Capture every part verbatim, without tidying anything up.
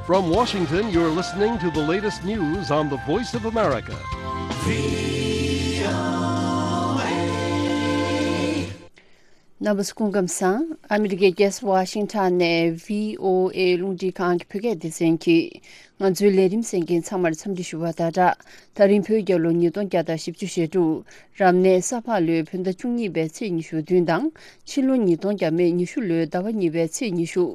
From Washington, you're listening to the latest news on the Voice of America. རྣམ་པ་ཚོ་སྐུ་ཁམས་བཟང་། ཨ་མི་རི་ཀའི་རྒྱལ་ས་ཝ་ཤིང་ཊོན་ནས་བྷི་ཨོ་ཨེ་རླུང་འཕྲིན་ཁང་གི་བོད་སྐད་སྡེ་ཚན་གྱིས་ང་ཚོའི་ལས་རིམ་གསན་མཁན་ཚང་མར་འཚམས་འདྲི་ཞུ་བ་དང་སྦྲགས། ད་རིང་བོད་རྒྱལ་ལོ་ཉིས་སྟོང་བརྒྱ་དང་བཞི་བཅུ་ཞེ་དྲུག་རབ་གནས་ས་ཕག་ལོའི་བོད་ཟླ་བཅུ་གཉིས་པའི་ཚེས་ཉི་ཤུ་བདུན་དང་། ཕྱི་ལོ་ཉིས་སྟོང་བརྒྱ་མེད་ཉི་ཤུ་ལོའི་ཟླ་བ་གཉིས་པའི་ཚེས་ཉི་ཤུ།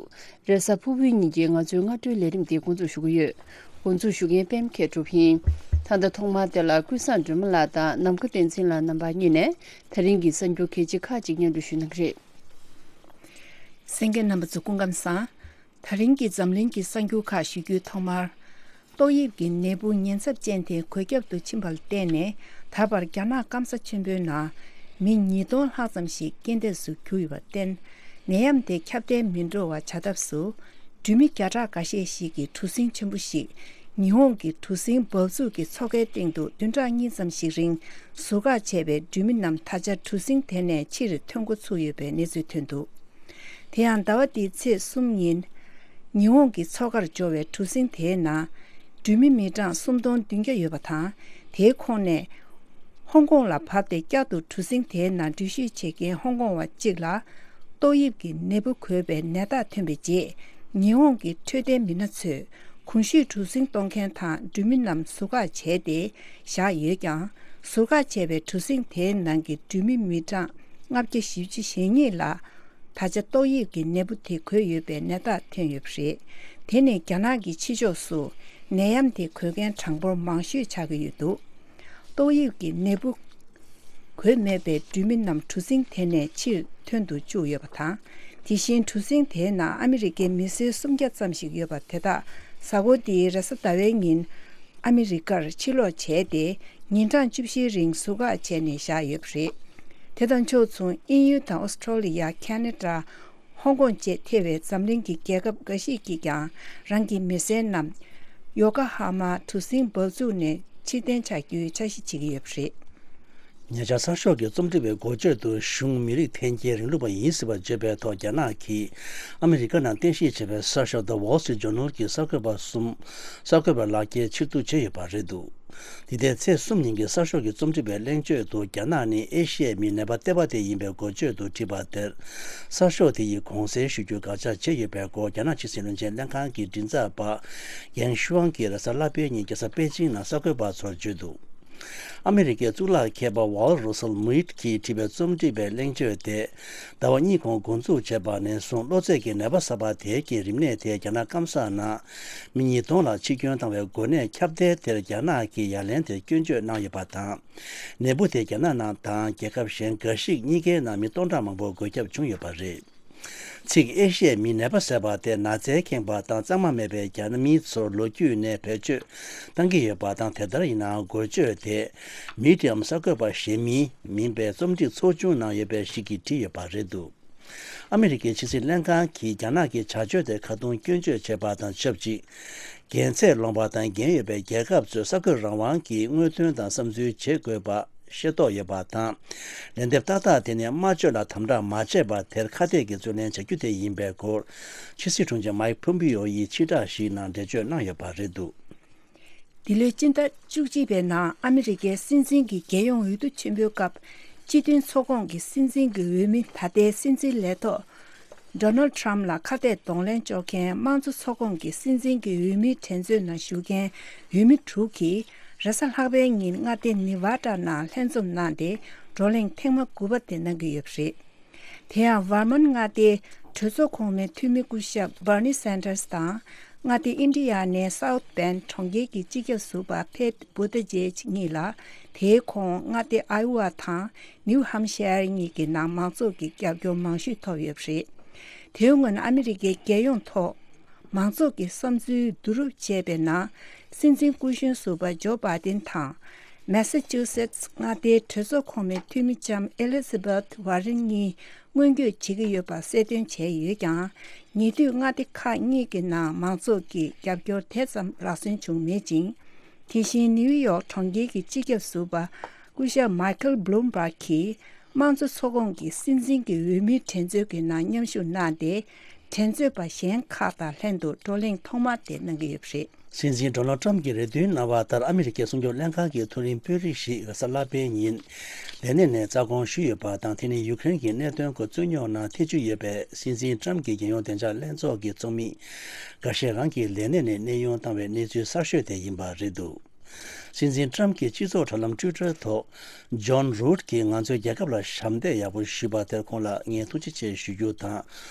རེས་གཟའ་ཕུར་བུའི་ཉིན་གྱི་ང་ཚོའི་སྔ་དྲོའི་ལས་རིམ་འདི་འགོ་འཛུགས་ཞུ་གི་ཡོད། འགོ་འཛུགས་ཞུ་མཁན་པད་མ་མཁས་གྲུབ་ཡིན། ད་ལྟ་ཐོག་མར་དེ་ལ་ཀུན་བཟང་སྒྲོལ་མ་ལགས་དང་ནམ་མཁའ་བསྟན་འཛིན་ལགས་རྣམ་པ་གཉིས་ནས་ད་རིང་གི་གསར་འགྱུར་གལ་ཆེ་ཁག་ཅིག་སྙན་སྒྲོན་ཞུ་གནང་གི་རེད། གསན་མཁན་རྣམ་པ་ཚོ་སྐུ་ཁམས་བཟང་། ད་རིང་གི་འཛམ་གླིང་གི་གསར་འགྱུར་ཁག་ཞུ་རྒྱུའི་ཐོག་མར། ཏོག་དབྱིབས་ཀྱི་ནད་འབུ་ཉེན་ཚབས་ཅན་དེ་འགོས་ཁྱབ་ཏུ་ཕྱིན་པར་བརྟེན་ནས་ད་བར་རྒྱ་ནག་སྐམ་ས་ཆེན་པོའི་ནང་མི་ཉིས་སྟོང་ལྷག་ཙམ་ཞིག་རྐྱེན་འདས་སུ་གྱུར་ཡོད་པར་བརྟེན། ནད་ཡམས་དེ་ཁྱབ་གདལ་མི་འགྲོ་བ་བྱ་ཐབས་སུ། འགྲུལ་མི་བརྒྱ་ཕྲག་འགའ་ཤས་ཤིག་གིས་གྲུ་གཟིངས་ཆེན་པོ་ཞིག་ཉི་ཧོང་གི་གྲུ་གཟིངས་འབབ་ཚུགས་ཀྱི་མཚོ་ཁའི་སྟེང་དུ་བདུན་ཕྲག་གཉིས་ཙམ་ཞིག་རིང་ཟུར་བཀག་བྱས་པའི་འགྲུལ་མི་རྣམས་ད་ཆ་གྲུ་གཟིངས་དེ་ནས་ཕྱིར་ཐོན་འགོ་ཚུགས་ཡོད་པའི་གནས་ཚུལ་ཐོན་འདུག་དེ་ཡང་ཟླ་བ་འདིའི་ཚེས་གསུམ་ཉིན། ཉི་ཧོང་གི་མཚོ་ཁར་འབྱོར་བའི་གྲུ་གཟིངས་དེའི་ནང་། འགྲུལ་མི་མི་གྲངས་སུམ་སྟོང་བདུན་བརྒྱ་ཡོད་པ་དང་། དེའི་ཁོངས་ནས། ཧོང་ཀོང་ལ་བབས་ཏེ་བསྐྱར་དུ་གྲུ་གཟིངས་དེའི་ནང་འགྲུལ་བཞུད་བྱེད་མཁན་ཧོང་ཀོང་བ་གཅིག་ལ། ཏོག་དབྱིབས་ཀྱི་ནད་འབུ་འགོས་པའི་ནད་རྟགས་ཐོན་པའི་རྗེས། ཉི་ཧོང་གི་འཕྲོད་བསྟེན་མི་སྣ་ཚོས། གོང་ཞུས་གྲུ་གཟིངས་གཏོང་མཁན་དང་འགྲུལ་མི་རྣམས་ཟུར་བཀག་བྱས་ཏེ། བཞག་ཡོད་ཀྱང་། ཟུར་བཀག་བྱས་པའི་གྲུ་གཟིངས་དེའི་ནང་གི་འགྲུལ་མི་མི་གྲངས་ལྔ་བརྒྱ་བཞི་བཅུ་ཞེ་གཉིས་ལ། ད་ཆ་ཏོག་དབྱིབས་ཀྱི་ནད་འབུ་དེ་འགོས་ཡོད་པའི་ནད་རྟགས་ཐོན་ཡོད་པ་རེད། དེ་ནི་རྒྱ་ནག་གི་ཕྱི་ཕྱོགས་སུ་ནད་ཡམས་དེ་འགོས་མཁན་གྲངས་འབོར་མང་ཤོས་ཆགས་ཀྱི་ཡོད་འདུག་ཏོག་དབྱིབས་ཀྱི་ནད་འབུ་འགོས་མེད་པའི་འགྲུལ་མི་རྣམས་གྲུ་གཟིངས་དེ་ནས་ཕྱིར་ཐོན་དུ་བཅུག་ཡོད་པ་དང་། དེ་བཞིན་གྲུ་གཟིངས་དེའི་ནང་ཨ་མི་རི་ཀའི་མི་སེར་སུམ་བརྒྱ་ཙམ་ཞིག་ཡོད་པ་དེ་དག་གཟའ་འཁོར་འདིའི་རེས་གཟའ་ཟླ་བའི་ཉིན། ཨ་མི་རི་ཀར་ཕྱིར་ལོག་བྱས་ཏེ། ཉིན་གྲངས་བཅུ་བཞིའི་རིང་ཟུར་བཀག་བྱས་ནས་བཞག་ཡོད་པ་རེད། དེ་དང་ཕྱོགས་མཚུངས་དབྱིན་ཡུལ་དང་ཨོ་སི་ཁྲོ་ལི་ཡ། ཁ་ན་ཌ། ཧོང་ཀོང་བཅས་ཐེ་བའི་འཛམ་གླིང་གི་རྒྱལ་ཁབ་འགའ་ཞིག་གིས་ཀྱང་རང་གི་མི་སེར་རྣམས་ཡོ་ཀོ་ཧ་མ་གྲུ་གཟིངས་འབབ་ཚུགས་ནས་ཕྱིར་འཐེན་བྱ་རྒྱུའི་འཆར་གཞི་བྱེད་ཀྱི་ཡོད་པ་རེད། ཉེ་ཆར་གསར་ཤོག་གི་རྩོམ་སྒྲིག་པའི་འགོ་བརྗོད་དུ་གཞུང་མི་རིགས་འཐེན་འཁྱེར་རིང་ལུགས་པ་ཡིན་སྲིད་པར་བརྗོད་པའི་ཐོག་རྒྱ་ནག་གིས་ཨ་མི་རི་ཀ་ནང་རྟེན་གཞི་བྱས་པའི་གསར་ཤོག་The Wall Street Journal གྱི་གསར་འགོད་པ་གསུམ་གསར་འགོད་པ་ལག་འཁྱེར་ཕྱིར་བསྡུ་བྱས་ཡོད་པ་རེད་འདུག་འདི་ཟླའི་ཚེས་གསུམ་ཉིན་གྱི་གསར་ཤོག་གི་རྩོམ་སྒྲིག་པའི་གླེང་བརྗོད་དུ་རྒྱ་ནག་ནི་ཨེ་ཤི་ཡའི་མིའི་ནད་པ་ལྟེ་བ་དེ་ཡིན་པའི་འགོ་བརྗོད་དུ་བྲིས་པ་དེར། གསར་ཤོག་དེ་ཡིས་གུང་གསེང་ཞུ་རྒྱུའི་དགག་བྱ་བྱས་ཡོད་པའི་སྐོར་རྒྱ་ནག་ཕྱི་སྲིད་བློན་ཆེན་ལྷན་ཁང་གི་མགྲིན་ཚབ་པ་ཡན་ཤུའང་གིས་རེས་གཟའ་ལྷག་པའི་ཉིན་རྒྱལ་ས་པེ་ཅིང་ནང་གསར་འགོད་པ་ཚོར་བརྗོད་འདུག་ཨ་མི་རི་ཀའི་གཙུག་ལག་མཁས་པ་ཝལ་རོ་སལ་མུའིད་ཀྱིས་བྲིས་པའི་རྩོམ་སྒྲིག་པའི་གླེང་བརྗོད་དེ། ཟླ་བ་གཉིས་གོང་འགོ་འཛུགས་བྱས་པ་ནས་བཟུང་གློ་ཚད་ཀྱི་ནད་པ་གསར་པ་དེ་གའི་རིམས་ནད་དེ་རྒྱ་ནག་སྐམ་ས་ནང་མི་ཉིས་སྟོང་ལ་འཆི་སྐྱོན་བཏང་བའི་འགོས་ནད་ཁྱབ་གདལ་དེར་རྒྱ་ནག་གིས་ཡ་ལན་དེ་སྐྱོན་བརྗོད་གནང་ཡོད་པ་དང་། ནད་འབུ་དེ་རྒྱ་ནག་ནང་དང་རྒྱལ་ཁབ་གཞན་འགའ་ཞིག་གཉིས་ཀའི་ནང་མི་སྟོང་ཕྲག་མང་པོ་འགོས་ཁྱབ་བྱུང་ཡོད་པ་རེད། ཚིག་ཨེ་ཤི་ཡའི་མིའི་ནད་པ་ཟེར་བ་དེ་ན་ཚའི་ཁེངས་པ་དང་གཙང་མ་མེད་པའི་རྒྱ་མི་ཚོར་ལོ་རྒྱུས་ནས་བེད་སྤྱོད་བཏང་གི་ཡོད་པ་དང་། དེ་ལྟར་ཡིན་ནའང་འགོ་བརྗོད་དེ་མི་ཌི་ཡམ་གསར་འགོད་པ་གཞན་མིན་མིན་པའི་རྩོམ་སྒྲིག་ཚོགས་ཆུང་ནང་ཡོད་པ་ཞིག་གིས་བྲིས་ཡོད་པ་རེད་འདུག་ཨ་མི་རི་ཀའི་ཕྱི་སྲིད་ལྷན་ཁང་གིས་རྒྱ་ནག་གི་བྱ་སྤྱོད་དེ་ཁ་རྡུང་སྐྱོན་བརྗོད་བྱས་པ་དང་ཆབས་ཅིག་འགན་ཚད་ལོངས་པ་དང་འགན་ཡོད་པའི་རྒྱལ་ཁབ་ཚོས་གསར་འགོད་རང་དབང་གིས་དངོས་དོན་དང་བསམ་ཚུལ་བྱེད་དགོས་པ་ཤེས་རྟོགས་ཡོད་པ་དང་། ལན་འདེབས་ཏག་ཏག་དེ་ནི་སྨྲ་བརྗོད་ལ་དམ་དྲག་མ་བྱས་པར་དེར་ཁ་གཏད་ཀྱིས་རྩོད་ལེན་བྱ་རྒྱུ་དེ་ཡིན་པའི་སྐོར། ཕྱི་སྲིད་དྲུང་ཆེ་མཱིག་ཕོམ་པིའོ་ཡིས་ཕྱིར་བསྒྲགས་ཤིག་ནང་འགྲེལ་བརྗོད་གནང་ཡོད་པ་རེད་འདུག་འདི་ལོའི་སྤྱི་ཟླ་བཅུ་གཅིག་པའི་ནང་ཨ་མི་རི་ཀའི་སྲིད་འཛིན་གྱི་རྒྱལ་ཡོངས་འོས་བསྡུ་ཆེན་པོའི་སྐབས་སྤྱི་མཐུན་ཚོགས་ཁོངས་ཀྱི་སྲིད་འཛིན་གྱི་འོས་མི་ད་ལྟའི་སྲིད་འཛིན་ལས་ཐོག་ཌོ་ནལ་ཌི་ཊརམ་ཕི་ལ་ཁ་གཏད་གདོང་ལེན་གཅོག་མཁན་དམངས་གཙོ་ཚོགས་ཁོངས་ཀྱི་སྲིད་འཛིན་གྱི་འོས་མིའི་འགྲན་རྩོད་ནང་ཞུགས་མཁན་འོས་མི་དྲུག་གིས་རེས་གཟའ་ལྷག་པའི་ཉིན་མངའ་སྡེ་ནི་ཝ་ཌ་ནང་ལྷན་འཛོམས་གནང་སྟེ་བགྲོ་གླེང་ཐེངས་མ་དགུ་པ་དེ་གནང་གི་ཡོད་པ་རེད། དེ་ཡང་ཝར་མཱན་མངའ་སྡེའི་གྲོས་ཚོགས་གོང་མའི་འཐུས་མི་སྐུ་ཞབས་བྷར་ནི་སན་ཏར་སི་དང་། མངའ་སྡེ་ཨིན་ཌི་ཡ་ནའི་སའུ་ཐི་བྷེན་གྲོང་ཁྱེར་གྱི་སྤྱི་ཁྱབ་ཟུར་པ་ཕེད་བྷུ་ཏི་ཇེཇ་གཉིས་ལ། དེའི་གོང་མངའ་སྡེ་ཨའི་ཝ་དང་ནིའུ་ཧམ་ཤར་གཉིས་ཀྱི་ནང་མང་ཚོགས་ཀྱི་རྒྱབ་སྐྱོར་མང་ཤོས་ཐོབ་ཡོད་པ་རེད། དེའི་སྔོན་ཨ་མི་རི་ཀའི་རྒྱལ་ཡོངས་ཐོག་མང་ཚོགས་ཀྱི་བསམ་ཚུལ་བསྡུ་རུབ་བྱས་པའི་ནང་། སྲིད་འཛིན་སྐུ་གཞོན་ཟུར་པ་ཇོ་བྷའི་ཏིན་དང་། མེ་ས་ཅུ་སེ་ཊི་སི་མངའ་སྡེའི་གྲོས་ཚོགས་གོང་མའི་འཐུས་མི་ལྕམ་ཨེ་ལི་ཛ་བྷེཐ་ཝར་རེན་གཉིས་སྔོན་སྐྱོད་བྱེད་ཀྱི་ཡོད་པ་གསལ་སྟོན་བྱས་ཡོད་ཀྱང་། ཉེ་དུས་མངའ་སྡེ་ཁག་གཉིས་ཀྱི་ནང་མང་ཚོགས་ཀྱི་རྒྱབ་སྐྱོར་དེ་ཙམ་ལག་སོན་བྱུང་མེད་ཅིང་། དེ་བཞིན་ནིའུ་ཡོག་གྲོང་ཁྱེར་གྱི་སྤྱི་ཁྱབ་ཟུར་པ་སྐུ་ཞབས་མའི་ཁལ་བྷི་ལུམ་བྷག་གིས་དམངས་གཙོ་ཚོགས་ཁོངས་ཀྱི་སྲིད་འཛིན་གྱི་འོས་མིའི་འགྲན་རྩོད་ཀྱི་ནང་མཉམ་ཞུགས་གནང་སྟེ། འགྲན་རྩོད་པ་གཞན་ཁག་དང་ལྷན་དུ་བགྲོ་གླེང་ཐོག་མ་དེ་གནང་གི་ཡོད་པ་རེད། སྲིད་འཛིན་ཌོ་ནལ་ཊམ་གྱིས་རེ་འདུན་གནང་བ་ལྟར། ཨ་མི་རི་ཀའི་སྲུང་སྐྱོབ་ལྷན་ཁང་གི་མཐོ་རིམ་དཔོན་རིགས་ཤིག་རེས་གཟའ་ལྷག་པའི་ཉིན་ལས་གནས་ནས་རྩ་དགོངས་ཞུས་ཡོད་པ་དང་། དེ་ནི་ཡུ་ཀེ་རེན་གྱི་གནད་དོན་སྐོར་རྩོད་རྙོག་ནང་ཐེ་བྱུས་ཡོད་པའི་སྲིད་འཛིན་ཊམ་གྱི་རྒྱལ་ཡོངས་བདེ་འཇགས་ལྷན་ཚོགས་ཀྱི་ཚོགས་མི་འགའ་ཤས་རང་གི་ལས་གནས་ནས་གནས་དབྱུང་བཏང་བའི་གནས་ཚུལ་གསར་ཤོས་དེ་ཡིན་པ་རེད་འདུག། སྲིད་འཛིན་ཊམ་གྱིས་སྤྱི་ཚོགས་དྲ་ལམ་ཊུའི་ཊར་ཐོག་ཇོན་རུད་ཀྱིས་ང་ཚོའི་རྒྱལ་ཁབ་ལ་ཞབས་འདེགས་ཡག་པོ་ཞུས་པ་དེར་ཁོང་ལ་ངས་ཐུགས་རྗེ་ཆེ་ཞུ་རྒྱུ་དང་།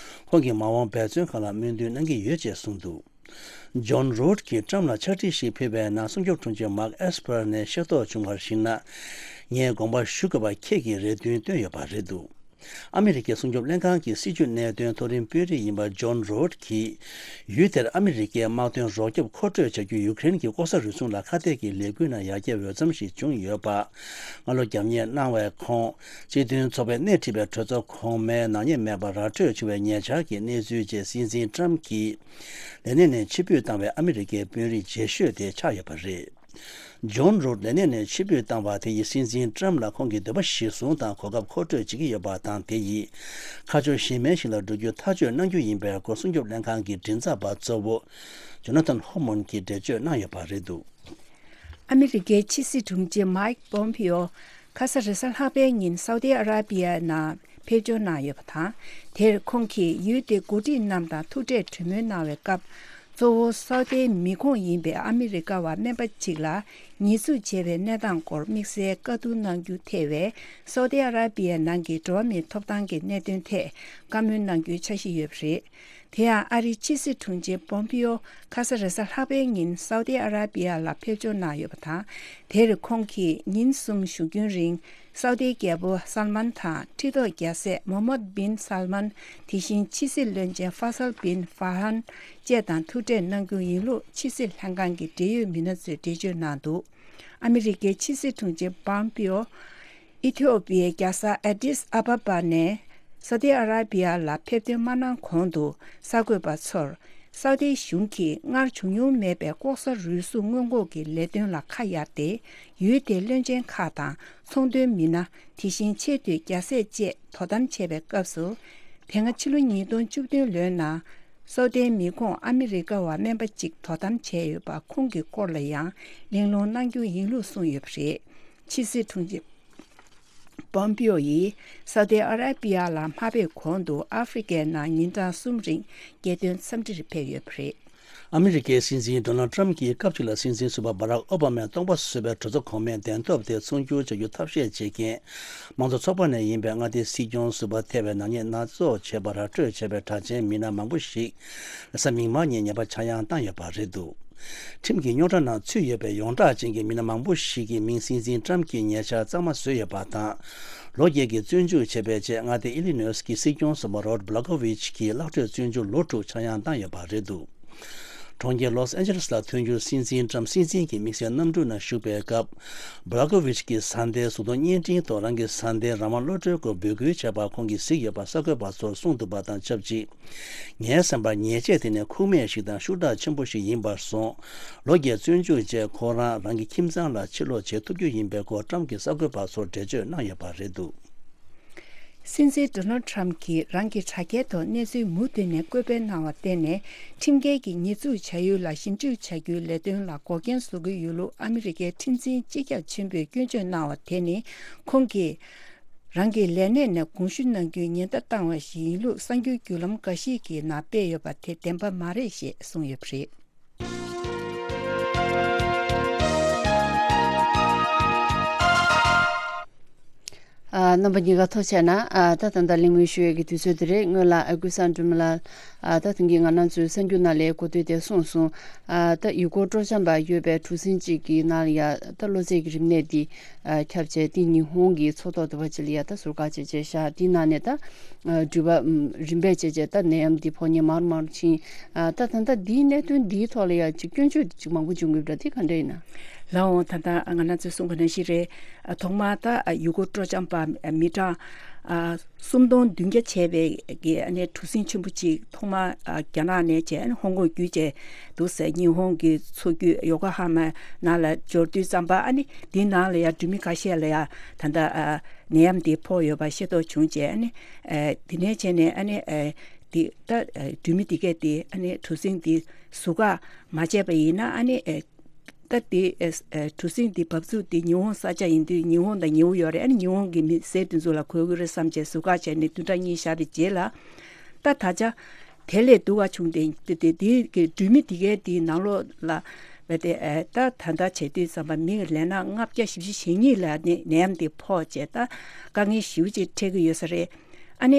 ཁོང་གི་མ་འོངས་འབད་བརྩོན་ཁག་ལ་སྨོན་འདུན་གནང་གི་ཡོད་ཅེས་གསུངས་འདུག། ཇོན་རུད་ཀྱིས་ཊམ་ལ་ཕྱག་བྲིས་ཤིག་ཕུལ་བའི་ནང་། སྲུང་སྐྱོབ་དྲུང་ཆེ་མཱག་ཨེས་པར་ནས་ཤེས་རྟོགས་བྱུང་བར་གཞིགས་ན། ངས་དགོངས་པ་ཞུ་དགོས་པ་ཁྱེད་ཀྱིས་རེ་འདུན་བཏོན་ཡོད་པ་རེད་འདུག། ཨ་མི་རི་ཀའི་སྲུང་སྐྱོབ་ལྷན་ཁང་གི་སྲིད་བྱུས་གནད་དོན་མཐོ་རིམ་དཔོན་རིགས་ཡིན་པ་ཇོན་རོད་ཀྱིས། ཡུལ་དེར་ཨ་མི་རི་ཀའི་དམག་དོན་རོགས་སྐྱོབ་མཁོ་སྤྲོད་བྱ་རྒྱུ་ཡུ་ཀེ་རེན་གྱི་ལྐོག་ཟ་རུལ་སུངས་ལ་ཁ་གཏད་ཀྱི་ལས་འགུལ་ནང་ཡར་རྒྱས་འོས་འཚམ་ཞིག་བྱུང་ཡོད་པ། སྔ་ལོ་རྒྱབ་གཉེར་གནང་བའི་ཁོང་། སྤྱི་མཐུན་ཚོགས་པས་སྣེ་ཁྲིད་པའི་གྲོས་ཚོགས་གོང་མའི་ནག་ཉེས་མེད་པར་ར་སྤྲོད་བྱུང་བའི་ཉེ་ཆར་གྱི་གནས་ཚུལ་བཅས། སྲིད་འཛིན་ཊམ་གྱིས་ལས་གནས་ནས་ཕྱིར་འབུད་བཏང་བའི་ཨ་མི་རི་ཀའི་དཔོན་རིགས་རྗེས་ཤོས་དེ་ཆགས་ཡོད་པ་རེད། ཇོན་རུད་ལས་གནས་ནས་ཕྱིར་འབུད་བཏང་བ་དེ་ཡིས་སྲིད་འཛིན་ཊམ་ལ་ཁོང་གི་འདོད་པ་གཞིར་བཟུང་དང་གོ་སྐབས་མཁོ་སྤྲོད་བྱེད་ཀྱི་ཡོད་པ་དང་། དེ་ཡིས་ཁ་ཕྱོགས་གཞན་མའི་ཞིག་ལ་འགྲོ་རྒྱུ་ཐག་གཅོད་གནང་རྒྱུ་ཡིན་པའི་སྐོར། སྲུང་སྐྱོབ་ལྷན་ཁང་གི་མགྲིན་ཚབ་པ་གཙོ་བོ་ཇོ་ན་ཐན་ཧོ་མོན་གྱིས་འགྲེལ་བརྗོད་གནང་ཡོད་པ་རེད་འདུག། ཨ་མི་རི་ཀའི་ཕྱི་སྲིད་དྲུང་ཆེ་མཱིག་པོམ་པིའོ་ཁ་ས་རེས་གཟའ་ལྷག་པའི་ཉིན་སའུ་ཏི་ཨ་ར་པི་ཡ་ནང་ཕེབས་འབྱོར་གནང་ཡོད་པ་དང་། དེར་ཁོང་གིས་ཡུལ་དེའི་འགོ་ཁྲིད་རྣམས་དང་ཐུག་འཕྲད་གྲོས་མོལ་གནང་བའི་སྐབས། གཙོ་བོ་སའུ་ཏིའི་མི་ཁོངས་ཡིན་པའི་ཨ་མི་རི་ཀ་བ་སྨན་པ་གཅིག་ལ་ཉེས་འཛུགས་བྱས་པའི་གནས་སྟངས་སྐོར་དམིགས་བསལ་བཀའ་བསྡུར་གནང་རྒྱུ་ཐེ་བའི་སའུ་ཏི་ཨ་ར་པི་ཡའི་ནང་གི་འགྲོ་བ་མིའི་ཐོབ་ཐང་གི་གནད་དོན་ཐད་བཀའ་མོལ་གནང་རྒྱུའི་འཆར་གཞི་ཡོད་པ་རེད། དེ་ཡང་ཨ་རིའི་ཕྱི་སྲིད་དྲུང་ཆེ་པོམ་པིའོ་ཁ་ས་རེས་གཟའ་ལྷག་པའི་ཉིན་སའུ་ཏི་ཨ་ར་པི་ཡ་ལ་ཕེབས་འབྱོར་གནང་ཡོད་པ་དང་། དེར་ཁོང་གིས་ཉིན་གསུམ་བཞུགས་རྒྱུན་རིང་སའུ་ཏིའི་རྒྱལ་པོ་སལ་མན་དང་ཁྲི་ཐོག་རྒྱལ་སྲས་མོ་ཧམ་མད་བིན་སལ་མན། དེ་བཞིན་ཕྱི་སྲིད་བློན་ཆེན་ཧྥ་སལ་བིན་ཧྥ་ཧན་བཅས་དང་ཐུག་འཕྲད་གནང་རྒྱུ་ཡིན་ལུགས་ཕྱི་སྲིད་ལྷན་ཁང་གི་འབྲེལ་ཡོད་མི་སྣ་ཚོས་འགྲེལ་བརྗོད་གནང་འདུག། ཨ་མི་རི་ཀའི་ཕྱི་སྲིད་དྲུང་ཆེ་པོམ་པིའོ་ཨི་ཐི་ཡོ་པི་ཡའི་རྒྱལ་ས་ཨ་ཏིས་ཨ་བ་བ་ནས་སའུ་ཏི་ཨ་ར་པི་ཡ་ལ་ཕེབས་ཐོན་མ་གནང་གོང་དུ། གསར་འགོད་པ་ཚོར་སའུ་ཏི་གཞུང་གིས་སྔར་བྱུང་མྱོང་མེད་པའི་ལྐོག་ཟ་རུལ་སུངས་སྔོན་འགོག་གི་ལས་དོན་ལ་ཁ་གཡར་ཏེ། ཡུལ་དེའི་བློན་ཆེན་ཁག་དང་ཚོང་དོན་མི་སྣ། དེ་བཞིན་ཆེས་མཐོའི་རྒྱལ་སྲས་བཅས་དོ་དམ་བྱས་པའི་སྐབས་སུ། དེ་སྔ་ཕྱི་ལོ་ཉིས་སྟོང་བཅུ་བདུན་ལོའི་ནང་། སའུ་ཏིའི་མི་ཁོངས་ཨ་མི་རི་ཀ་བ་སྨན་པ་གཅིག་དོ་དམ་བྱས་ཡོད་པ་ཁོང་གི་སྐོར་ལ་ཡང་གླེང་སློང་གནང་རྒྱུ་ཡིན་ལུགས་གསུངས་ཡོད་པ་རེད། ཕྱི་སྲིད་དྲུང་ཆེ་པོམ་པིའོ་ཡིས་སའུ་ཏི་ཨ་ར་པི་ཡ་ལ་མ་ཕེབས་གོང་དུ་ཨ་ཧྥེ་རི་ཀའི་ནང་ཉིན་གྲངས་གསུམ་རིང་རྒྱལ་དོན་འཚམས་འདྲིར་ཕེབས་ཡོད་པ་རེད། ཨ་མི་རི་ཀའི་སྲིད་འཛིན་ཌོ་ནལ་ཊམ་གྱིས་སྐབས་གཅིག་ལ་སྲིད་འཛིན་ཟུར་པ་བྷ་རག་ཨོ་བྷ་མས་སྟོང་པ་བཟོས་པའི་གྲོས་ཚོགས་གོང་མའི་གདན་ཐོབ་དེ་ཚོང་བསྒྱུར་བྱ་རྒྱུ་ཐབས་ཤེས་བྱེད་མཁན་དམངས་གཙོ་ཚོགས་པ་ནས་ཡིན་པའི་མངའ་སྡེའི་སྲིད་སྐྱོང་ཟུར་པ་ཐེ་བའི་ནག་ཉེས་སྣ་ཚོགས་བྱས་པར་ར་སྤྲོད་བྱས་པའི་གྲགས་ཅན་མི་སྣ་མང་པོ་ཞིག་རེས་གཟའ་མིག་དམར་ཉིན་ཉེས་པ་ཆག་ཡང་བཏང་ཡོད་པ་རེད་འདུག། ཁྲིམས་ཀྱི་རྙོག་དྲ་ནང་ཚུད་ཡོད་པའི་ཡོངས་གྲགས་ཅན་གྱི་མི་སྣ་མང་པོ་ཞིག་གི་མིང་སྲིད་འཛིན་ཊམ་གྱིས་ཉེ་ཆར་གཙང་མ་བཟོས་ཡོད་པ་དང་། ལོ་བརྒྱད་ཀྱི་བཙོན་འཇུག་བྱས་པའི་རྗེས་མངའ་སྡེ་ཨི་ལི་ནོས་ཀྱི་སྲིད་སྐྱོང་ཟུར་པ་རོད་བྷ་ལ་ཀོ་ཝིཆ་གྱིས་གླགས་ཁྲོད་བཙོན་འཇུག་ལོ་དྲུག་ཆག་ཡང་བཏང་ཡོད་པ་རེད་འདུག། གྲོང་ཁྱེར་ལོས་ཨན་ཇེ་ལེས་ལ་ཐོན་རྒྱུར་སྲིད་འཛིན་ཊམ་སྲིད་འཛིན་གྱི་དམིགས་བསལ་གནམ་གྲུ་ནང་བཞུགས་པའི་སྐབས། བྷ་ལ་ཀོ་ཝིཆ་གྱི་བཟའ་ཟླའི་གཟུགས་མཐོང་བརྙན་འཕྲིན་ཐོག་རང་གི་བཟའ་ཟླའི་རང་དབང་བློ་གྲོས་སྐོར་འབོད་སྐུལ་བྱས་པ་ཁོང་གིས་གཟིགས་ཡོད་པ་གསར་འགོད་པ་ཚོར་གསུངས་འདུག་པ་དང་ཆབས་ཅིག། ངའི་བསམ་པར་ཉེས་ཆད་དེ་ནི་ཁུངས་མེད་ཞིག་དང་ཤུགས་དྲག་ཆེན་པོ་ཞིག་ཡིན་པར་སོང་། ལོ་བརྒྱད་བཙོན་འཇུག་རྗེས་ཁོ་རང་རང་གི་ཁྱིམ་ཚང་ལ་ཕྱིར་ལོག་བྱེད་ཐུབ་རྒྱུ་ཡིན་པའི་སྐོར་ཊམ་གྱིས་གསར་འགོད་པ་ཚོར་འགྲེལ་བརྗོད་གནང་ཡོད་པ་རེད་འདུག། སྲིད་འཛིན་ཌོ་ནལ་ཊམ་གྱིས་རང་གི་དྲ་རྒྱའི་ཐོག་གནས་ཚུལ་མུ་མཐུད་ནས་བཀོད་སྤེལ་གནང་བར་བརྟེན་ནས། ཁྲིམས་འགལ་གྱི་ཉེས་འཛུགས་བྱ་ཡུལ་ལ་ཞིབ་འཇུག་བྱ་རྒྱུའི་ལས་དོན་ལ་འགོག་རྐྱེན་བཟོ་གི་ཡོད་ལུགས་ཨ་མི་རི་ཀའི་ཁྲིམས་འཛིན་སྤྱི་ཁྱབ་ཆེན་པོས་སྐྱོན་བརྗོད་གནང་བ་དེ་ནི། ཁོང་གིས་རང་གི་ལས་གནས་ནས་དགོངས་ཞུ་གནང་རྒྱུའི་ཉེན་བརྡ་བཏང་བ་ཞིག་ཡིན་ལུགས་གསར་འགྱུར་བརྒྱུད་ལམ་འགའ་ཞིག་གི་ནང་སྤེལ་ཡོད་པ་དེ་བདེན་པ་མ་རེད་ཞེས་གསུངས་ཡོད་པ་རེད། ཨ། རྣམ་པ་གཉིས་ཀ་ཐུགས་རྗེ་ཆེ་གནང་། ཨ། ད་ད་ལྟ་གླེང་མོལ་ཞུ་ཡས་ཀྱི་དུས་ཚོད་དེ་རེད། སྔོན་ལ་ཨ་ཀུན་བཟང་སྒྲོལ་མ་ལགས། ཨ། ད་ཐེངས་ཀྱི་ང་རང་ཚོའི་གསར་འགྱུར་ནང་ལ་གོ་ཐོས་དེ་གསུངས་སོང་། ཨ། ད་ཡུ་གུར་སྤྲོ་འཆམ་པ་ཡོད་པའི་གྲུ་གཟིངས་གཅིག་གི་ནང་ལ་ཡ་ད་གློ་ཚད་ཀྱི་རིམས་ནད་འདི་ཨ། ཁྱབ་བྱས་དེ་ཉི་ཧོང་གི་མཚོ་ཐོག་དེ་བ་ཅིག་ལ་ཡ་ད་ཟུར་བཀག་བྱས་བྱས་བཞག། དེའི་ནང་ནས་ད་ཨ། འགྲུལ་པ་རིམ་པས་བྱས་བྱས་ད་ནད་ཡམས་འདི་ཕོག་མཁན་མང་རུ་མང་རུ་ཕྱིན། ཨ། ད་ད་ལྟ་འདིའི་གནད་དོན་འདིའི་ཐོག་ལ་ཡ་ཅིག་སྐྱོན་བརྗོད་ཅིག་མང་པོ་བྱུང་གི་ཡོད་པ་འདྲ། དེ་ག་འདྲ་ཡིན་ན། ལགས་འོང་། ད་ལྟ་ང་རང་ཚོས་གསུངས་པ་ནང་བཞིན་རེད། ཨ། ཐོག་མར་ད་ཡུ་གུར་སྤྲོ་འཆམ་པ་མི་གྲངས་ཨ། སུམ་སྟོང་བདུན་བརྒྱ་བྱས་པའི་གི་ཨ་ནི་གྲུ་གཟིངས་ཆེན་པོ་གཅིག་ཐོག་མར་ཨ། རྒྱ་ནག་ནས་བྱས། ཨ་ནི་ཧོང་ཀོང་བརྒྱུད་བྱས་འདུག་ཟེར། ཉི་ཧོང་གི་མཚོ་རྒྱུད་ཡོ་ཀོ་ཧ་མ་ནང་ལ་འབྱོར་དུས་ཙམ་པ། ཨ་ནི་འདི་ནང་ལ་ཡ་འགྲུལ་མི་ཁ་ཤས་ལ་ཡ་ད་ལྟ་ཨ། ནད་ཡམས་འདི་ཕོག་ཡོད་པ་ཤེས་རྟོགས་བྱུང་བྱས། ཨ་ནི་ཨ། དེ་ནས་བྱས་ནས་ཨ་ནི་ཨ། དེ་ད་སྦྲུལ་མི་དེ་གས་དེ་ཨ་ནི་གྲུ་གཟིངས་དེ་ཟུར་བཀག་མ་བྱས་པ་ཡིན་ན་ཨ་ནི་ད་དེ་གྲུ་གཟིངས་དེ་བབས་ཚུགས་དེ་ཉི་ཧོང་ས་ཆ་ཡིན་དུས་ཉི་ཧོང་དང་ཉི་ཧོང་ཡོད་རེད། ཨ་ནི་ཉི་ཧོང་གི་མི་སེར་དེ་ཚོ་ལ་གོ་གི་རེད་བསམ་བྱས་ཟུར་བཀག་བྱས་ནས་བདུན་ཕྲག་གཉིས་བཞག་པའི་རྗེས་ལ་ད་ད་ཆ་དེ་ལས་སྡུག་ག་བྱུང་སྟེ་དེ་དེ་དེ་གི་སྦྲུལ་མི་དེ་གས་དེའི་ནང་ལོགས་ལ་བས་ཏེ་ད་ད་ལྟ་བྱེད་དུས་ཙམ་པ་མི་ལས་ན་ལྔ་བརྒྱ་བཞི་བཅུ་ཞེ་གཉིས་ལ་ནད་ནད་ཡམས་དེ་ཕོག་བྱས་ད་དཀའ་ངལ་ཞེ་པོ་ཅིག་འཕྲད་ཀྱི་ཡོད་ས་རེད། ཨ་ནི་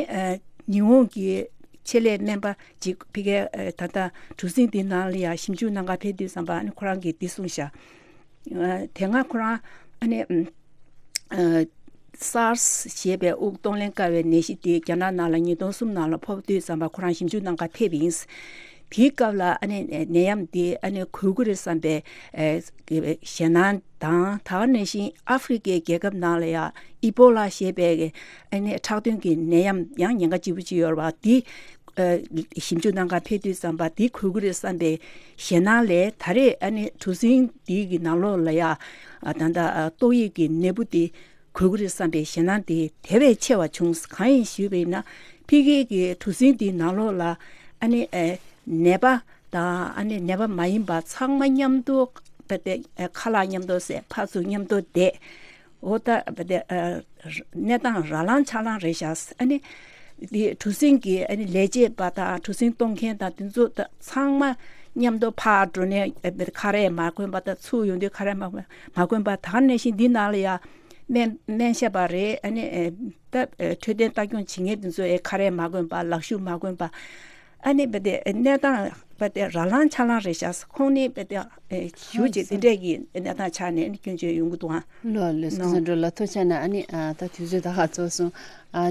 ཉི་ཧོང་གི་ཆེད་ལས་སྨན་པ་ཅིག་ཕ་གིར་ད་ལྟ་གྲུ་གཟིངས་དེའི་ནང་ལ་ཡང་ཞིབ་འཇུག་གནང་ག་ཕེབས་དུས་ཙམ་པ་ཨ་ནི་ཁོ་རང་གིས་འདི་གསུངས་ཤག་དེ་སྔ་ཁོ་རང་ཨ་ནི་SARS་ཞེས་པའི་དབུགས་གཏོང་ལེན་དཀའ་བའི་ནད་གཞི་དེ་རྒྱ་ནག་ནང་ལ་ཉིས་སྟོང་གསུམ་ནང་ལ་ཕོག་དུས་ཙམ་པ་ཁོ་རང་ཞིབ་འཇུག་གནང་ག་ཕེབས་ཡིན། དེའི་སྐབས་ལ་ཨ་ནི་ནད་ཡམས་དེ་ཨ་ནི་འགོས་ཀྱི་རེད་བསམ་པའི་ཞེད་སྣང་དང་ད་ག་ནང་བཞིན་ཨ་ཧྥེ་རི་ཁའི་རྒྱལ་ཁབ་ནང་ལ་ཡང་ཨི་པོ་ལ་ཞེས་པའི་ཨ་ནི་ཁྲག་འཐུང་གི་ནད་ཡམས་ཡང་ཉེན་ཁ་ལྕི་པོ་ཅིག་ཡོད་རེད་བ། དེ་ཞིབ་འཇུག་གནང་ག་ཕེབས་དུས་ཙམ་པ་དེ་འགོས་ཀྱི་རེད་བསམ་པའི་ཞེད་སྣང་ལས་ད་རེས་ཨ་ནི་གྲུ་གཟིངས་འདི་གི་ནང་ལོགས་ལ་ཡ་ད་ལྟ་ཏོག་དབྱིབས་ཀྱི་ནད་འབུ་དེ་འགོས་ཀྱི་རེད་བསམ་པའི་ཞེད་སྣང་དེ་དེ་བས་ཆེ་བ་བྱུང་། གང་ཡིན་ཞུས་པ་ཡིན་ན་ཕ་གི་གི་གྲུ་གཟིངས་འདིའི་ནང་ལོགས་ལ་ཨ་ནི་ནད་པ་དང་ཨ་ནི་ནད་པ་མ་ཡིན་པ་ཚང་མ་མཉམ་དུ་ཁ་ལག་མཉམ་དུ་བཟས་ཕར་ཚུར་མཉམ་དུ་བསྡད། འོ་ད་བ་དེ་གནས་སྟངས་ར་ལང་ཆ་ལང་རེད་ཤག་ཨ་ནི་དེ་གྲུ་གཟིངས་ཀྱི་ཨ་ནི་ལས་བྱེད་པ་དང་གྲུ་གཟིངས་གཏོང་མཁན་དང་དེ་ཚོ་ད་ཚང་མ་མཉམ་དུ་ཕར་འགྲོ་ནས་ཁ་རས་མ་གོན་པ་དང་ཚུར་ཡོང་དུས་ཁ་རས་མ་གོན་མ་གོན་པ་ད་ག་ནང་བཞིན་འདི་ནང་ལ་ཡ་སྨན་སྨན་ཞབས་པ་རེད། ཨ་ནི་ད་འཕྲོད་བསྟེན་ལྟ་སྐྱོང་བྱེད་མཁན་དེ་ཚོ་ཨེ་ཁ་རས་མ་གོན་པ་ལག་ཤུབས་མ་གོན་པ། ཨ་ནི་བ་དེ་གནས་སྟངས་བ་དེ་ར་ལང་ཆ་ལང་རེད་ཤག་ཁོང་ནི་བ་དེ་ཞུ་ཅིག་དེ་འདྲས་ཀྱི་གནས་སྟངས་ཆགས་ནས་ནི་སྐྱོན་བརྗོད་ཡོང་གི་འདུག་ཨང་། ལོ་ལེ་སྐུ་གཟུགས་འགྲོ་ལ་ཐུགས་ཆེ་ན། ཨ་ནི་ད་དུས་ཚོད་ད་ཧ་ཚོ་སོང་།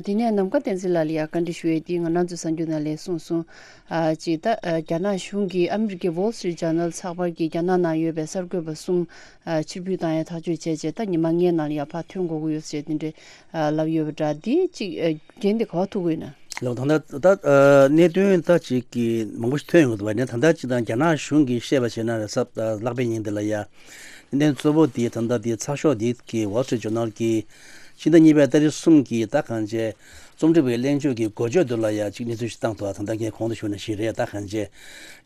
དེ་ནས་ནམ་མཁའ་བསྟན་འཛིན་ལགས་ལ་ཡ་བཀའ་འདྲི་ཞུ་ཡས་དེ་ང་རང་ཚོ་གསར་འགྱུར་ནང་ལས་གསུངས་སོང་། ཅིག་ད་རྒྱ་ནག་གཞུང་གིས་ཨ་མི་རི་ཀའི་Wall Street Journal་ཚགས་པར་གྱིས་རྒྱ་ནག་ནང་ཡོད་པའི་གསར་འགོད་པ་གསུམ་ཕྱིར་འབུད་བཏང་ཡས་ཐག་གཅོད་བྱས་རྗེས་ད་ཉི་མ་ལྔའི་ནང་ལ་ཡ་ཕར་ཐོན་དགོས་ཀྱི་ཡོད་ཟེར་དེ་འདྲས་ལབ་ཡོད་པ་འདྲ། འདི་ཅིག་རྒྱན་དེ་ག་པར་ཐུག་གི་ཡོད་ན། ལགས། ད་ལྟ་ད་གནད་དོན་ད་ཅིག་གི་མང་པོ་ཞིག་ཐོན་ཡོང་གི་འདུག་བ། ནས་ད་ལྟ་ཅིག་དང་རྒྱ་ནག་གཞུང་གིས་བཤད་པ་བྱས་ན་རེད་ས་ལྷག་པའི་ཉིན་འདི་ལ་ཡ་གནད་དོན་གཙོ་བོ་དེ་ད་ལྟ་དེ་ཚགས་ཤོག་འདི་གི་Wall Street Journal་གི་ཕྱི་ཟླ་གཉིས་པའི་ཏ་རིག་གསུམ་གྱི་ད་གང་བྱས་རྩོམ་སྒྲིག་པའི་གླེང་བརྗོད་ཀྱི་འགོ་བརྗོད་འདི་ལ་ཡ་ཅིག་གནས་ཚུལ་ཞིག་བཏང་འདུག་ད་ལྟ་ངས་གོང་དུ་ཞུས་ནང་བཞིན་རེད། ད་གང་བྱས་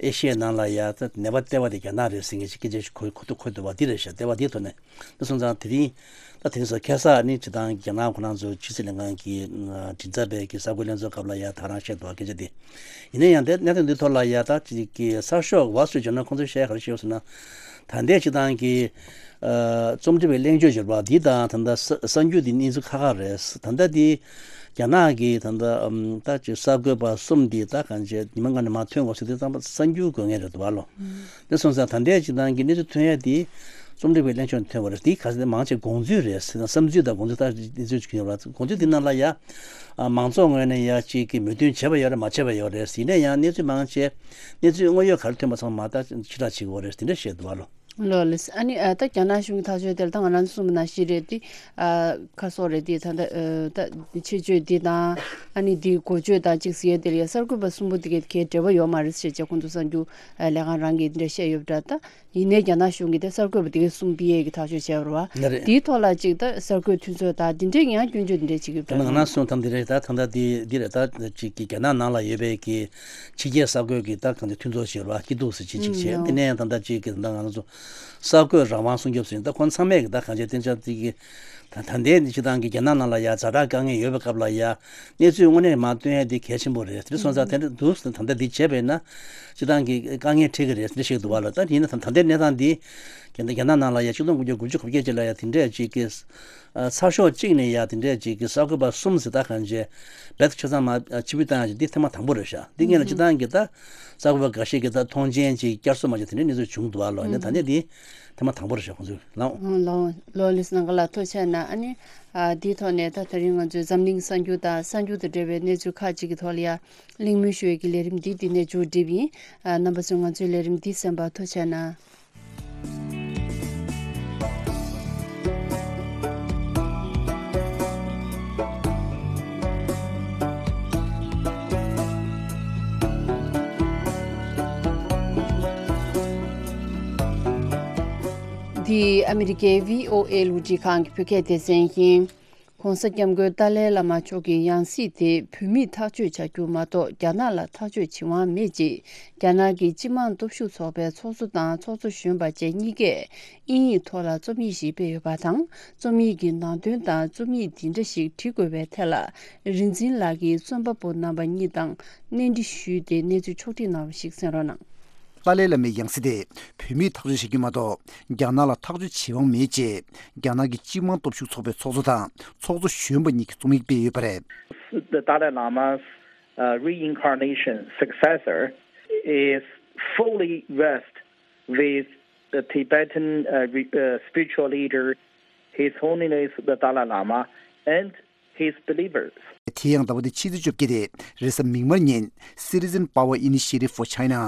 ཨེ་ཤི་ཡའི་ནང་ལ་ཡ་ད་ནད་པ་ལྟེ་བ་དེ་རྒྱ་ནག་རེད་ཟེར་མཁན་ཅིག་སྐད་ཆ་ཞིག་གོ་གོ་ཐུབ་གོ་ཐུབ་པ་འདི་རེད་ཤག་ལྟེ་བ་འདིའི་ཐོག་ནས། དེ་སོང་ཙང་དེ་རིང་ད་དེ་རིང་སོ་ཁ་སང་ནི་སྤྱི་བཏང་རྒྱ་ནག་ཁོ་རང་ཚོ་ཕྱི་སྲིད་ལྷན་ཁང་གི་མགྲིན་ཚབ་པའི་གི་གསར་འགོད་ལྷན་ཚོགས་སྐབས་ལ་ཡ་ད་རང་བཤད་འདུག་སྐད་ཆ་དེ། ཡིན་ན་ཡང་དེ་གནད་དོན་འདི་ཐོག་ལ་ཡ་ད་ཅིག་གི་གསར་ཤོག་Wall Street Journal་ཁོང་ཚོས་བཤད་ག་རེ་བཤད་ཡོད་ཟེར་ན། ད་ལྟའི་སྤྱི་བཏང་གི་རྩོམ་སྒྲིག་པའི་གླེང་བརྗོད་ཟེར་བ་འདི་དང་ད་ལྟ་གསར་འགྱུར་འདི་གནས་ཚུལ་ཁག་ཁག་རེད། ད་ལྟ་འདི་རྒྱ་ནག་གི་ད་ལྟ་ད་ཅིག་གསར་འགོད་པ་གསུམ་འདི་ད་གང་བྱས་ཉི་མ་ལྔ་ནས་མར་ཐོན་དགོས་ཟེར་དུས་ཙམ་པ་གསར་འགྱུར་དགོས་ངེས་རེད་འདུག་བ་ལོ། དེ་སོང་ཙང་ད་ལྟའི་སྤྱི་བཏང་གི་གནས་ཚུལ་ཐོན་ཡ་དེ་རྩོམ་སྒྲིག་པའི་གླེང་ཕྱོགས་ནས་ཐོན་པ་རེད། དེ་ག་ཚོད་མང་ཆེ་དགོངས་ཚུལ་རེད། བསམ་ཚུལ་དང་དགོངས་ཚུལ་ད་གནས་ཚུལ་ཅིག་ཡོད་རེད། དགོངས་ཚུལ་དེ་ནང་ལ་ཡ་མང་ཚོགས་ངོས་ནས་ཡ་གཅིག་གི་མོས་མཐུན་བྱས་པ་ཡོད་རེད་མ་བྱས་པ་ཡོད་རེད། ཡིན་ན་ཡང་གནས་ཚུལ་མང་ཆེ་གནས་ཚུལ་དངོས་ཡོད་ག་རེ་ཐོན་པ་ཚང་མ་ད་ཕྱིར་བསྒྲགས་བྱེད་དགོས་རེད། དེ་འདྲ་བཤད་འདུག་བ་ལོ། ལོ་ལེ། ཨ་ནི་ད་རྒྱ་ནག་གཞུང་གི་ཐག་གཅོད་དེ་ལ་ད་ང་རང་ཚོ་གསུངས་པ་ནང་བཞིན་རེད་དེ། ཁ་སོགས་རེད་དེ་ད་ད་ད་ཆེད་བརྗོད་འདི་དང་ཨ་ནི་འདི་འགོ་བརྗོད་དང་གཅིག་ཟེར་ཡ་དེ་ལ་ཡ་གསར་འགོད་པ་གསུམ་པོ་དེ་གའི་གའི་འབྲེལ་བ་ཡོད་མ་རེད་ཟེར་བྱས་ཁོང་ཚོ་གསར་འགྱུར་ལས་ཁང་རང་གིས་འདི་འདྲ་བཤད་ཡོད་པ་འདྲ། ད་ཡིན་ནའི་རྒྱ་ནག་གཞུང་གིས་ད་གསར་འགོད་པ་དེ་གའི་གསུམ་པི་ཨེ་གི་ཐག་གཅོད་བྱས་པ་རེད་བ། ལ་རེད། དེའི་ཐོག་ལ་གཅིག་ད་གསར་འགོད་མཐུན་ཚོགས་དང་འདི་འདྲའི་ཡང་སྐྱོན་བརྗོད་འདི་འདྲའི་བྱེད་ཀྱི་ཡོད་པ་འདྲ། ད་ང་རང་གསུངས་ཐམ་འདི་རེད། ད་ད་ལྟ་འདི་འདི་རེད། ད་གཅིག་གི་རྒྱ་ནག་ནང་ལ་ཡོད་པའི་གི་ཕྱི་རྒྱལ་གསར་འགོད་ཀྱི་ད་གང་དེ་མཐུན་ཚོགས་བྱེད་པ་སྐྱིད་སྡུག་ཟེར་ཅིག་ཅིག་བྱས། དེ་ནས་ཡང་ད་ལྟ་གཅིག་གི་ད་ང་ཚོ་གསར་འགོད་རང་དབང་སྲུང་སྐྱོབ་ཟེར་ད་ཁོང་ཚང་མས་གི་ད་གང་བྱས་བསྟན་འཇགས་དེ་གི་ད་ད་ལྟའི་སྤྱི་བཏང་གི་རྒྱ་ནག་ནང་ལ་ཡ་ཛ་དྲག་དཀའ་ངལ་ཡོད་པའི་སྐབས་ལ་ཡ་གནས་ཚུལ་དངོས་གནས་མར་སྟོན་ཡ་དེ་གལ་ཆེན་པོ་རེད། དེ་སོང་ཙང་དེ་འདྲ་འདུག་ད་ལྟ་འདི་བྱས་པས་ན་སྤྱི་བཏང་གི་དཀའ་ངལ་འཕྲད་ཀྱི་རེད་དེ་འདྲ་བཤད་འདུག་བ་ལ། ད་ཡིན་ན་ད་ད་ལྟའི་གནས་སྟངས་འདི་རྒྱ་ནག་རྒྱ་ནག་ནང་ལ་ཡ་ཆིག་སྟོང་དགུ་བརྒྱ་དགུ་བཅུ་གོ་བརྒྱད་ཅིག་ལ་ཡ་དེ་འདྲས་ཅིག་གི་ཚགས་ཤོག་གཅིག་ནས་ཡ་དེ་འདྲས་ཅིག་གི་གསར་འགོད་པ་གསུམ་ཟེར་ད་གང་བྱས་རྦད་དེ་ཆ་ཚང་མ་ཕྱིར་འབུད་བཏང་ཡ་ཅིག་འདི་ཐེངས་མ་དང་པོ་རེད་ཤག་འདི་སྔོན་ལ་སྤྱི་བཏང་གི་ད་གསར་འགོད་པ་འགའ་ཤས་ཀྱིས་ད་མཐོང་མཆན་ཅིག་བསྐྱར་གསོ་མ་བྱས་དེ་འདྲའི་གནས་ཚུལ་བྱུང་འདུག་བ་ལོ། ཡིན་ན་ད་ནས་འདི་ཐེངས་མ་དང་པོ་རེད་ཤག་ཁོང་ཚོས་ལའོ། ལོ་ལོ་ལིས་ནང་ག་ལ་ཐུགས་རྗེ་གནང་། ཨ་ནི་འདིའི་ཐོག་ནས་ད་དེ་རིང་ང་ཚོའི་འཛམ་གླིང་གསར་འགྱུར་དང་གསར་འགྱུར་དང་འབྲེལ་བའི་གནས་ཚུལ་ཁག་ཅིག་གི་ཐོག་ལ་ཡ་གླེང་མོལ་ཞུ་ཡས་ཀྱི་ལས་རིམ་འདི་འདི་ནས་མཇུག་སྒྲིལ་ཡིན། རྣམ་པ་ཚོས་ང་ཚོའི་ལས་རིམ་འདི་གསན་པར་ཐུགས་རྗེ་གནང་། འདི་ཨ་མི་རི་ཀའི་བྷི་ཨོ་ཨེ་རླུང་འཕྲིན་ཁང་གི་བོད་སྐད་སྡེ་ཚན་ཡིན། ༧གོང་ས་༧སྐྱབས་མགོན་ཏཱ་ལའི་བླ་མ་མཆོག་གི་ཡང་སྲིད་དེ་བོད་མིས་ཐག་གཅོད་བྱ་རྒྱུ་མ་གཏོགས་རྒྱ་ནག་ལ་ཐག་གཅོད་བྱེད་དབང་མེད་ཅེས་རྒྱ་ནག་གི་སྤྱི་དམངས་སྟོབས་ཤུགས་ཚོགས་པའི་ཚོགས་གཙོ་དང་ཚོགས་གཙོ་གཞོན་པ་བཅས་གཉིས་ཀས་དབྱིན་ཡིག་ཐོག་ལ་རྩོམ་ཡིག་ཞིག་སྤེལ་ཡོད་པ་དང་། རྩོམ་ཡིག་གི་ནང་དོན་དང་རྩོམ་ཡིག་འདི་འདྲ་ཞིག་བྲི་དགོས་པའི་ཐད་ལ་རིག་འཛིན་ལགས་ཀྱིས་རྩོམ་པ་པོ་རྣམ་པ་གཉིས་དང་གནས་འདྲི་ཞུས་ཏེ་གནས་ཚུལ་ཕྱོགས་སྒྲིག་གནང་བ་ཞིག་གསན་རོགས་གནང་། ཏཱ་ལའི་བླ་མའི་ཡང་སྲིད་དེ་བོད་མིས་ཐག་གཅོད་བྱེད་རྒྱུ་མ་གཏོགས་རྒྱ་ནག་ལ་ཐག་གཅོད་བྱེད་དབང་མེད་ཅེས་རྒྱ་ནག་གི་སྤྱི་དམངས་སྟོབས་ཤུགས་ཚོགས་པའི་ཚོགས་གཙོ་དང་ཚོགས་གཙོ་གཞོན་པ་གཉིས་ཀྱིས་རྩོམ་ཡིག་སྤེལ་ཡོད་པ་རེད། The Dalai Lama's uh, reincarnation successor is fully versed with the Tibetan uh, re- uh, spiritual leader, His Holiness the Dalai Lama, and his believers. དེ་ཡང་ཟླ་བ་འདིའི་ཕྱི་ཚེས་བཅོ་བརྒྱད་དེ་རེས་གཟའ་མིག་དམར་ཉིན་Citizen Power Initiative for China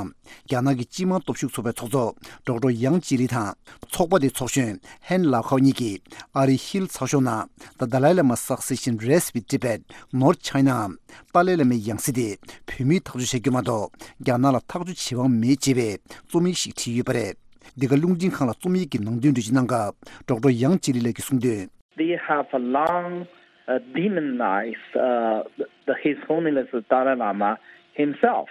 རྒྱ་ནག་གི་སྤྱི་དམངས་སྟོབས་ཤུགས་ཚོགས་པའི་ཚོགས་གཙོ་ཌོག་ཊར་ཡང་ཅི་ལི་དང་ཚོགས་པ་དེའི་ཚོགས་གཞོན་ཧན་ལའོ་ཁའོ་གཉིས་ཀྱིས་ཨ་རིའི་ཧིལ་ཚགས་ཤོག་ནང་The Dalai Lama Succession Rests with Tibet, Not China འམ་ཏཱ་ལའི་བླ་མའི་ཡང་སྲིད་དེ་བོད་མིས་ཐག་གཅོད་བྱ་རྒྱུ་མ་གཏོགས་རྒྱ་ནག་ལ་ཐག་གཅོད་བྱེད་དབང་མེད་ཅེས་པའི་རྩོམ་ཡིག་ཞིག་བྲིས་ཡོད་པ་རེད། འདི་ག་རླུང་འཕྲིན་ཁང་ལ་རྩོམ་ཡིག་གི་ནང་དོན་འགྲེལ་བརྗོད་གནང་སྐབས་ཌོག་ཊར་ཡང་ཅི་ལི་ལགས་ཀྱིས་གསུངས་དོན། They have long uh, demonized uh, the, His Holiness the Dalai Lama himself.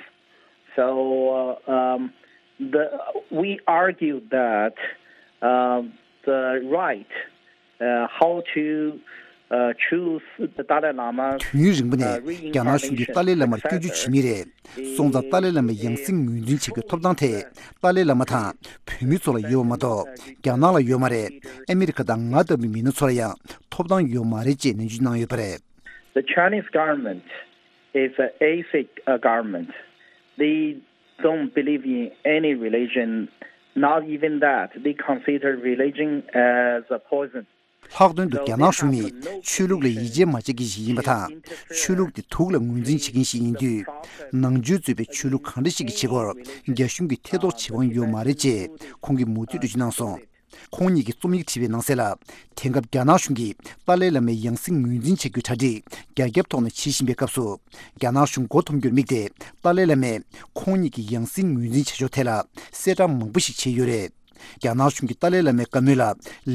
So uh, um, the, we argue that uh, the right uh, how to uh, choose the Dalai Lama དུས་ཡུན་རིང་པོ་ནས་རྒྱ་ནག་གཞུང་གིས་ཏཱ་ལའི་བླ་མར་སྐྱོན་བརྗོད་བྱེད་མུས་རེད། སོང་ཙང་ཏཱ་ལའི་བླ་མའི་ཡང་སྲིད་ངོས་འཛིན་བྱེད་རྒྱུའི་ཐོབ་ཐང་དེ་ཏཱ་ལའི་བླ་མ་དང་བོད་མི་ཚོ་ལ་ཡོད་པ་མ་གཏོགས་རྒྱ་ནག་ལ་ཡོད་མ་རེད། ཨ་མི་རི་ཀ་དང་ང་ལྟ་བུའི་མི་སྣ་ཚོ་ལ་ཡང་ཐོབ་ཐང་ཡོད་མ་རེད་ཅེས་ནན་བརྗོད་གནང་ཡོད་པ་རེད། The Chinese government is an ethnic uh, government. They don't believe in any religion. Not even that. They consider religion as a poison. ལྷག་དོན་དུ་རྒྱ་ནག་གཞུང་ནི་ཆོས་ལུགས་ལ་ཡིད་ཆེས་མ་བྱེད་མཁན་ཞིག་ཡིན་པ་དང་། ཆོས་ལུགས་དེ་དུག་ལ་ངོས་འཛིན་བྱེད་མཁན་ཞིག་ཡིན་དུས། ནང་ཆོས་གཙོས་པའི་ཆོས་ལུགས་གང་འདྲ་ཞིག་གི་བྱེད་སྒོར་རྒྱ་གཞུང་གིས་ཐེ་གཏོགས་བྱེད་དབང་ཡོད་མ་རེད་ཅེས་ཁོང་གིས་མུ་མཐུད་འགྲེལ་བརྗོད་གནང་སོང་། ཁོང་ཉིད་ཀྱིས་རྩོམ་ཡིག་བྲིས་པའི་ནང་གསལ་ལ། དེང་སྐབས་རྒྱ་ནག་གཞུང་གིས་ཏཱ་ལའི་བླ་མའི་ཡང་སྲིད་ངོས་འཛིན་བྱ་རྒྱུའི་གྲ་སྒྲིག་རྒྱ་ཁྱབ་ཐོག་ནས་བྱེད་བཞིན་པའི་སྐབས་སུ། རྒྱ་ནག་གཞུང་མགོ་འཐོམ་རྒྱུར་དམིགས་ཏེ་ཏཱ་ལའི་བླ་མས་ཁོང་ཉིད་ཀྱི་ཡང་སྲིད་ངོས་འཛིན་བྱ་ཕྱོགས་ཐད་ལ་གསལ་བསྒྲགས་མང་པོ་ཞིག་བྱས་ཡོད་རེད། རྒྱ་ནག་གཞུང་གིས་ཏཱ་ལའི་བླ་མའི་བཀའ་མོལ་ལ་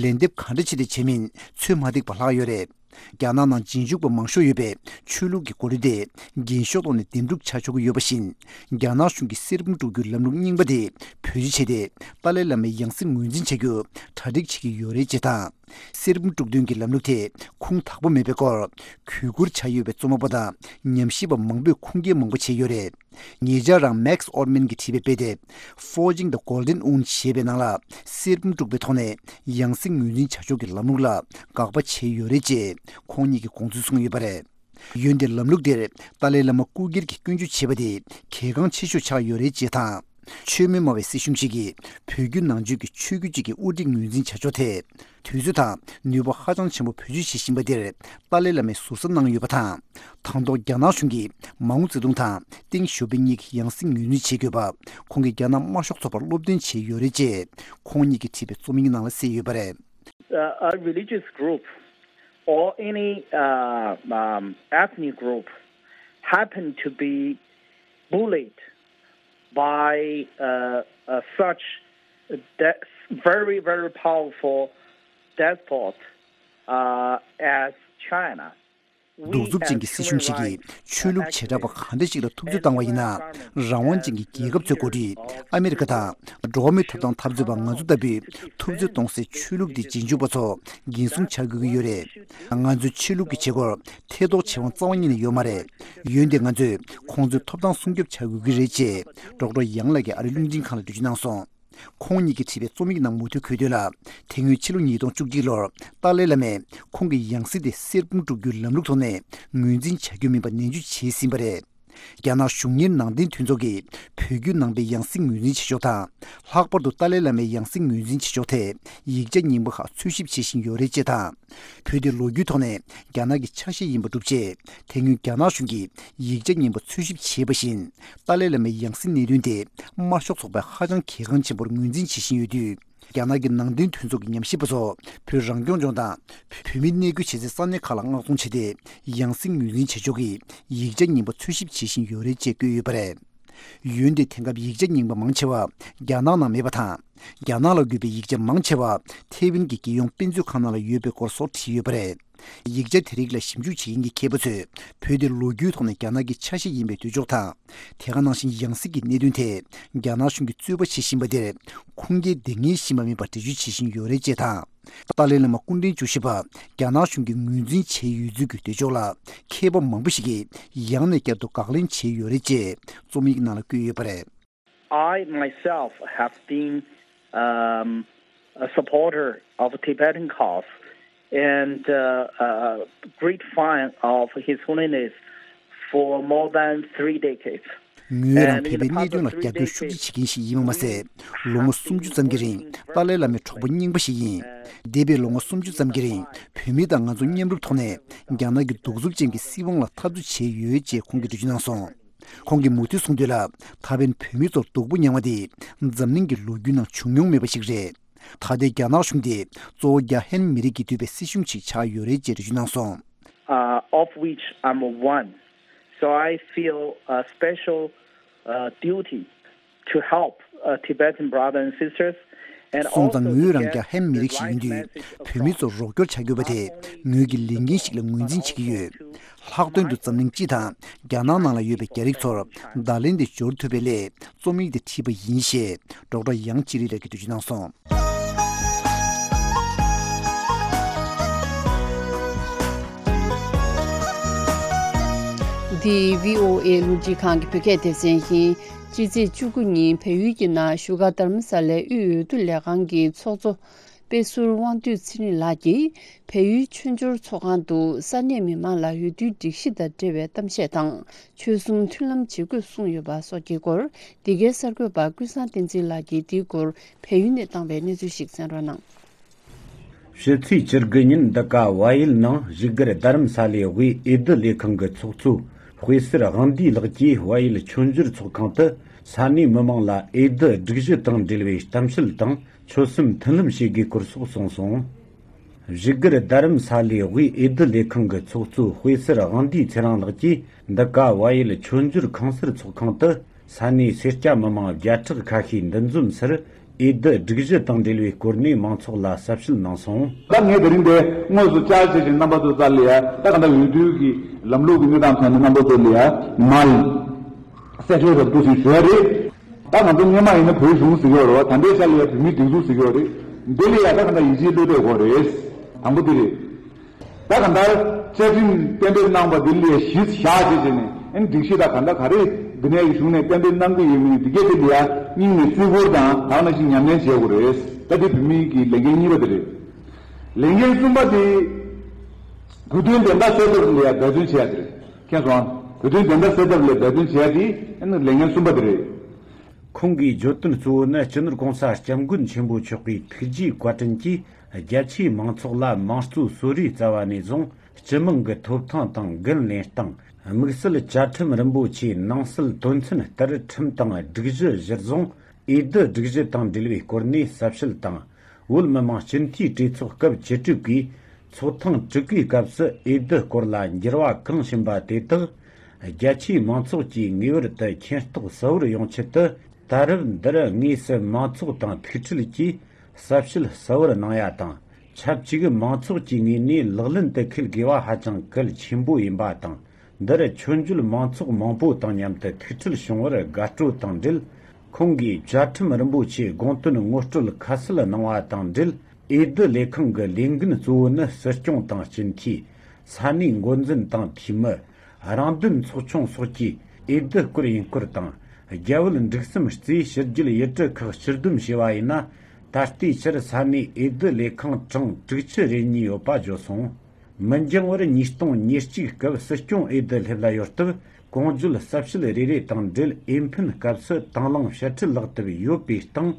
ལན་འདེབས་ག་འདྲ་བྱས་ཏེ་བྱས་མིན་ཚོད་མ་ཐིག་པ་ལྷག་ཡོད་རེད། རྒྱ་ནག་ནང་རྗེས་འཇུག་པ་མང་ཤོས་ཡོད་པའི་ཆོས་ལུགས་ཀྱི་འགོ་ཁྲིད་དེ་འགན་ཤོག་ཐོག་ནས་འདེམས་སྒྲུག་བྱ་ཆོག་གི་ཡོད་པ་བཞིན། རྒྱ་ནག་གཞུང་གིས་གསེར་བུམ་དཀྲུག་རྒྱུའི་ལམ་ལུགས་རྙིང་པ་དེ་བེད་སྤྱོད་བྱས་ཏེ་ཏཱ་ལའི་བླ་མའི་ཡང་སྲིད་ངོས་འཛིན་བྱ་རྒྱུ་གྲ་སྒྲིག་བྱེད་ཀྱི་ཡོད་རེད་ཅེས་དང་། གསེར་བུམ་དཀྲུག་དོན་གྱི་ལམ་ལུགས་དེ་ཁུངས་དག་པོ་མེད་པའི་སྐོར་གུས་བཀུར་བྱ་ཡོད་པའི་རྩོམ་པ་པོ་དང་ཉམས་ཞིབ་པ་མང་པོས་ཁུངས་སྐྱེལ་མང་པོ་བྱས་ཡོད་རེད། ཉེ་ཆར་རང་Max Ehrmann གྱིས་བྲིས་པའི་དཔེ་དེབ་Forging the Golden Wound ཞེས་པའི་ནང་ལ་གསེར་བུམ་དཀྲུག་པའི་ཐོག་ནས་ཡང་སྲིད་ངོས་འཛིན་བྱ་ཕྱོགས་ཀྱི་ལམ་ལུགས་ལ་དགག་པ་བྱས་ཡོད་རེད་ཅེས་ཁོང་ཉིད་ཀྱིས་དགོངས་ཚུལ་གསུངས་ཡོད་པ་རེད། འོན་ཏེ་ལམ་ལུགས་འདིར་ཏཱ་ལའི་བླ་མ་སྐུ་སྒེར་གྱི་སྐྱོན་བརྗོད་བྱས་པ་དེ་གལ་འགངས་ཆེ་ཤོས་ཆགས་ཡོད་རེད་ཅེས་དང་། ཆོས་མེད་སྨྲ་བའི་སྲིད་གཞུང་ཞིག་གིས་བོད་བརྒྱུད་ནང་ཆོས་ཀྱི་ཆོས་བརྒྱུད་ཅིག་གི་དབུ་ཁྲིད་ངོས་འཛིན་བྱ་ཕྱོགས་ཐད་དུས་ཚོད་དང་ནུས་པ་ཧ་ཅང་ཆེན་པོ་བེད་སྤྱོད་བྱེད་བཞིན་པ་འདིར་ཏཱ་ལའི་བླ་མས་ཟུར་ཟ་གནང་ཡོད་པ་དང་། དང་ཐོག་རྒྱ་ནག་གཞུང་གིས་མའོ་ཙེ་ཏུང་དང་ཏེང་ཞའོ་ཕིང་གཉིས་ཀྱི་ཡང་སྲིད་ངོས་འཛིན་བྱེད་དགོས་པ་ཁོང་གིས་རྒྱ་ནག་དམར་ཤོག་ཚོགས་པར་སློབ་སྟོན་བྱས་ཡོད་རེད་ཅེས་ཁོང་ཉིད་ཀྱིས་བྲིས་པའི་རྩོམ་ཡིག་ནང་ལ་གསལ་ཡོད་པ་རེད། Uh, a religious group or any uh, um, ethnic group happen to be bullied by uh, uh, such de- very, very powerful despot uh, as China. གདུག་རྩུབ་ཅན་གྱི་སྲིད་གཞུང་ཞིག་གིས་ཆོས་ལུགས་བྱེ་བྲག་པ་གང་འདྲ་ཞིག་ལ་ཐུབ་ཚོད་བཏང་བ་ཡིན་ན། རང་དབང་ཅན་གྱི་རྒྱལ་ཁབ་ཚོའི་འགོ་ཁྲིད་ཨ་མི་རི་ཀ་དང་འགྲོ་བ་མིའི་ཐོབ་ཐང་འཐབ་རྩོད་པ་ང་ཚོ་ལྟ་བུས་ཐུབ་ཚོད་གཏོང་སའི་ཆོས་ལུགས་འདི་རྗེས་འཇུག་པ་ཚོ་འགན་སྲུང་བྱ་དགོས་ཀྱི་ཡོད་རེད། ང་ཚོའི་ཆོས་ལུགས་ཀྱི་བྱེད་སྒོར་ཐེ་གཏོགས་བྱེད་དབང་རྩ་བ་ཉིད་ནས་ཡོད་མ་རེད། འོན་ཏེ་ང་ཚོས་ཁོང་ཚོའི་ཐོབ་ཐང་སྲུང་སྐྱོབ་བྱ་དགོས་ཀྱི་རེད་ཅེས་ཌོག་ཊར་ཡང་ལགས་ཀྱིས་ཨ་རིའི་རླུང་འཕྲིན་ཁང་ལ་འགྲེལ་བརྗོད་གནང་སོང་། ཁོང་ཉིད་ཀྱིས་བྲིས་པའི་རྩོམ་ཡིག་ནང་མུ་མཐུད་འཁོད་དོན་ལ། དེ་སྔོན་ཕྱི་ལོ་ཉིས་སྟོང་བཅུ་གཅིག་ལོར་ཏཱ་ལའི་བླ་མས་ཁོང་གི་ཡང་སྲིད་དེ་གསེར་བུམ་དཀྲུག་རྒྱུའི་ལམ་ལུགས་ཐོག་ནས་ངོས་འཛིན་བྱ་རྒྱུ་མིན་པ་ནན་བརྗོད་བྱས་ཟིན་པ་རེད། རྒྱ་ནག་གཞུང་གཉེར་ནང་བསྟན་མཐུན་ཚོགས་ཀྱིས་བོད་བརྒྱུད་ནང་པའི་ཡང་སྲིད་ངོས་འཛིན་བྱེད་ཕྱོགས་དང་། ལྷག་པར་དུ་ཏཱ་ལའི་བླ་མའི་ཡང་སྲིད་ངོས་འཛིན་བྱེད་ཕྱོགས་ཐད་ཡིག་ཆ་རྙིང་པ་ཁག་འཚོལ་ཞིབ་བྱེད་བཞིན་ཡོད་རེད་ཅེས་དང་། བོད་དེ་ལོ་རྒྱུས་ཐོག་ནས་རྒྱ་ནག་གི་ཆ་ཤས་ཡིན་པ་སྒྲུབ་ཆེད། དེ་སྔོན་རྒྱ་ནག་གཞུང་གིས་ཡིག་ཆ་རྙིང་པ་འཚོལ་ཞིབ་བྱས་པ་བཞིན། ཏཱ་ལའི་བླ་མའི་ཡང་སྲིད་གནད་དོན་དེ་དམར་ཤོག་ཚོགས་པས་ཧ་ཅང་གལ་འགངས་ཆེན་པོར་ངོས་འཛིན་བྱེད་བཞིན་ཡོད་དུས། རྒྱ་ནག་གི་ནང་བསྟན་མཐུན་ཚོགས་ཀྱི་ཉམས་ཞིབ་པ་ཚོ་བོད་རང་སྐྱོང་ལྗོངས་དང་། བོད་མི་གནས་སྐོར་བྱེད་སའི་ས་གནས་ཁག་ལ་མངགས་གཏོང་བྱས་ཏེ། ཡང་སྲིད་ངོས་འཛིན་བྱེད་ཕྱོགས་ཀྱི་ཡིག་ཆ་རྙིང་པ་འཚོལ་ཞིབ་བྱེད་བཞིན་ཡོད་རེད་ཅེས་བཀོད་ཡོད་པ་རེད། འོན་ཏེ་དེང་སྐབས་ཡིག་ཆ་རྙིང་པ་མང་ཆེ་བ་རྒྱ་ནག་ནང་མེད་པ་དང་། རྒྱ་ནག་ལ་དགོས་པའི་ཡིག་ཆ་མང་ཆེ་བ་ཐེ་ཝན་གྱི་རྒྱལ་ཡོངས་དཔེ་མཛོད་ཁང་ནང་ལ་ཡོད་པའི་སྐོར་སོགས་བྲིས་ཡོད་པ་རེད། ཡིག་ཆ་དེ་རིགས་ལ་ཞིབ་འཇུག་བྱེད་མཁན་གྱི་མཁས་པ་ཚོས་བོད་དེ་ལོ་རྒྱུས་ཐོག་ནས་རྒྱ་ནག་གི་ཆ་ཤས་ཡིན་པའི་འདོད་ཕྱོགས་དང་། དེ་ག་ནང་བཞིན་ཡང་སྲིད་ཀྱི་གནད་དོན་ཐད་རྒྱ་ནག་གཞུང་གིས་རྩོད་པ་བྱེད་བཞིན་པ་དེར་ཁུངས་སྐྱེལ་འདེང་མཁན་ཞིག་མ་ཡིན་པར་འགྲེལ་བརྗོད་བྱེད་བཞིན་ཡོད་རེད་ཅེས་དང་། ཏཱ་ལའི་བླ་མ་སྐུ་ཕྲེང་བཅུ་བཞི་པ་རྒྱ་ནག་གཞུང་གིས་ངོས་འཛིན་བྱས་ཡོད་ཚུལ་གྱི་འདོད་ཕྱོགས་ལ་མཁས་པ་མང་པོ་ཞིག་གིས་ཡང་ནས་བསྐྱར་དུ་དགག་ལན་བྱས་ཡོད་རེད་ཅེས་རྩོམ་ཡིག་ནང་ལ་བཀོད་ཡོད་པ་རེད། I myself have been, um, a supporter of Tibetan cause and, uh, a great fan of His Holiness for more than three decades. ངོས་རང་བོད་པའི་གནད་དོན་ལ་རྒྱབ་སྐྱོར་ཤུགས་ཆེ་བྱེད་མཁན་ཞིག་ཡིན་པ་མ་ཟད། ལོ་ངོ་སུམ་ཅུ་ཙམ་གྱི་རིང་ཏཱ་ལའི་བླ་མའི་གྲོགས་པོ་རྙིང་པ་ཞིག་ཡིན། འདས་པའི་ལོ་ངོ་སུམ་ཅུ་ཙམ་གྱི་རིང་བོད་མི་དང་ང་ཚོ་མཉམ་རུབ་ཐོག་ནས་རྒྱ་ནག་གི་གདུག་རྩུབ་ཅན་གྱི་སྲིད་དབང་ལ་འཐབ་རྩོད་བྱས་ཡོད་ཅེས་ཁོང་གིས་འགྲེལ་བརྗོད་གནང་སོང་། ཁོང་གིས་མུ་མཐུད་གསུངས་དོན་ལ། ད་ཕན་བོད་མི་ཚོར་སྡུག་པོ་མྱངས་པ་དེ་འཛམ་གླིང་གི་ལོ་རྒྱུས་ནང་བྱུང་མྱོང་མེད་པ་ཞིག་རེད། ད་ལྟའི་རྒྱ་ནག་གཞུང་དེ་གཙོ་བོ་རྒྱ་ཧན་མི་རིགས་ཀྱིས་གཏོད་པའི་སྲིད་གཞུང་ཞིག་ཆགས་ཡོད་རེད་ཅེས་འགྲེལ་བརྗོད་གནང་སོང་། Uh, of which I'm one. So I feel a special, uh, duty to help, uh, Tibetan brothers and sisters and also to get the right message of God. སོང་ཙང་ངོས་རང་རྒྱ་ཧན་མི་རིགས་ཤིག་ཡིན་དུས་བོད་མི་ཚོར་རོགས་སྐྱོར་བྱ་དགོས་པ་དེ་ངོས་ཀྱི་ལས་འགན་ཞིག་ལ་ངོས་འཛིན་བྱེད་ཀྱི་ཡོད། ལྷག་དོན་དུ་འཛམ་གླིང་སྤྱི་དང་རྒྱ་ནག་ནང་ལ་ཡོད་པའི་རྒྱ་རིགས་ཚོར་བརྡ་ལན་དེ་འབྱོར་ཐུབ་པའི་སླད་རྩོམ་ཡིག་དེ་བྲིས་པ་ཡིན་ཞེས་ཌོག་ཊར་ཡང་ཅི་རི་ལགས་ཀྱིས་འགྲེལ་བརྗོད་གནང་སོང་། འདི་བྷི་ཨོ་ཨེ་རླུང་འཕྲིན་ཁང་གི་བོད་སྐད་སྡེ་ཚན་ཡིན། སྤྱི་ཚེས་བཅུ་དགུ་ཉིན་བལ་ཡུལ་གྱི་ནང་བཞུགས་སྒར་དྷ་རམ་ས་ལའི་དབུས་འོས་བསྡུ་ལས་ཁང་གི་ཚོགས་གཙོ་དཔེ་ཟུར་དབང་འདུས་ཚེ་རིང་ལགས་ཀྱིས་བལ་ཡུལ་ཆོས་འབྱོར་ཚོགས་ཁང་དུ་ས་གནས་མི་མང་ལ་འོས་བསྡུའི་སྒྲིག་གཞི་དང་འབྲེལ་བའི་གཏམ་བཤད་དང་། ཆོལ་གསུམ་མཐུན་ལམ་བྱེད་དགོས་གསུངས་ཡོད་པ་སོགས་ཀྱི་སྐོར། འདི་གའི་གསར་འགོད་པ་ཀུན་བཟང་བསྟན་འཛིན་ལགས་ཀྱིས་འདིའི་སྐོར་བལ་ཡུལ་ནས་བཏང་བའི་གནས་ཚུལ་ཞིག་གསན་རོགས་གནང་། ཕྱི་ཚེས་བཅུ་དགུ་ཉིན་འདི་ག་བལ་ཡུལ་ནང་བཞུགས་སྒར་རྡ་རམ་ས་ལའི་དབུས་འོས་བསྡུ་ལས་ཁང་གི་ཚོགས་གཙོ་དཔེ་ཟུར་དབང་འདུས་ལགས་ཀྱིས་བལ་ཡུལ་ཆོས་འབྱོར་ཚོགས་ཁང་དུ་ས་གནས་མི་མང་ལ་འོས་བསྡུ་སྒྲིག་གཞི་དང་འབྲེལ་བའི་གཏམ་བཤད་དང་ཆོལ་གསུམ་མཐུན་ལམ་བྱེད་དགོས་སྐོར་སོགས་གསུངས་སོང་། བཞུགས་སྒར་རྡ་རམ་ས་ལའི་དབུས་འོས་བསྡུ་ལས་ཁང་གི་ཚོགས་གཙོ་དཔེ་ཟུར་དབང་འདུས་ཚེ་རིང་ལགས་ཀྱིས་འདི་ག་བལ་ཡུལ་ཆོས་འབྱོར་ཁང་གསར་ཚོགས་ཁང་དུ་ས་གནས་སེར་སྐྱ་མི་མང་བརྒྱ་ཕྲག་ཁ་ཤས་འདུ་འཛོམས་སར་འོས་བསྡུ་སྒྲིག་གཞི་དང་འབྲེལ་བའི་སྐོར་ནས་མང་ཚོགས་ལ་གསལ་བཤད་གནང་སོང་། ད་ངས་དེ་རིང་འདིར་དངོས་སུ་བཅར་བྱས་ཤིང་རྣམ་པ་ཚོ་རྩ་ལ་ཡ་ད་ག་ད་འོས་བསྡུ་གི་ལམ་ལུགས་ཀྱི་གནས་སྟངས་ཐོག་ནས་རྣམ་པ་ཚོ་ལ་ཡ་མར་གསལ་བཤད་རབ་ཏུ་ཞུ་ཞུ་ཡ་རེད། ད་ང་ཚོ་སྔོན་མ་ཡིན་ན་བོད་གཞུང་ཟེར་གྱི་ཡོད་རེད་བ། ད་ལྟའི་ཆ་ལ་ཡ་བོད་མིའི་སྒྲིག་འཛུགས་ཟེར་གྱི་ཡོད་རེད། འདི་ལ་ཡ་ད་ག་ད་ཡིད་ཆེས་བློས་གཏོང་དགོས་རེད། དང་པོ་འདི་རེད། ད་ག་ད་བཅའ་ཁྲིམས་གཏན་འབེབས་གནང་བ་འདི་ལ་ཡ་གཞི་བཞག་བྱས་བྱས་ནས་ཨ་ནི་སྒྲིག་གཞི་ད་ག་ད་ག་རེ་འདི་ནས་གཞུང་ནས་གཏན་འབེབས་གནང་གི་ཡོད་མིན་འདི་གས་དེ་ལ་ཡ་སྙིང་ནས་བརྩི་བཀུར་དང་ད་ག་ནང་བཞིན་ཉམས་ལེན་བྱེད་དགོས་རེད། ད་འདི་བོད་མིའི་གི་ལས་འགན་གཉིས་པ་འདི་རེད། ལས་འགན་གསུམ་པ་དེ་གོ་དོན་བདེན་མཐའ་གསལ་ཐབས་ལ་ཡ་འབད་བརྩོན་བྱེད་ཡ་དེ་རེད། མཁྱེན་སོང་ཨ། གོ་དོན་བདེན་མཐའ་གསལ་ཐབས་ལ་འབད་བརྩོན་བྱེད་ཡ་དེ་ཨ་ནི་ལས་འགན་གསུམ་པ་དེ་རེད། ཁོང་གིས་བརྗོད་དོན་གཙོ་བོ་ནི་སྤྱི་ནོར་གོང་ས་སྐྱབས་མགོན་ཆེན་པོ་མཆོག་གི་ཐུགས་རྗེའི་བཀའ་དྲིན་གྱིས་རྒྱ་ཆེའི་མང་ཚོགས་ལ་དམངས་གཙོའི་གསོལ་རས་སྩལ་བ་ནས་བཟུང་སྤྱི་དམངས་ཀྱི་ཐོབ་ཐང་དང་འགན་ལེན་སྟངས། དམིགས་བསལ་བཅའ་ཁྲིམས་རིན་པོ་ཆེའི་ནང་གསལ་དོན་ཚན་ལྟར་ཁྲིམས་དང་སྒྲིག་གཞི་གཞིར་བཟུང་འོས་བསྡུ་སྒྲིག་གཞི་དང་འབྲེལ་བའི་སྐོར་ནས་གསལ་བཤད་དང་། བོད་མི་མང་སྤྱི་འཐུས་གྲོས་ཚོགས་སྐབས་བཅུ་དྲུག་གིས་ཚོགས་ཐེངས་དྲུག་གི་སྐབས་སུ་འོས་བསྡུ་སྐོར་ལ་འགྱུར་བ་གང་ཕྱིན་པ་དེ་དག་རྒྱ་ཆེའི་མང་ཚོགས་ཀྱིས་ངེས་པར་དུ་མཁྱེན་རྟོགས་གསལ་བོར་ཡོང་ཆེད་དུ། ད་རེབ་འདིར་དངོས་སུ་མང་ཚོགས་དང་ཐུག་འཕྲད་ཀྱིས་གསལ་བཤད་གསལ་བོར་གནང་ཡ་དང་། ཆབས་ཅིག་མང་ཚོགས་ཀྱི་ངོས་ནས་ལག་ལེན་དུ་འཁེལ་དགོས་པ་ཧ་ཅང་གལ་ཆེན་པོ་ཡིན་པ་དང་། འདིར་ཆོས་བརྒྱུད་མང་ཚོགས་མང་པོ་དང་མཉམ་དུ་ཐུག་འཕྲད་བྱུང་བར་དགའ་སྤྲོ་དང་འབྲེལ། ཁོང་གིས་བཅའ་ཁྲིམས་རིན་པོ་ཆེའི་དགོངས་དོན་ངོ་སྤྲོད་ཁ་གསལ་གནང་བ་དང་འབྲེལ། འོས་བསྡུ་ལས་ཁང་གི་ལས་འགན་གཙོ་བོ་ནི་སྲིད་སྐྱོང་དང་སྤྱི་འཐུས། ས་གནས་འགོ་འཛིན་དང་འཐུས་མི། རང་དོན་ཚོགས་ཆུང་སོགས་ཀྱིས་འོས་བསྡུ་སྐོར་ཡིན་སྐོར་དང་། རྒྱ་བོད་འབྲེལ་ཟམ་རྩེའི་ཕྱི་རྒྱལ་ཡུལ་གྲུ་ཁག་སྤྱི་བསྡོམས་བྱས་པ་ཡིན་ན། ད་ལྟའི་ཆར་ས་གནས་འོས་བསྡུ་ལས་ཁང་གྲངས་དྲུག་ཅུ་རེ་གཉིས་ཡོད་པ་བརྗོད་སོང་། མི་འགྱངས་བར་ཉིས་སྟོང་ཉེར་གཅིག་སྐབས་སྲིད་སྐྱོང་འོས་བསྡུ་སླེབས་ལ་ཡོད་སྟབས། གོང་བརྗོད་གསལ་བཤད་རེ་རེ་དང་འབྲེལ་འོས་འཕེན་སྐབས་སུ་དང་བླངས་དཔྱ་ཁྲལ་ལག་དེབ་ཡོད་པའི་སྟེང་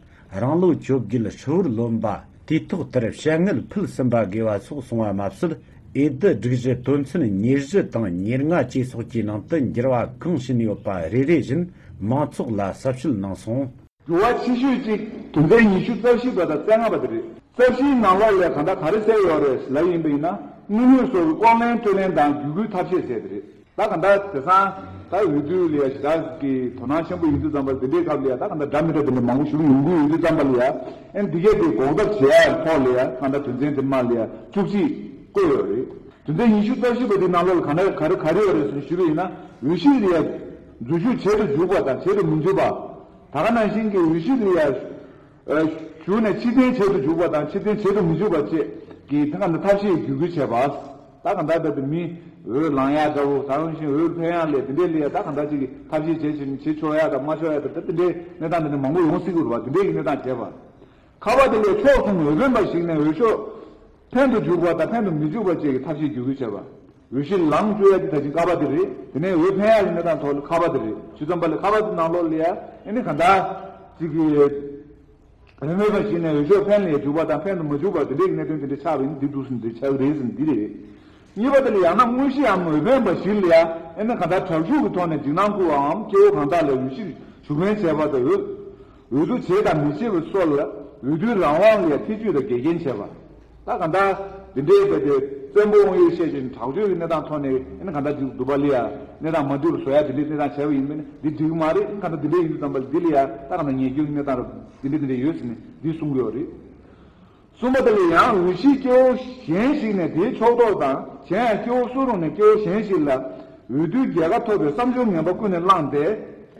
རང་ལོ་བཅོ་བརྒྱད་ཧྲིལ་བོར་ལོན་པ། དུས་ཐོག་ལྟར་བྱ་དངུལ་ཕུལ་ཟིན་པ་དགོས་པ་སོགས་གསུངས་པ་མ་ཟད། འོས་བསྡུ་སྒྲིག་གཞི་དོན་ཚན་ཉེར་བཞི་དང་ཉེར་ལྔ་བཅས་སོགས་ཀྱི་ནང་དུ་འགྱུར་བ་གང་ཕྱིན་ཡོད་པ་རེ་རེ་བཞིན་མང་ཚོགས་ལ་གསལ་བཤད་གནང་སོང་། འགྱུར་བ་ཆེ་ཤོས་གཅིག་དོན་ཚན་ཉི་ཤུ་རྩ་བཞི་པ་དང་རྩ་ལྔ་པ་དེ་རེད། རྩ་བཞིའི་ནང་ལོགས་ལ་གང་ལྟར་ག་རེ་གསལ་ཡོད་རེད་ལབ་ཡིན་པ་ཡིན་ན། དངུལ་དངོས་སོགས་ཀྱི་ལྐོག་ལེན་སྤྲོད་ལེན་དང་བརྒྱུད་སྐུལ་ཐབས་ཤེས་ཟེར་དེ་རེད། ད་གང་ལྟར་དེང་སང་ད་འོས་བསྡུ་ལ་ཡ་ཞེ་དྲག་གི་དོ་སྣང་ཆེན་པོ་ཡིན་དུས་ཙམ་པ་འདི་འདྲའི་སྐབས་ལ་ཡ་ད་གང་ལྟར་འདྲ་མི་འདྲ་དེ་འདྲ་མང་པོ་ཞུ་གི་ཡོང་གི་ཡོད་དུས་ཙམ་པ་ལ་ཡ། ཨེ་འདི་གས་དེ་འགོག་ཐབས་བྱེད་ཡ་ཐོག་ལ་ཡ་གང་ལྟར་དོན་ཚན་དེ་མ་ལ་ཡ་བཅུ་གཅིག་བཀོད་ཡོད་རེད། དོན་ཚན་ཉི་ཤུ་རྩ་བཞི་པ་དེའི་ནང་ལོགས་ལ་ག་འདྲ་ག་རེ་ག་རེ་ཡོད་རེད་ཟེར་ཞུས་པ་ཡིན་ན། འོས་གཞི་ལ་ཡ་འཛུལ་ཞུགས་བྱེད་དུ་འཇུག་པ་དང་བྱེད་དུ་མི་འཇུག་པ། ད་ག་ནང་བཞིན་གྱི་འོས་གཞི་ལ་ཡ་ཨ་ཞུགས་ནས་ཕྱིར་འཐེན་བྱེད་དུ་འཇུག་པ་དང་ཕྱིར་འཐེན་བྱེད་དུ་མི་འཇུག་པ་བཅས་ཀྱི་ད་ག་འདྲ་ཐབས་ཤེས་བརྒྱུད་སྐུལ་བྱས་པ། ད་ག་འདྲ་ད་དེ་མི་འོས་ལངས་ཡ་འདྲ་བོ། ད་ག་ནང་བཞིན་འོས་འཕེན་ཡ་ལས་དེ་འདྲའི་ལ་ཡ་ད་ག་འདྲ་ཅིག་གི་ཐབས་ཤེས་བྱེད་བྱེད་བྱེད་ཆོག་ཡ་དང་མ་ཆོག་ཡ་དང་ད་དེ་འདྲའི་གནས་སྟངས་དེ་འདྲ་མང་པོ་ཡོང་སྲིད་ཀྱི་རེད་པ། དེ་འདྲའི་གི་གནས་སྟངས་བྱས་པ། ཁ་པ་དེ་ལས་ཕྱོགས་གསུམ་འོས་འཕེན་པ་ཞིག་ནས་འོས་ཤོག་འཕེན་དུ་འཇུག་པ་དང་འཕེན་དུ་མི་འཇུག་པ་བཅས་ཀྱི་ཐབས་ཤེས་བརྒྱུད་སྐུལ་བྱས་པ། འོས་གཞི་ལངས་བཅུག་ཡ་དེ་ད་ཅིག་ཀ་པ་དེ་རེད། དེ་ནས་འོས་འཕེན་ཡ་ལ་གནས་སྟངས་ཐོག་ལ་ཁ་པ་དེ་རེད། ཇི་ཙམ་པ་ལ་ཁ་པ་དེ་ནང་ལོགས་ལ་ཡ་ཨེ་ནི་ག་འདྲ་ཅིག་གི་འོས་འཕེན་པ་ཞིག་ནས་འོས་ཤོག་འཕེན་ལ་ཡ་འཇུག་པ་དང་འཕེན་དུ་མ་འཇུག་པ་དེ་འདྲའི་གནད་དོན་དེ་འདྲ་ཆགས་པ་ཡིན་འདི་འདུག་ཟིན་འདི་ཆགས་ཀྱི་རེད་ཟིན་འདི་རེད། གཉིས་པ་དེ་ལ་ཡང་ན་དངོས་གཞིའམ་འོས་འཕེན་པ་ཞིག་ལ་ཡ་ཨེ་ནི་ག་འདྲ་དྲག་ཤུགས་ཀྱི་ཐོག་ནས་འཇིགས་སྣང་སྐུལ་བའམ་སྐྱེ་བོ་གང་དག་ལ་འོས་གཞིར་ཞུགས་འཕེན་བྱས་པ་དང་འོས་འོས་བསྡུ་བྱེད་དང་མི་བྱེད་པའི་སོགས་ལ་འོས་བསྡུའི་རང་དབང་ལ་ཡ་ཐེ་བྱུས་དང་འགལ་རྐྱེན་བྱས་པ། ད་ག་འདྲ་འདི་འདྲའི་བྱས་ཏེ་བཙན་པོ་དབང་ཡོད་བཤད་ཅིང་དྲག་སྤྱོད་ཀྱི་གནས་སྟངས་ཐོག་ནས་ཨེ་ནི་ག་འདྲ་འདི་འདུག་པ་ལ་ཡ་གནས་སྟངས་མ་འདུས་པ་བཟོ་ཡ་འདི་འདྲའི་གནས་སྟངས་བྱས་པ་ཡིན་པས་ན་འདི་འགྲིག་གི་མ་རེད། ཨེ་ནི་ག་འདྲ་འདི་འདྲའི་ཡིན་དུས་ཙམ་པ་ལ་འདི་ལ་ཡ་ད་ག་འདྲ་ཉེས་སྐྱོན་གྱི་གནས་སྟངས་ར་འདི་འདྲ་འདི་འདྲ་ཡོད་ཟེར་ནས་འདི་གསུང་གི་ཡོད་རེད། གསུམ་པ་དེ་ལ་ཡང་འོས་གཞི་སྐྱེ་བོ་གཞན་ཞིག་ནས་དེའི་ཕྱོགས་གཏོགས་དང་གཞན་ཡང་སྐྱེ་བོ་སུ་རུང་ནས་སྐྱེ་བོ་གཞན་ཞིག་ལ་འོས་བསྡུའི་རྒྱལ་ཁ་ཐོབ་པའི་བསམ་སྦྱོར་ངན་པ་ཀུན་ནས་བསླངས་ཏེ།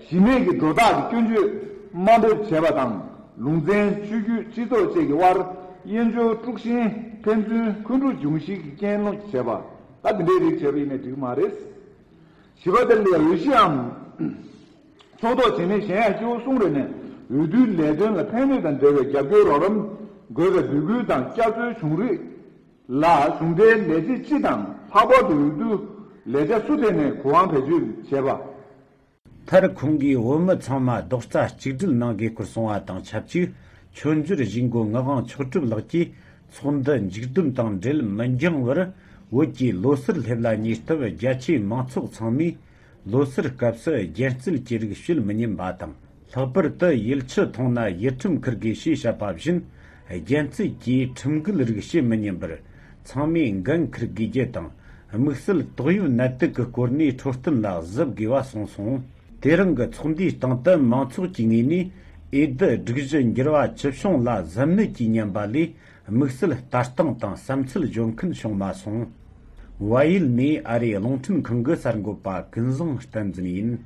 གཞི་མེད་ཀྱི་སྒྲོ་བཏགས་ཀྱི་སྐྱོན་བརྗོད་དམའ་འབེབས་བྱས་པ་དང་། ལུང་ཚན་ཆོས་བརྒྱུད་སྤྱི་ཚོགས་བཅས་ཀྱི་དབར་དབྱེན་སྦྱོར་དཀྲུག་ཤིང་ཕན་ཚུན་འཁོན་འཁྲུག་འབྱུང་གཞིའི་རྐྱེན་སློང་བྱས་པ། ད་འདི་འདྲའི་རིགས་བྱས་པ་ཡིན་ནའི་འགྲིག་མ་རེད། བཞི་པ་དེ་ལ་འོས་གཞིའམ་ཕྱོགས་གཏོགས་བྱེད་མིན་གཞན་ཡང་སྐྱེ་བོ་གསུམ་རེ་ནས་འོས་བསྡུའི་ལས་དོན་ལ་ཕན་ནུས་དང་འབྲེལ་བའི་རྒྱབ་སྐྱོར་རོགས་རམ་དགོས་པའི་འབོད་སྐུལ་དང་བསྐྱར་གསོའི་བྱུང་རིགས་ལ་གཞུང་འབྲེལ་ལས་བྱེད་སྤྱི་དང་ལྷག་པར་དུ་འོས་བསྡུ་ལས་བྱ་སུ་དེ་ནས་གོ་དབང་བེད་སྤྱོད་བྱེད་པ། མཐར་ཁོང་གིས་བོད་མི་ཚང་མ་རྡོག་རྩ་གཅིག་སྒྲིལ་གནང་དགོས་སྐོར་གསུངས་པ་དང་ཆབས་ཅིག་མཆོད་འཇོར་གཞིས་འགོ་ངག་དབང་མཆོག་གྲུབ་ལགས་ཀྱིས་ཚོགས་འདུ་མཇུག་བསྡོམས་དང་འབྲེལ་མི་འགྱངས་པར་བོད་ཀྱི་ལོ་སར་སླེབས་ལ་ཉེ་སྟབས་རྒྱ་ཆེའི་མང་ཚོགས་ཚང་མས་ལོ་སར་སྐབས་སུ་རྒྱལ་རྩིད་ཀྱི་རིགས་བྱེད་མི་ཉན་པ་དང་། ལྷག་པར་དུ་ཡུལ་ཆུ་འཐུང་ན་ཡིད་ཁྲིམས་འཁུར་དགོས་ཞེས་བཤད་པ་བཞིན། རྒྱལ་རྩིད་ཀྱིས་ཁྲིམས་འགལ་རིགས་བྱེད་མི་ཉན་པར་ཚང་མས་འགན་འཁུར་དགོས་རྒྱུ་དང་། དམིགས་བསལ་ཏོག་དབྱིབས་ནད་དུག་གི་སྐོར་ནས་འཕྲོད་བསྟེན་ལ་གཟབ་དགོས་པ་གསུངས་སོང་། དེ་རིང་གི་ཚོགས་འདུའི་སྟེང་དུ་མང་ཚོགས་ཀྱི་ངོས་ནས་འོས་བསྡུ་སྒྲིག་གཞི་འགྱུར་བ་ཅི་བྱུང་ལ་གཟབ་ནན་གྱིས་ཉན་པ་ལས། དམིགས་བསལ་ལྟ་སྟངས་དང་བསམ་ཚུལ་འཇོན་མཁན་བྱུང་མ་སོང་། བལ་ཡུལ་ནས་ཨ་རིའི་རླུང་འཕྲིན་ཁང་གི་གསར་འགོད་པ་ཀུན་བཟང་བསྟན་འཛིན་ཡིན།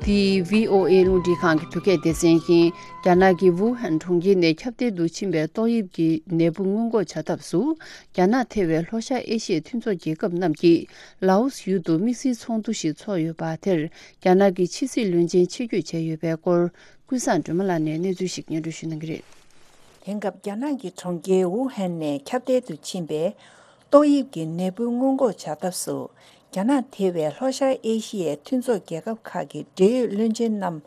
འདི་བྷི་ཨོ་ཨེ་རླུང་འཕྲིན་ཁང་གི་བོད་སྐད་སྡེ་ཚན་ཡིན། རྒྱ་ནག་གི་ཝུ་ཧན་གྲོང་ཁྱེར་ནས་ཁྱབ་གདལ་དུ་ཕྱིན་པའི་ཏོག་དབྱིབས་ཀྱི་ནད་འབུ་སྔོན་འགོག་བྱ་ཐབས་སུ། རྒྱ་ནག་ཐེ་བའི་ལྷོ་ཤར་ཨེ་ཤི་ཡའི་མཐུན་ཚོགས་རྒྱལ་ཁབ་རྣམས་ཀྱིས་ལའོ་སི་ཡུལ་དུ་དམིགས་བསལ་ཚོགས་འདུ་ཞིག་འཚོགས་ཡོད་པ་དེར། རྒྱ་ནག་གི་ཕྱི་སྲིད་བློན་ཆེན་ཆེད་བསྐྱོད་བྱས་ཡོད་པའི་སྐོར། ཀུན་བཟང་སྒྲོལ་མ་ལགས་ནས་གནས་ཚུལ་ཞིག་སྙན་སྒྲོན་ཞུ་གནང་གི་རེད། དེང་སྐབས་རྒྱ་ནག་གི་གྲོང་ཁྱེར་ཝུ་ཧན་ནས་ཁྱབ་གདལ་དུ་ཕྱིན་པའི་ཏོག་དབྱིབས་ཀྱི་ནད་འབུ་སྔོན་འགོག་བྱ་ཐབས་སུ། རྒྱ་ནག་ཐེ་བའི་ལྷོ་ཤར་ཨེ་ཤི་ཡའི་མཐུན་ཚོགས་རྒྱལ་ཁབ་ཁག་གི་འབྲེལ་ཡོད་བློན་ཆེན་རྣམས།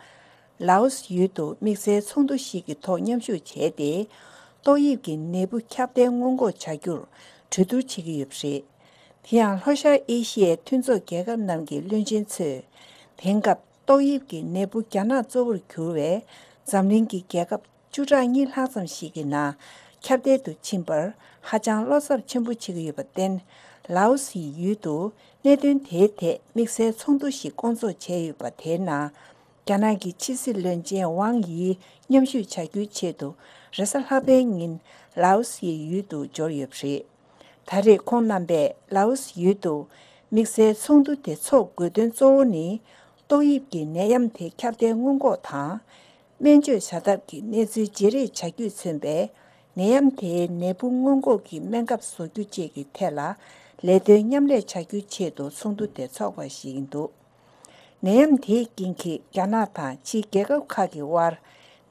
ལའོ་སི་ཡུལ་དུ་དམིགས་བསལ་ཚོགས་འདུ་ཞིག་གི་ཐོག་མཉམ་ཞུགས་བྱས་ཏེ། ཏོག་དབྱིབས་ཀྱི་ནད་འབུ་ཁྱབ་གདལ་སྔོན་འགོག་བྱ་རྒྱུར་གྲོས་བསྡུར་བྱེད་ཀྱི་ཡོད་པ་རེད། དེ་ཡང་ལྷོ་ཤར་ཨེ་ཤི་ཡའི་མཐུན་ཚོགས་རྒྱལ་ཁབ་རྣམས་ཀྱི་བློན་ཆེན་ཚོས། དེང་སྐབས་ཏོག་དབྱིབས་ཀྱི་ནད་འབུ་རྒྱ་ནག་གཙོ་བོར་གྱུར་བའི་འཛམ་གླིང་གི་རྒྱལ་ཁབ་བཅུ་ཕྲག་གཉིས་ལྷག་ཙམ་ཞིག་གི་ནང་ཁྱབ་གདལ་དུ་ཕྱིན་པར་ཧ་ཅང་བློ་འཚབ་ཆེན་པོ་བྱེད་ཀྱི་ཡོད་པར་བརྟེན། ལའོ་སིའི་ཡུལ་དུ་གནད་དོན་དེའི་ཐད་དམིགས་བསལ་ཚོགས་འདུ་ཞིག་བསྐོང་ཚོགས་བྱས་ཡོད་པ་དེའི་ནང་། རྒྱ་ནག་གི་ཕྱི་སྲིད་བློན་ཆེན་ཝང་ཡིས་མཉམ་ཞུགས་བྱ་རྒྱུའི་ཆེད་དུ་རེས་གཟའ་ལྷག་པའི་ཉིན་ལའོ་སིའི་ཡུལ་དུ་འབྱོར་ཡོད་པ་རེད། ད་རེས་ཁོང་རྣམ་པས་ལའོ་སི་ཡུལ་དུ་དམིགས་བསལ་ཚོགས་འདུ་དེ་འཚོགས་དགོས་དོན་གཙོ་བོ་ནི། ཏོག་དབྱིབས་ཀྱི་ནད་ཡམས་དེ་ཁྱབ་གདལ་སྔོན་འགོག་དང་། སྨན་བཅོས་བྱ་ཐབས་ཀྱི་གནས་ཚུལ་བརྗེ་རེས་བྱ་རྒྱུས་མཚོན་པའི་ནད་ཡམས་དེའི་ནད་འབུ་སྔོན་འགོག་གི་སྨན་ཁབ་བཟོ་རྒྱུ་བཅས་ཀྱི་ཐད་ལ་ལས་དོན་མཉམ་ལས་བྱ་རྒྱུའི་ཆེད་དུ་ཚོགས་འདུ་དེ་འཚོགས་པ་ཞིག་ཡིན་འདུག་ནད་ཡམས་དེའི་རྐྱེན་གྱིས་རྒྱ་ནག་དང་ཕྱིའི་རྒྱལ་ཁབ་ཁག་གི་དབར་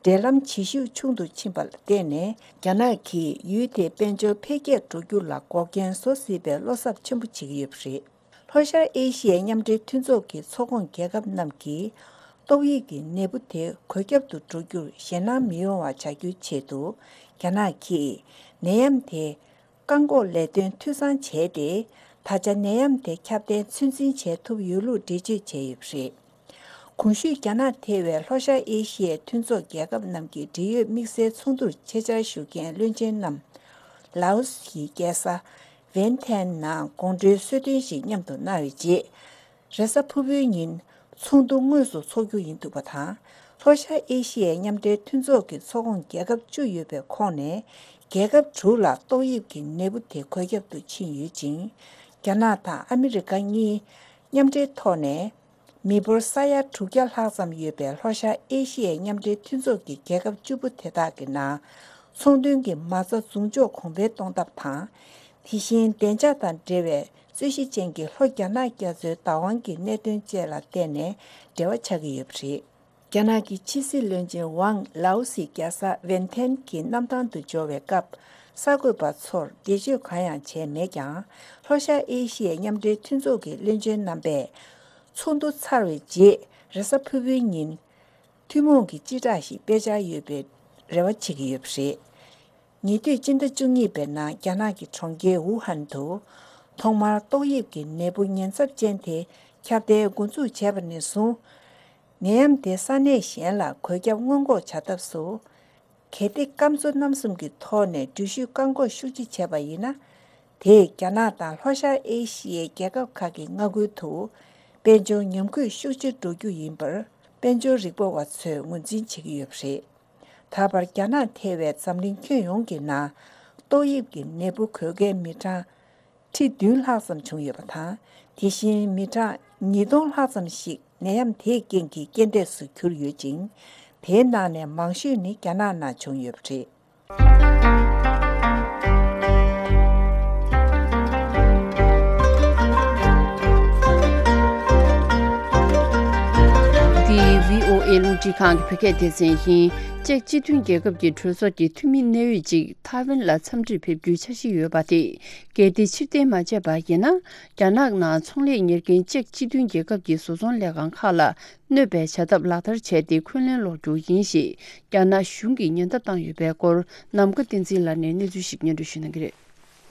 འབྲེལ་ལམ་བྱེད་ཤུགས་ཆུང་དུ་ཕྱིན་པ་ལ་བརྟེན་ནས། རྒྱ་ནག་གིས་ཡུལ་དེའི་དཔལ་འབྱོར་འཕེལ་རྒྱས་འགྲོ་རྒྱུ་ལ་འགོག་རྐྱེན་བཟོ་སྲིད་པའི་བློ་འཚབ་ཆེན་པོ་བྱེད་ཀྱི་ཡོད་པ་རེད། ལྷོ་ཤར་ཨེ་ཤི་ཡའི་མཉམ་འབྲེལ་མཐུན་ཚོགས་ཀྱི་ཚོགས་ཁོངས་རྒྱལ་ཁབ་རྣམས་ཀྱིས་ཏོག་དབྱིབས་ཀྱི་ནད་འབུ་དེ་འགོས་ཁྱབ་ཏུ་འགྲོ་རྒྱུར་ཞེད་སྣང་མི་ཡོང་བ་བྱ་རྒྱུའི་ཆེད་དུ། རྒྱ་ནག་གིས་ནད་ཡམས་དེ་བཀག་འགོག་ལས་དོན་འཐུས་ཚང་བྱས་ཏེ། ད་ཆ་ནད་ཡམས་དེ་ཁྱབ་གདལ་ཚོད་འཛིན་བྱེད་ཐུབ་ཡོད་ལུགས་འགྲེལ་བརྗོད་བྱས་ཡོད་པ་རེད། གོང་ཞུས་རྒྱ་ནག་ཐེ་བའི་ལྷོ་ཤར་ཨེ་ཤི་ཡའི་མཐུན་ཚོགས་རྒྱལ་ཁབ་རྣམས་ཀྱི་འབྲེལ་ཡོད་དམིགས་བསལ་ཚོགས་འདུར་ཆེད་བཅར་ཞུ་མཁན་བློན་ཆེན་རྣམས། ལའོ་སིའི་རྒྱལ་ས་ཝེན་ཐན་ནང་དགོང་དྲོའི་གསོལ་སྟོན་ཞིག་མཉམ་དུ་གནང་བའི་རྗེས། རེས་གཟའ་ཕུར་བུའི་ཉིན་ ཚོགས་འདུ་དངོས་སུ་འཚོགས་རྒྱུ་ཡིན་འདུག་པ་དང་། ལྷོ་ཤར་ཨེ་ཤི་ཡའི་མཉམ་འབྲེལ་མཐུན་ཚོགས་ཀྱི་ཚོགས་ཁོངས་རྒྱལ་ཁབ་བཅུ་ཡོད་པའི་ཁོངས་ནས། རྒྱལ་ཁབ་དྲུག་ལ་ཏོག་དབྱིབས་ཀྱི་ནད་འབུ་དེ་འགོས་ཁྱབ་ཏུ་ཕྱིན་ཡོད་ཅིང་། རྒྱ་ནག་དང་ཨ་མི་རི་ཀ་གཉིས་མཉམ་འབྲེལ་ཐོག་ནས། མི་འབོར་ས་ཡ་དྲུག་བརྒྱ་ལྷག་ཙམ་ཡོད་པའི་ལྷོ་ཤར་ཨེ་ཤི་ཡའི་མཉམ་འབྲེལ་མཐུན་ཚོགས་ཀྱི་རྒྱལ་ཁབ་བཅུ་པོ་དེ་དག་གི་ནང་། ཚོང་དོན་གྱི་མ་རྩ་བཟུང་འཇོག་གོང་འཕེལ་གཏོང་ཐབས་དང་། དེ་བཞིན་བདེ་འཇགས་དང་འབྲེལ་བའི་རྩོད་གཞི་ཅན་གྱི་ལྷོ་རྒྱ་ནག་རྒྱ་མཚོའི་བདག་དབང་གི་གནད་དོན་བཅས་ལ་བརྟེན་ནས་འབྲེལ་བ་ཆགས་ཀྱི་ཡོད་པ་རེད། རྒྱ་ནག་གི་ཕྱི་སྲིད་བློན་ཆེན་ཝང་ལའོ་སི་རྒྱལ་ས་ཝེན་ཐེན་གྱི་གནམ་ཐང་དུ་འབྱོར་བའི་སྐབས། གསར་འགོད་པ་ཚོར་འགྲེལ་བརྗོད་གང་ཡང་བྱས་མེད་ཀྱང་། ལྷོ་ཤར་ཨེ་ཤི་ཡའི་མཉམ་འབྲེལ་མཐུན་ཚོགས་ཀྱི་བློན་ཆེན་རྣམ་པས། ཚོགས་འདུ་ཚར་བའི་རྗེས། རེས་གཟའ་ཕུར་བུའི་ཉིན། ཐུན་མོང་གི་སྤྱི་བསྒྲགས་ཤིག་སྤེལ་འཆར་ཡོད་པའི་རེ་བ་བྱེད་ཀྱི་ཡོད་པ་རེད། ཉེ་དུས་སྤྱི་ཟླ་བཅུ་གཉིས་པའི་ནང་རྒྱ་ནག་གི་གྲོང་ཁྱེར་ཝུ་ཧན་དུ། ཐོག་མར་ཏོག་དབྱིབས་ཀྱི་ནད་འབུ་ཉེན་ཚབས་ཅན་དེ་ཁྱབ་གདལ་འགོ་འཛུགས་བྱས་པ་ནས་བཟུང་། ནད་ཡམས་དེ་ས་གནས་གཞན་ལ་འགོས་ཁྱབ་སྔོན་འགོག་བྱ་ཐབས་སུ། གལ་ཏེ་སྐམ་མཚོ་རྣམ་གསུམ་གྱི་ཐོག་ནས་འགྲུལ་བཞུད་བཀག་འགོག་ཤུགས་ཆེ་བྱས་པ་ཡིན་ན། དེས་རྒྱ་ནག་དང་ལྷོ་ཤར་ཨེ་ཤི་ཡའི་རྒྱལ་ཁབ་ཁག་གི་མངའ་ཁུལ་དུ། དཔལ་འབྱོར་ཉམས་རྒུད་ཤུགས་ཆེ་འགྲོ་རྒྱུ་ཡིན་པར། དཔལ་འབྱོར་རིག་པ་བ་ཚོས་ངོས་འཛིན་བྱེད་ཀྱི་ཡོད་པ་རེད། ད་བར་རྒྱ་ནག་ཐེ་བའི་འཛམ་གླིང་ཁྱོན་ཡོངས་ཀྱི་ནང་། ཏོག་དབྱིབས་ཀྱི་ནད་འབུ་འགོས་མཁན་མི་གྲངས་ཁྲི་བདུན་ལྷག་ཙམ་བྱུང་ཡོད་པ་དང་། དེ་བཞིན་མི་གྲངས་ཉིས་སྟོང་ལྷག་ཙམ་ཞིག་ནད་ཡམས་དེའི་རྐྱེན་གྱིས་རྐྱེན་འདས་སུ་གྱུར་ཡོད་ཅིང་། དེའི་ནང་ནས་མང་ཤོས་ནི་རྒྱ་ནག་ནང་བྱུང་ཡོད་པ་རེད། འདི་བྷི་ཨོ་ཨེ་རླུང་འཕྲིན་ཁང་གི་བོད་སྐད་སྡེ་ཚན་ཡིན། ཅེཀ་སྤྱི་མཐུན་རྒྱལ་ཁབ་ཀྱི་གྲོས་ཚོགས་ཀྱི་འཐུས་མི་གནད་ཡོད་ཅིག་ཐའེ་ཝན་ལ་འཚམས་འདྲིར་ཕེབས་རྒྱུའི་འཆར་གཞི་ཡོད་པ་དེ། གལ་ཏེ་ཕྱིར་འཐེན་མ་བྱས་པ་ཡིན་ན། རྒྱ་ནག་ནང་ཚོང་ལས་གཉེར་མཁན་ཅེཀ་སྤྱི་མཐུན་རྒྱལ་ཁབ་ཀྱི་བཟོ་ཚོང་ལས་ཁང་ཁག་ལ་གནོད་པའི་བྱ་ཐབས་ལག་བསྟར་བྱས་ཏེ། འཁོན་ལན་སློག་རྒྱུ་ཡིན་ཞེས་རྒྱ་ནག་གཞུང་གིས་ཉེན་བརྡ་བཏང་ཡོད་པའི་སྐོར། ནམ་མཁའ་བསྟན་འཛིན་ལགས་ནས་གནས་ཚུལ་ཞིག་སྙན་སྒྲོན་ཞུ་གནང་གི་རེད།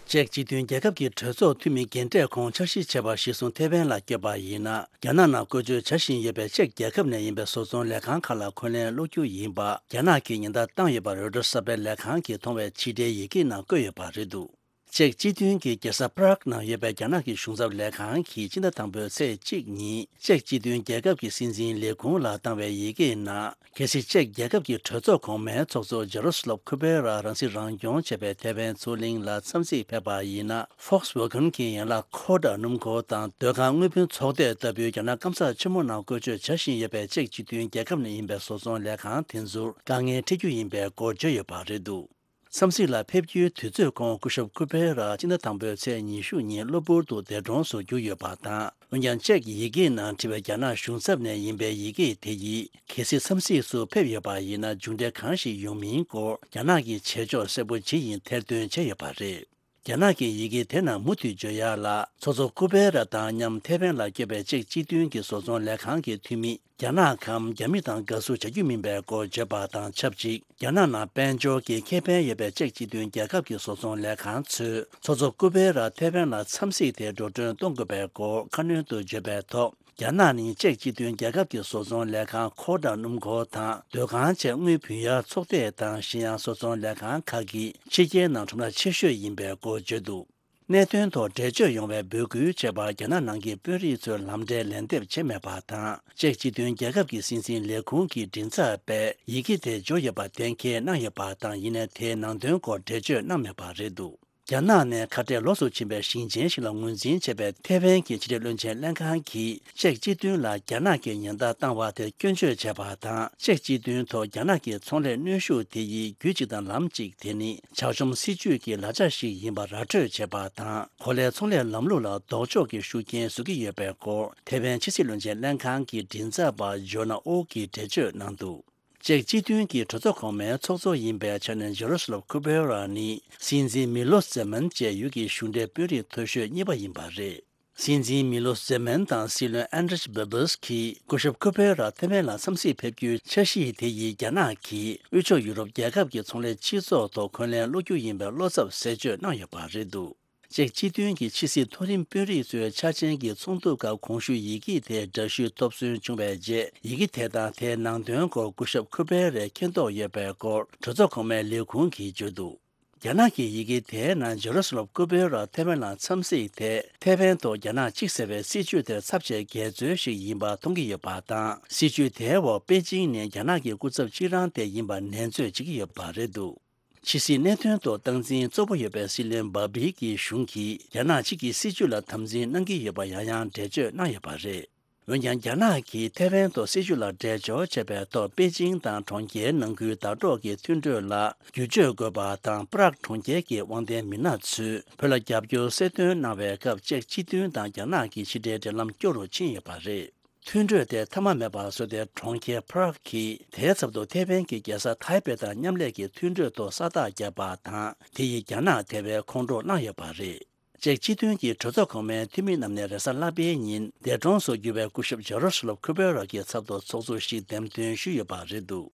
ཅེཀ་སྤྱི་མཐུན་རྒྱལ་ཁབ་ཀྱི་གྲོས་ཚོགས་འཐུས་མི་རྒན་གྲས་ཁོང་འཆར་གཞི་བྱས་པ་གཞིར་བཟུང་ཐེ་ཝན་ལ་བསྐྱོད་པ་ཡིན་ན། རྒྱ་ནག་ནང་བཀོལ་སྤྱོད་བྱ་བཞིན་ཡོད་པའི་ཅེཀ་རྒྱལ་ཁབ་ནས་ཡིན་པའི་བཟོ་ཚོང་ལས་ཁང་ཁག་ལ་འཁོན་ལན་སློག་རྒྱུ་ཡིན་པ། རྒྱ་ནག་གིས་ཉེན་བརྡ་བཏང་ཡོད་པ་རོའི་ཊར་གསར་སྤེལ་ལས་ཁང་གིས་མཐོང་བའི་ཕྱི་དྲིལ་ཡི་གེ་ནང་བཀོད་ཡོད་པ་རེད་འདུག་ཅེཀ་སྤྱི་མཐུན་གྱི་རྒྱལ་ས་པ་རག་ནང་ཡོད་པའི་རྒྱ་ནག་གི་གཞུང་ཚབ་ལས་ཁང་གིས་སྤྱི་ཟླ་དང་པོའི་ཚེས་གཅིག་ཉིན། ཅེཀ་སྤྱི་མཐུན་རྒྱལ་ཁབ་ཀྱི་སྲིད་འཛིན་ལས་ཁུངས་ལ་བཏང་བའི་ཡི་གེའི་ནང་། གལ་སྲིད་ཅེཀ་རྒྱལ་ཁབ་ཀྱི་གྲོས་ཚོགས་གོང་མའི་ཚོགས་གཙོ་ཇ་རོ་སི་ལབ་ཁུ་པེ་ར་རང་སྲིད་རང་སྐྱོང་བྱས་པའི་ཐེ་ཝན་མཚོ་གླིང་ལ་འཚམས་གཟིགས་ཕེབས་པ་ཡིན་ན། ཕོག་སི་ཝེ་གྷན་གྱི་ཡན་ལག་ཁོ་ཌ་སྣུམ་འཁོར་དང་སྡོད་ཁང་དངུལ་བུན་ཚོགས་སྡེ་ལྟ་བུའི་རྒྱ་ནག་སྐམ་ས་ཆེན་མོ་ནང་བཀོལ་སྤྱོད་བྱ་བཞིན་ཡོད་པའི་ཅེཀ་སྤྱི་མཐུན་རྒྱལ་ཁབ་ནས་ཡིན་པའི་བཟོ་ཚོང་ལས་ཁང་དེ་ཚོར་དཀའ་ངལ་འཕྲད་རྒྱུ་ཡིན་པའི་སྐོར་བརྗོད་ཡོད་པ་རེད་འདུག་འཚམས་གཟིགས་ལ་ཕེབས་རྒྱུའི་དུས་ཚོད་ཁོང་སྐུ་ཞབས་ཁུ་པེ་ར་སྤྱི་ཟླ་དང་པོའི་ཚེས་ཉི་ཤུ་ཉིན་གློ་བུར་དུ་འདས་གྲོངས་སུ་གྱུར་ཡོད་པ་དང་། འོན་ཀྱང་ཅེཀ་ཡི་གེའི་ནང་བྲིས་པའི་རྒྱ་ནག་གཞུང་ཚབ་ནས་ཡིན་པའི་ཡི་གེ་དེ་ཡིས། གལ་སྲིད་འཚམས་གཟིགས་སུ་ཕེབས་ཡོད་པ་ཡིན་ན། མཇུག་འབྲས་གང་ཞིག་ཡོང་མིན་སྐོར་རྒྱ་ནག་གི་བྱེད་ཕྱོགས་གསལ་པོ་ཇི་ཡིན་ཐེར་འདོན་བྱས་ཡོད་པ་རེད། རྒྱ་ནག་གི་ཡི་གེ་དེ་རྣམས་མུ་མཐུད་བརྗོད་ཡག་ལ། ཚོགས་གཙོ་ཀུ་པེ་ར་དང་མཉམ་ཐེ་ཝན་ལ་བསྐྱོད་པའི་ཅེཀ་སྤྱི་མཐུན་གྱི་བཟོ་ཚོང་ལས་ཁང་གི་འཐུས་མི། རྒྱ་ནག་གམ་རྒྱ་མི་དང་དགའ་བསུ་བྱ་རྒྱུ་མིན་པའི་སྐོར་བརྗོད་པ་དང་ཆབས་ཅིག་རྒྱ་ནག་ནང་དཔལ་འབྱོར་གྱི་ཁེ་ཕན་ཡོད་པའི་ཅེཀ་སྤྱི་མཐུན་རྒྱལ་ཁབ་ཀྱི་བཟོ་ཚོང་ལས་ཁང་ཚོས། ཚོགས་གཙོ་ཀུ་པེ་ར་ཐེ་ཝན་ལ་འཚམས་གཟིགས་དེ་འགྲོ་གྲོན་གཏོང་དགོས་པའི་སྐོར་ཁ་སྣོན་དུ་བརྗོད་པའི་ཐོག་རྒྱ་ནག་ནི་ཅེཀ་སྤྱི་མཐུན་རྒྱལ་ཁབ་ཀྱི་བཟོ་ཚོང་ལས་ཁང་ཁོ་ཌ་སྣུམ་འཁོར་དང་སྡོད་ཁང་བཅས་དངུལ་བུན་གཡར་ཚོགས་སྡེ་དང་གཞན་ཡང་བཟོ་ཚོང་ལས་ཁང་ཁག་གི་ཕྱི་རྒྱལ་ནང་ཁྲོམ་ར་ཆེ་ཤོས་ཡིན་པའི་སྐོར་བརྗོད་འདུག་གནད་དོན་ཐོག་འགྲེལ་བརྗོད་ཡོང་བའི་འབོད་སྐུལ་བྱས་པར་རྒྱ་ནག་ནང་གི་དཔོན་རིགས་ཚོས་ལམ་འབྲས་ལན་འདེབས་བྱས་མེད་པ་དང་། ཅེཀ་སྤྱི་མཐུན་རྒྱལ་ཁབ་ཀྱི་སྲིད་འཛིན་ལས་ཁུངས་ཀྱི་མགྲིན་ཚབ་པས་ཡི་གེ་དེ་འབྱོར་ཡོད་པ་གཏན་འཁེལ་གནང་ཡོད་པ་དང་། ཡིན་ནའི་དེའི་ནང་དོན་སྐོར་འགྲེལ་བརྗོད་གནང་མེད་པ་རེད་འདུག་རྒྱ་ནག་ནས་ཁ་བྲལ་ལོགས་སུ་ཕྱིན་པའི་ཞིང་ཆེན་ཞིག་ལ་ངོས་འཛིན་བྱས་པའི་ཐེ་ཝན་གྱི་ཕྱི་དྲིལ་བློན་ཆེན་ལྷན་ཁང་གིས་ཅེཀ་སྤྱི་མཐུན་ལ་རྒྱ་ནག་གིས་ཉེན་བརྡ་བཏང་བ་དེར་སྐྱོན་བརྗོད་བྱས་པ་དང་། ཅེཀ་སྤྱི་མཐུན་ཐོག་རྒྱ་ནག་གི་ཚོང་ལས་གནོན་ཤུགས་དེ་ཡིས་རྒྱུད་གཅིག་དང་ལམ་གཅིག་དེ་ནི་ཇག་བཅོམ་སྲིད་ཇུས་ཀྱི་ལག་ཆ་ཞིག་ཡིན་པ་ར་སྤྲོད་བྱས་པ་དང་། གོ་ལའི་ཚོང་ལས་ལམ་ལུགས་ལ་ལྡོག་ཕྱོགས་ཀྱི་ཤུགས་རྐྱེན་བཟོ་གི་ཡོད་པའི་སྐོར་ཐེ་ཝན་ཕྱི་སྲིད་བློན་ཆེན་ལྷན་ཁང་གི་མགྲིན་ཚབ་པ་ཇོ་ན་ཨོ་གིས་འགྲེལ་བརྗོད་གནང་འདུག་ཅེཀ་སྤྱི་མཐུན་གྱི་གྲོས་ཚོགས་གོང་མའི་ཚོགས་གཙོ་ཡིན་པའི་ཆ་ནས་ཇོ་རོ་སི་ལབ་ཁུ་པེ་ར་ནི་སྲིད་འཛིན་མི་ལོ་ཟེ་མན་བཅས་ཡུལ་གྱི་གཞུང་འབྲེལ་དཔོན་རིགས་མཐོ་ཤོས་གཉིས་པ་ཡིན་པ་རེད། སྲིད་འཛིན་མི་ལོ་ཟེ་མན་དང་སྲིད་བློན་ཨན་ཌྲེས་བེ་བེས་ཀྱིས་སྐུ་ཞབས་ཁུ་པེ་ར་ཐེ་ཝན་ལ་འཚམས་གཟིགས་ཕེབས་རྒྱུའི་འཆར་གཞི་དེ་ཡིས་རྒྱ་ནག་གིས་དབུས་ཕྱོགས་ཡུ་རོབ་རྒྱལ་ཁབ་ཀྱི་ཚོང་ལས་སྤྱི་ཚོགས་ཐོག་འཁོན་ལན་སློག་རྒྱུ་ཡིན་པའི་བློ་འཚབ་ཟེར་བརྗོད་གནང་ཡོད་པ་རེད་འདུག་ཅེཀ་སྤྱི་མཐུན་གྱི་ཕྱི་སྲིད་མཐོ་རིམ་དཔོན་རིགས་ཚོའི་འཆར་ཅན་གྱི་ཚོགས་འདུ་སྐབས་གོང་ཞུས་ཡི་གེ་དེ་འདྲ་ཞུས་ཐོབ་སོན་བྱུང་བའི་རྗེས། ཡི་གེ་དེ་དང་དེའི་ནང་དོན་སྐོར་སྐུ་ཞབས་ཁུ་པེ་རས་མཁྱེན་རྟོགས་ཡོད་པའི་སྐོར་གྲོས་ཚོགས་གོང་མའི་ལས་ཁུངས་ཀྱིས་བརྗོད་འདུག་རྒྱ་ནག་གི་ཡི་གེ་དེའི་ནང་ཇེ་རུ་སི་ལམ་ཁུ་པེ་ར་ཐེ་ཝན་ལ་འཚམས་གཟིགས་དེ་ཐེ་ཝན་ཐོག་རྒྱ་ནག་གཅིག་ཟེར་བའི་སྲིད་བྱུས་དེར་ཚབས་ཆེའི་འགལ་འཛོལ་ཞིག་ཡིན་པ་མཐོང་གི་ཡོད་པ་དང་། སྲིད་བྱུས་དེའི་འོག་པེ་ཅིང་ནི་རྒྱ་ནག་གི་སྐུ་ཚབ་གཅིག་རང་དེ་ཡིན་པར་ནན་བརྗོད་བྱེད་ཀྱི་ཡོད་པ་རེད་འདུག་ཕྱི་སྲིད་གནད་དོན་ཐོག་སྟངས་འཛིན་གཙོ་བོ་ཡོད་པའི་སྲིད་བློན་བྷ་བྷི་ཀྱི་གཞུང་གིས་རྒྱ་ནག་གཅིག་གི་སྲིད་བྱུས་ལ་དམ་འཛིན་གནང་གི་ཡོད་པ་ཡང་ཡང་འགྲེལ་བརྗོད་གནང་ཡོད་པ་རེད། འོན་ཀྱང་། རྒྱ་ནག་གིས་ཐེ་ཝན་ཐོག་སྲིད་བྱུས་ལ་འགྲེལ་བརྗོད་བྱས་པའི་ཐོག་པེ་ཅིང་དང་གྲོང་ཁྱེར་ནང་ཁུལ་ཟླ་གྲོགས་ཀྱི་མཐུན་གྲོས་ལ་བསྒྱུར་བཅོས་དགོས་པ་དང་། པ་རག་གྲོང་ཁྱེར་གྱི་དབང་ལྡན་མི་སྣ་ཚོས་བོད་ལ་རྒྱབ་སྐྱོར་གསལ་སྟོན་གནང་བའི་སྐབས། ཅེཀ་སྤྱི་མཐུན་དང་རྒྱ་ནག་གི་ཕྱི་འབྲེལ་འབྲེལ་ལམ་སྐྱོ་རུ་ཕྱིན་ཡོད་པ་རེད། མཐུན་གྲོས་དེ་མཐའ་མ་མེད་པར་བཟོས་ཏེ། གྲོང་ཁྱེར་པ་རག་གིས་དེའི་ཚབ་ཏུ་ཐེ་ཝན་གྱི་རྒྱལ་ས་ཐའེ་པེ་དང་མཉམ་ལས་ཀྱི་མཐུན་གྲོས་ཐོག་ས་རྟགས་བརྒྱབ་པ་དང་། དེ་ཡིས་རྒྱ་ནག་དེ་བས་ཁོང་ཁྲོ་གནང་ཡོད་པ་རེད། ཅེཀ་སྤྱི་མཐུན་གྱི་གྲོས་ཚོགས་གོང་མའི་འཐུས་མི་རྣམས་ནས་རེས་གཟའ་ལྷག་པའི་ཉིན་འདས་གྲོངས་སུ་གྱུར་བའི་སྐུ་ཞབས་ཇེ་རོ་སི་ལབ་ཁུ་པེ་ར་གི་ཚབ་ཏུ་ཚོགས་གཙོ་ཞིག་འདེམས་ཐོན་ཞུས་ཡོད་པ་རེད་འདུག་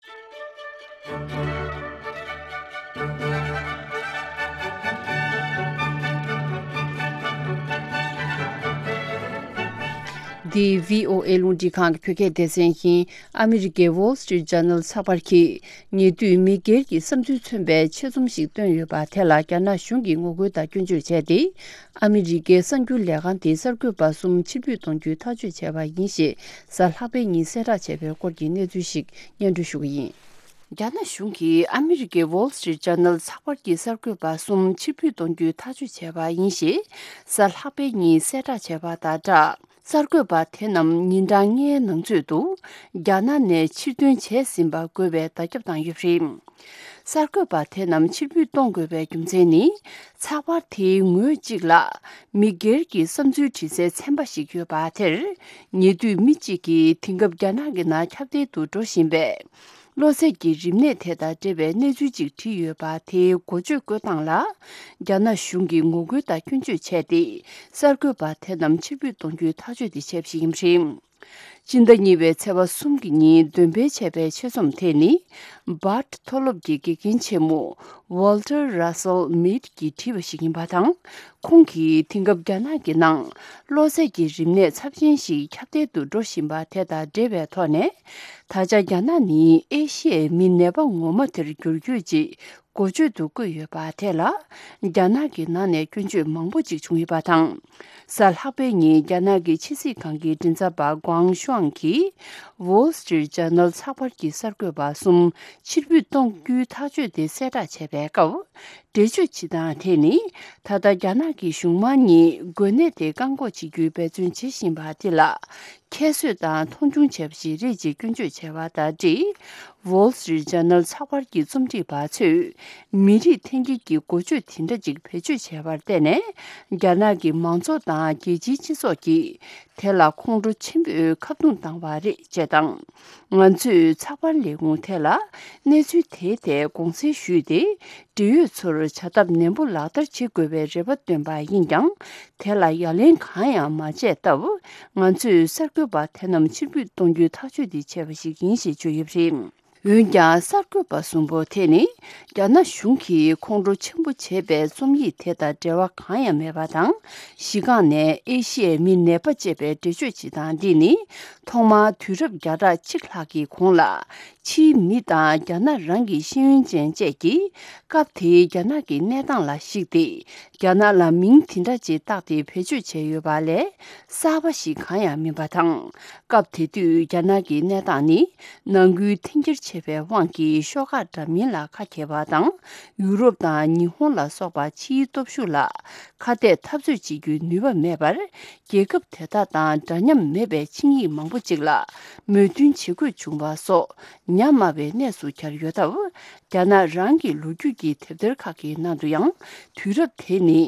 འདི་བྷི་ཨོ་ཨེ་རླུང་འཕྲིན་ཁང་གི་བོད་སྐད་སྡེ་ཚན་ཡིན། ཨ་མི་རི་ཀའི་Wall Street Journal་ཚགས་པར་གྱིས། ཉེ་དུས་མི་སྒེར་གྱི་བསམ་ཚུལ་མཚོན་པའི་ཆེད་རྩོམ་ཞིག་བཏོན་ཡོད་པ་དེ་ལ་རྒྱ་ནག་གཞུང་གིས་ངོ་རྒོལ་དང་སྐྱོན་བརྗོད་བྱས་ཏེ། ཨ་མི་རི་ཀའི་གསར་འགྱུར་ལས་ཁང་དེའི་གསར་འགོད་པ་གསུམ་ཕྱིར་འབུད་གཏོང་རྒྱུའི་ཐག་གཅོད་བྱས་པ་ཡིན་ཞེས་གཟའ་ལྷག་པའི་ཉིན་གསལ་བསྒྲགས་བྱས་པའི་སྐོར་གྱི་གནས་ཚུལ་ཞིག་སྙན་སྒྲོན་ཞུ་གི་ཡིན། རྒྱ་ནག་གཞུང་གིས་ཨ་མི་རི་ཀའི་Wall Street Journal་ཚགས་པར་གྱི་གསར་འགོད་པ་གསུམ་ཕྱིར་འབུད་གཏོང་རྒྱུའི་ཐག་གཅོད་བྱས་པ་ཡིན་ཞེས་གཟའ་ལྷག་པའི་ཉིན་གསལ་བསྒྲགས་བྱས་པ་དང་སྦྲགས། གསར་འགོད་པ་དེ་རྣམས་ཉིན་གྲངས་ལྔའི་ནང་ཚུད་དུ་རྒྱ་ནག་ནས་ཕྱིར་འདོན་བྱས་ཟིན་པ་འགོད་པའི་བརྡ་ཁྱབ་བཏང་ཡོད་པ་རེད། གསར་འགོད་པ་དེ་རྣམས་ཕྱིར་འབུད་གཏོང་དགོས་པའི་རྒྱུ་མཚན་ནི། ཚགས་པར་དེའི་ངོས་གཅིག་ལ། མི་སྒེར་གྱི་བསམ་ཚུལ་བྲིས་སའི་ཚན་པ་ཞིག་ཡོད་པ་དེར། ཉེ་དུས་མི་གཅིག་གིས་དེང་སྐབས་རྒྱ་ནག་གི་ནང་ཁྱབ་གདལ་དུ་འགྲོ་བཞིན་པའི། གློ་ཚད་ཀྱི་རིམས་ནད་དེ་དང་འབྲེལ་བའི་གནས་ཚུལ་ཅིག་བྲིས་ཡོད་པ་དེའི་འགོ་བརྗོད་བཀོད་སྟངས་ལ། རྒྱ་ནག་གཞུང་གིས་ངོ་རྒོལ་དང་སྐྱོན་བརྗོད་བྱས་ཏེ། གསར་འགོད་པ་དེ་རྣམས་ཕྱིར་འབུད་གཏོང་རྒྱུའི་ཐག་གཅོད་དེ་བྱས་པ་ཞིག་ཡིན་པ་རེད། སྤྱི་ཟླ་གཉིས་པའི་ཚེས་པ་གསུམ་གྱི་ཉིན་འདོན་སྤེལ་བྱས་པའི་ཆེད་རྩོམ་དེ་ནི། Bard་མཐོ་སློབ་ཀྱི་དགེ་རྒན་ཆེན་མོ་Walter Russell Mead་གྱིས་བྲིས་པ་ཞིག་ཡིན་པ་དང་། ཁོང་གིས་དེང་སྐབས་རྒྱ་ནག་གི་ནང་གློ་ཚད་ཀྱི་རིམས་ནད་ཚབས་ཆེན་ཞིག་ཁྱབ་གདལ་དུ་འགྲོ་བཞིན་པ་དེ་དང་འབྲེལ་བའི་ཐོག་ནས། ད་ཆ་རྒྱ་ནག་ནི་ཨེ་ཤི་ཡའི་མི་ནད་པ་ངོ་མ་དེར་འགྱུར་རྒྱུ་ཅིག་འགོ་བརྗོད་དུ་བཀོད་ཡོད་པ་དེ་ལ། རྒྱ་ནག་གི་ནང་ནས་སྐྱོན་བརྗོད་མང་པོ་ཅིག་བྱུང་ཡོད་པ་དང་། གཟའ་ལྷག་པའི་ཉིན་རྒྱ་ནག་གི་ཕྱི་སྲིད་ཁང་གི་མགྲིན་ཚབ་པ་ཀུའང་ཤུའང་གིས། Wall Street Journal་ཚགས་པར་གྱི་གསར་འགོད་པ་གསུམ་ཕྱིར་འབུད་གཏོང་རྒྱུའི་ཐག་གཅོད་དེ་གསལ་བསྒྲགས་བྱས་པའི་སྐབས། འགྲེལ་བརྗོད་བྱེད་སྟངས་དེ་ནི། ད་ལྟ་རྒྱ་ནག་གི་གཞུང་མང་གཉིས་འགོས་ནད་དེ་བཀག་འགོག་བྱེད་རྒྱུའི་འབད་བརྩོན་བྱེད་བཞིན་པ་དེ་ལ། ཁྱད་གསོད་དང་མཐོང་ཆུང་བྱས་པ་ཞིག་རེད་ཅེས་སྐྱོན་བརྗོད་བྱས་པ་དང་འབྲེལ། Wall Street Journal་ཚགས་པར་གྱི་རྩོམ་སྒྲིག་པ་ཚོས། མི་རིགས་འཐེན་འཁྱེར་གྱི་འགོ་བརྗོད་དེ་འདྲ་ཅིག་བེད་སྤྱོད་བྱས་པར་བརྟེན་ནས། རྒྱ་ནག་གི་མང་ཚོགས་དང་རྒྱལ་སྤྱིའི་སྤྱི་ཚོགས་ཀྱིས། དེ་ལ་ཁོང་ཁྲོ་ཆེན་པོས་ཁ་རྡུང་བཏང་བ་རེད་ཅེས་དང་། ང་ཚོས་ཚགས་པར་ལས་ཁུངས་དེ་ལ་གནས་ཚུལ་དེའི་ཐད་དགོངས་སེལ་ཞུས་ཏེ། འབྲེལ་ཡོད་ཚོར་བྱ་ཐབས་ནན་པོ་ལག་བསྟར་བྱེད་དགོས་པའི་རེ་བ་བཏོན་པ་ཡིན་ཀྱང་། དེ་ལ་ཡ་ལན་གང་ཡང་མ་བྱས་སྟབས། ང་ཚོས་གསར་འགོད་པ་དེ་རྣམས་ཕྱིར་འབུད་གཏོང་རྒྱུའི་ཐག་གཅོད་དེ་བྱས་པ་ཞིག་ཡིན་ཞེས་བརྗོད་ཡོད་པ་རེད། འོན་ཀྱང་། གསར་འགོད་པ་གསུམ་པོ་དེ་ནི། རྒྱ་ནག་གཞུང་གིས་ཁོང་ཁྲོ་ཆེན་པོ་བྱས་པའི་རྩོམ་ཡིག་དེ་དང་འབྲེལ་བ་གང་ཡང་མེད་པ་དང་། གཞི་རྐང་ནས་ཨེ་ཤི་ཡའི་མི་ནད་པ་ཅེས་པའི་འགྲེལ་བརྗོད་བྱེད་སྟངས་འདི་ནི། ཐོག་མར་དུས་རབས་བརྒྱ་ཕྲག་གཅིག་ལྷག་གི་གོང་ལ། ཕྱིའི་མི་དང་རྒྱ་ནག་རང་གི་ཤེས་ཡོན་ཅན་བཅས་ཀྱིས། སྐབས་དེའི་རྒྱ་ནག་གི་གནས་སྟངས་ལ་གཞིགས་ཏེ། རྒྱ་ནག་ལ་མིང་དེ་འདྲ་ཅིག་བཏགས་ཏེ་བེད་སྤྱོད་བྱས་ཡོད་པ་ལས་གསར་པ་ཞིག་གང་ཡང་མིན་པ་དང་། སྐབས་དེ་དུས་རྒྱ་ནག་གི་གནས་སྟངས་ནི་ནང་ཁུལ་འཐེན་འཁྱེར་ཆེ་བའི་དབང་གིས་ཤོག་ཁག་འདྲ་མིན་ལ་ཁ་གྱེས་པ་དང་། ཡུ་རོབ་དང་ཉི་ཧོང་ལ་སོགས་པ་ཕྱིའི་སྟོབས་ཤུགས་ལ་ཁ་གཏད་འཐབ་རྩོད་བྱེད་རྒྱུའི་ནུས་པ་མེད་པར། རྒྱལ་ཁབ་དེ་དག་དང་འདྲ་མཉམ་མེད་པའི་ཆིངས་ཡིག་མང་པོ་ཅིག་ལ་མོས་མཐུན་བྱེད་དགོས་བྱུང་བ་སོགས་ཉམས་དམའ་བའི་གནས་སུ་གྱར་ཡོད་སྟབས། རྒྱ་ནག་རང་གི་ལོ་རྒྱུས་ཀྱི་དེབ་ཐེར་ཁག་གི་ནང་དུ་ཡང་། དུས་རབས་དེ་ནི།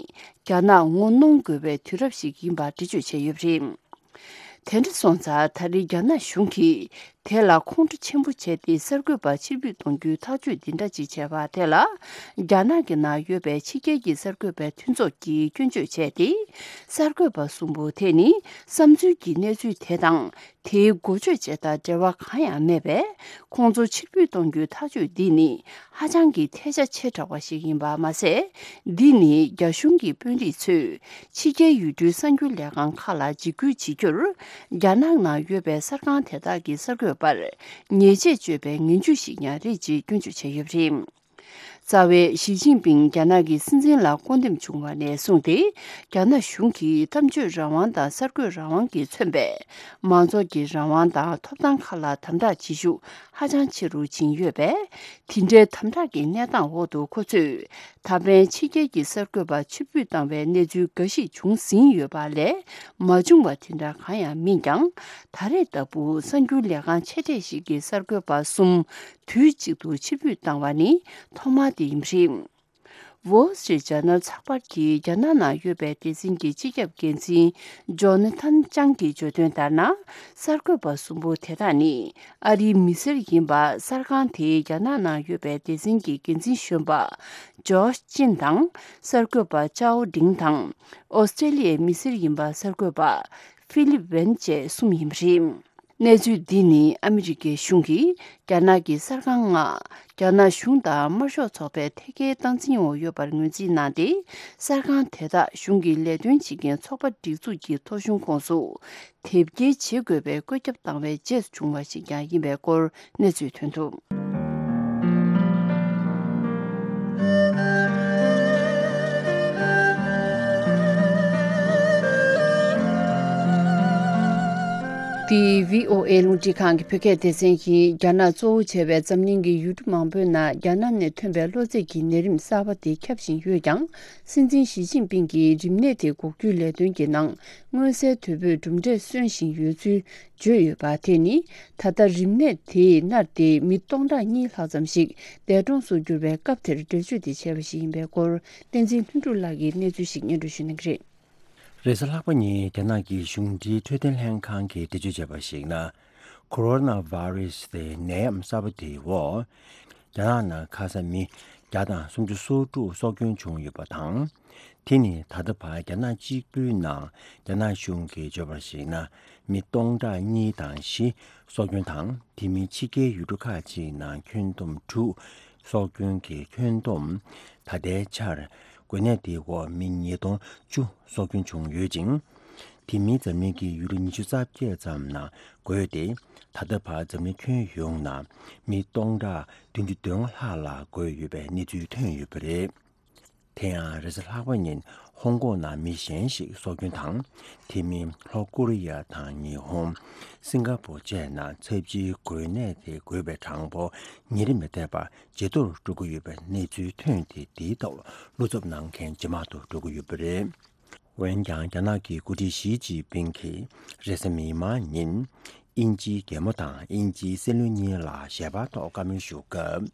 རྒྱ་ནག་ངོ་གནོང་དགོས་པའི་དུས་རབས་ཤིག་ཡིན་པ་འགྲེལ་བརྗོད་བྱས་ཡོད་པ་རེད། དེ་འདྲ་སོང་ཙང་། ད་རེས་རྒྱ་ནག་གཞུང་གིས་དེ་ལ་ཁོང་ཁྲོ་ཆེན་པོ་བྱས་ཏེ། གསར་འགོད་པ་ཕྱིར་འབུད་གཏོང་རྒྱུའི་ཐག་གཅོད་འདི་འདྲ་ཅིག་བྱས་པ་དེ་ལ། རྒྱ་ནག་གི་ནང་ཡོད་པའི་ཕྱི་རྒྱལ་གྱི་གསར་འགོད་པའི་མཐུན་ཚོགས་ཀྱིས་སྐྱོན་བརྗོད་བྱས་ཏེ། གསར་འགོད་པ་གསུམ་པོ་དེ་ནི་བསམ་ཚུལ་གྱི་གནས་ཚུལ་དེ་དང་། དེའི་འགོ་བརྗོད་བྱས་དང་འབྲེལ་བ་གང་ཡང་མེད་པས། ཁོང་ཚོ་ཕྱིར་འབུད་གཏོང་རྒྱུའི་ཐག་གཅོད་འདི་ནི་ཧ་ཅང་གི་ཐལ་ཆ་ཆེ་དྲགས་པ་ཞིག་ཡིན་པ་མ་ཟད། འདི་ནི་རྒྱ་གཞུང་གི་དཔོན་རིགས་ཚོས་ཕྱི་རྒྱལ་ཡུལ་གྲུའི་གསར་འགྱུར་ལས་ཁང་ཁག་ལ་འཇིགས་སྐུལ་བྱེད་རྒྱུར། རྒྱ་ནག་ནང་ཡོད་པའི་གསར་ཁང་དེ་དག་གི་གསར་འགོད་པར་ཉེས་ཆད་གཅོད་པའི་ངན་ཇུས་ཤིག་ཀྱང་རེད་ཅེས་སྐྱོན་བརྗོད་བྱས་ཡོད་པ་རེད། རྩ་བའི་ཞི་ཅིན་ཕིང་རྒྱ་ནག་གི་སྲིད་འཛིན་ལ་བསྐོ་འདེམས་བྱུང་བ་ནས་བཟུང་སྟེ། རྒྱ་ནག་གཞུང་གིས་གཏམ་བརྗོད་རང་དབང་དང་གསར་འགོད་རང་དབང་གིས་མཚོན་པའི་མང་ཚོགས་ཀྱི་རང་དབང་དང་ཐོབ་ཐང་ཁག་ལ་དམ་དྲག་བྱེད་ཤུགས་ཧ་ཅང་ཆེ་རུ་ཕྱིན་ཡོད་པས། དེ་འདྲའི་དམ་དྲག་གི་གནས་སྟངས་འོག་ཏུ་ཁོ་ཚོས་ད་ཕན་ཕྱི་རྒྱལ་གྱི་གསར་འགོད་པ་ཕྱིར་འབུད་བཏང་བའི་གནས་ཚུལ་འགའ་ཞིག་བྱུང་ཟིན་ཡོད་པ་ལས། མ་བྱུང་བ་དེ་འདྲ་གང་ཡང་མིན་ཀྱང་། ད་རེས་ལྟ་བུ་གསར་འགྱུར་ལས་ཁང་ཆེ་གྲས་ཤིག་གི་གསར་འགོད་པ་གསུམ་དུས་གཅིག་ཏུ་ཕྱིར་འབུད་བཏང་བ་ནི་ཐོག་མ་དེ་ཡིན་པ་རེད། Wall Street Journal་ཚགས་པར་གྱིས་རྒྱ་ནག་ནང་ཡོད་པའི་སྡེ་ཚན་གྱི་སྤྱི་ཁྱབ་འགན་འཛིན་ཇོ་ན་ཐན་ཅང་གིས་བརྗོད་དོན་ལྟར་ན། གསར་འགོད་པ་གསུམ་པོ་དེ་དག་ནི་ཨ་རིའི་མི་སེར་ཡིན་པ། གསར་ཁང་དེའི་རྒྱ་ནག་ནང་ཡོད་པའི་སྡེ་ཚན་གྱི་འགན་འཛིན་གཞོན་པ་ཇོ་ཤ་ཅིན་དང་། གསར་འགོད་པ་ཅའོ་ཌིང་དང་། ཨོ་སི་ཀྲེ་ལི་ཡའི་མི་སེར་ཡིན་པ་གསར་འགོད་པ་ཧྥི་ལིབ་ཝན་བཅས་གསུམ་ཡིན་པ་རེད། གནས་ཚུལ་འདི་ནི་ཨ་མི་རི་ཀའི་གཞུང་གིས་རྒྱ་ནག་གི་གསར་ཁང་ལྔ་རྒྱ་ནག་གཞུང་དང་དམར་ཤོག་ཚོགས་པའི་ཐད་ཀའི་སྟངས་འཛིན་འོག་ཡོད་པར་ངོས་འཛིན་གནང་སྟེ། གསར་ཁང་དེ་དག་གཞུང་གི་ལས་དོན་བྱེད་མཁན་ཚོགས་པ་སྒྲིག་འཛུགས་ཀྱི་ཐོ་གཞུང་ཁོངས་སུ་དེབ་སྐྱེལ་བྱེད་དགོས་པའི་བཀོད་ཁྱབ་བཏང་བའི་རྗེས་སུ་བྱུང་བ་ཞིག་ཀྱང་ཡིན་པའི་སྐོར་གནས་ཚུལ་ཐོན་འདུག། འདི་བྷི་ཨོ་ཨེ་རླུང་འཕྲིན་ཁང་གི་བོད་སྐད་སྡེ་ཚན་ཡིན། རྒྱ་ནག་གཙོ་བོ་བྱས་པའི་འཛམ་གླིང་གི་ཡུལ་གྲུ་མང་པོའི་ནང་རྒྱ་ནག་ནས་ཐོན་པའི་གློ་ཚད་ཀྱི་ནད་རིམས་གསར་པ་དེ་ཁྱབ་བཞིན་ཡོད་ཀྱང་། སྲིད་འཛིན་ཞི་ཅིན་ཕིང་གིས་རིམས་ནད་དེ་འགོག་རྒྱུའི་ལས་དོན་གྱི་ནང་མངོན་གསལ་དོད་པོས་གྲུབ་འབྲས་སོན་བཞིན་ཡོད་ཚུལ་བརྗོད་ཡོད་པ་དེ་ནི། ད་ལྟ་རིམས་ནད་དེས་མནར་ཏེ་མི་སྟོང་ཕྲག་གཉིས་ལྷག་ཙམ་ཞིག་འདས་གྲོངས་སུ་གྱུར་བའི་སྐབས་དེར་འགྲེལ་བརྗོད་དེ་བྱས་པ་ཞིག་ཡིན་པའི་སྐོར། བསྟན་འཛིན་ལྷུན་གྲུབ་ལགས་ཀྱིས་གནས་ཚུལ་ཞིག་སྙན་སྒྲོན་ཞུ་གནང་གི་རེད། རེས་གཟའ་ལྷག་པ་ཉིན་རྒྱ་ནག་གི་གཞུང་འབྲེལ་འཕྲོད་བསྟེན་ལྷན་ཁང་གིས་འགྲེལ་བརྗོད་བྱས་པར་གཞིགས་ན། ཁོ་རོ་ན་བྷ་རེ་སི་དེ་ནད་ཡམས་གསར་པ་དེའི་འོག་རྒྱ་ནག་ནང་ཁ་ས་མི་བརྒྱ་དང་སུམ་ཅུ་སོ་དྲུག་སྲོག་སྐྱོན་བྱུང་ཡོད་པ་དང་། དེ་ནི་ད་ལྟ་བར་རྒྱ་ནག་གཅིག་པུའི་ནང་རྒྱ་ནག་གཞུང་གིས་བརྗོད་པར་གཞིགས་ན། མི་སྟོང་ཕྲག་གཉིས་དང་བཞི་སྲོག་སྐྱོན་དང་། དེ་མིན་ཕྱི་རྒྱལ་ཡུལ་གྲུ་ཁག་ཅིག་ནང་ཁྱོན་བསྡོམས་དྲུག་སྲོག་སྐྱོན་གྱི་ཁྱོན་བསྡོམས། ད་ལྟའི་ཆར་འགོས་ནད་དེའི་འོག་མི་ཉིས་སྟོང་བཅུ་སྲོག་སྐྱོན་བྱུང་ཡོད་ཅིང་། དེ་མིན་འཛམ་གླིང་གི་ཡུལ་གྲུ་ཉི་ཤུ་རྩ་བརྒྱད་ཙམ་ནང་འགོས་ཏེ། ད་ལྟ་བར་འཛམ་གླིང་ཁྱོན་ཡོངས་ནང་མི་སྟོང་ཕྲག་བདུན་ཅུ་དོན་ལྔ་ལྷག་ལ་འགོས་ཡོད་པའི་གནས་ཚུལ་ཐོན་ཡོད་པ་རེད། དེ་ཡང་རེས་གཟའ་ལྷག་པ་ཉིན་ཧོང་ཀོང་ནང་མི་གཞན་ཞིག་སྲོག་སྐྱོན་དང་། དེ་མིན་ལྷོ་ཀོ་རི་ཡ་དང་ཉི་ཧོང་། སིང་ག་པོར་བཅས་ནང་ཚབས་ཆེའི་འགོས་ནད་དེ་འགོས་པའི་གྲངས་འབོར་ཉིན་རེ་མི་ཐད་པར་ཇེ་མཐོར་འགྲོ་གི་ཡོད་པའི་གནས་ཚུལ་ཐོན་ཏེ། དེའི་ཐོག་བློ་འཚབ་གནང་མཁན་ཇེ་མང་དུ་འགྲོ་གི་ཡོད་པ་རེད། འོན་ཀྱང་རྒྱ་ནག་གི་འགོ་ཁྲིད་ཞི་ཅིན་ཕིང་གིས་རེས་གཟའ་མིག་དམར་ཉིན། དབྱིན་ཇིའི་རྒྱལ་མོ་དང་དབྱིན་ཇིའི་སྲིད་བློན་གཉིས་ལ་ཞལ་པར་ཐོག་བཀའ་མོལ་ཞུ་སྐབས།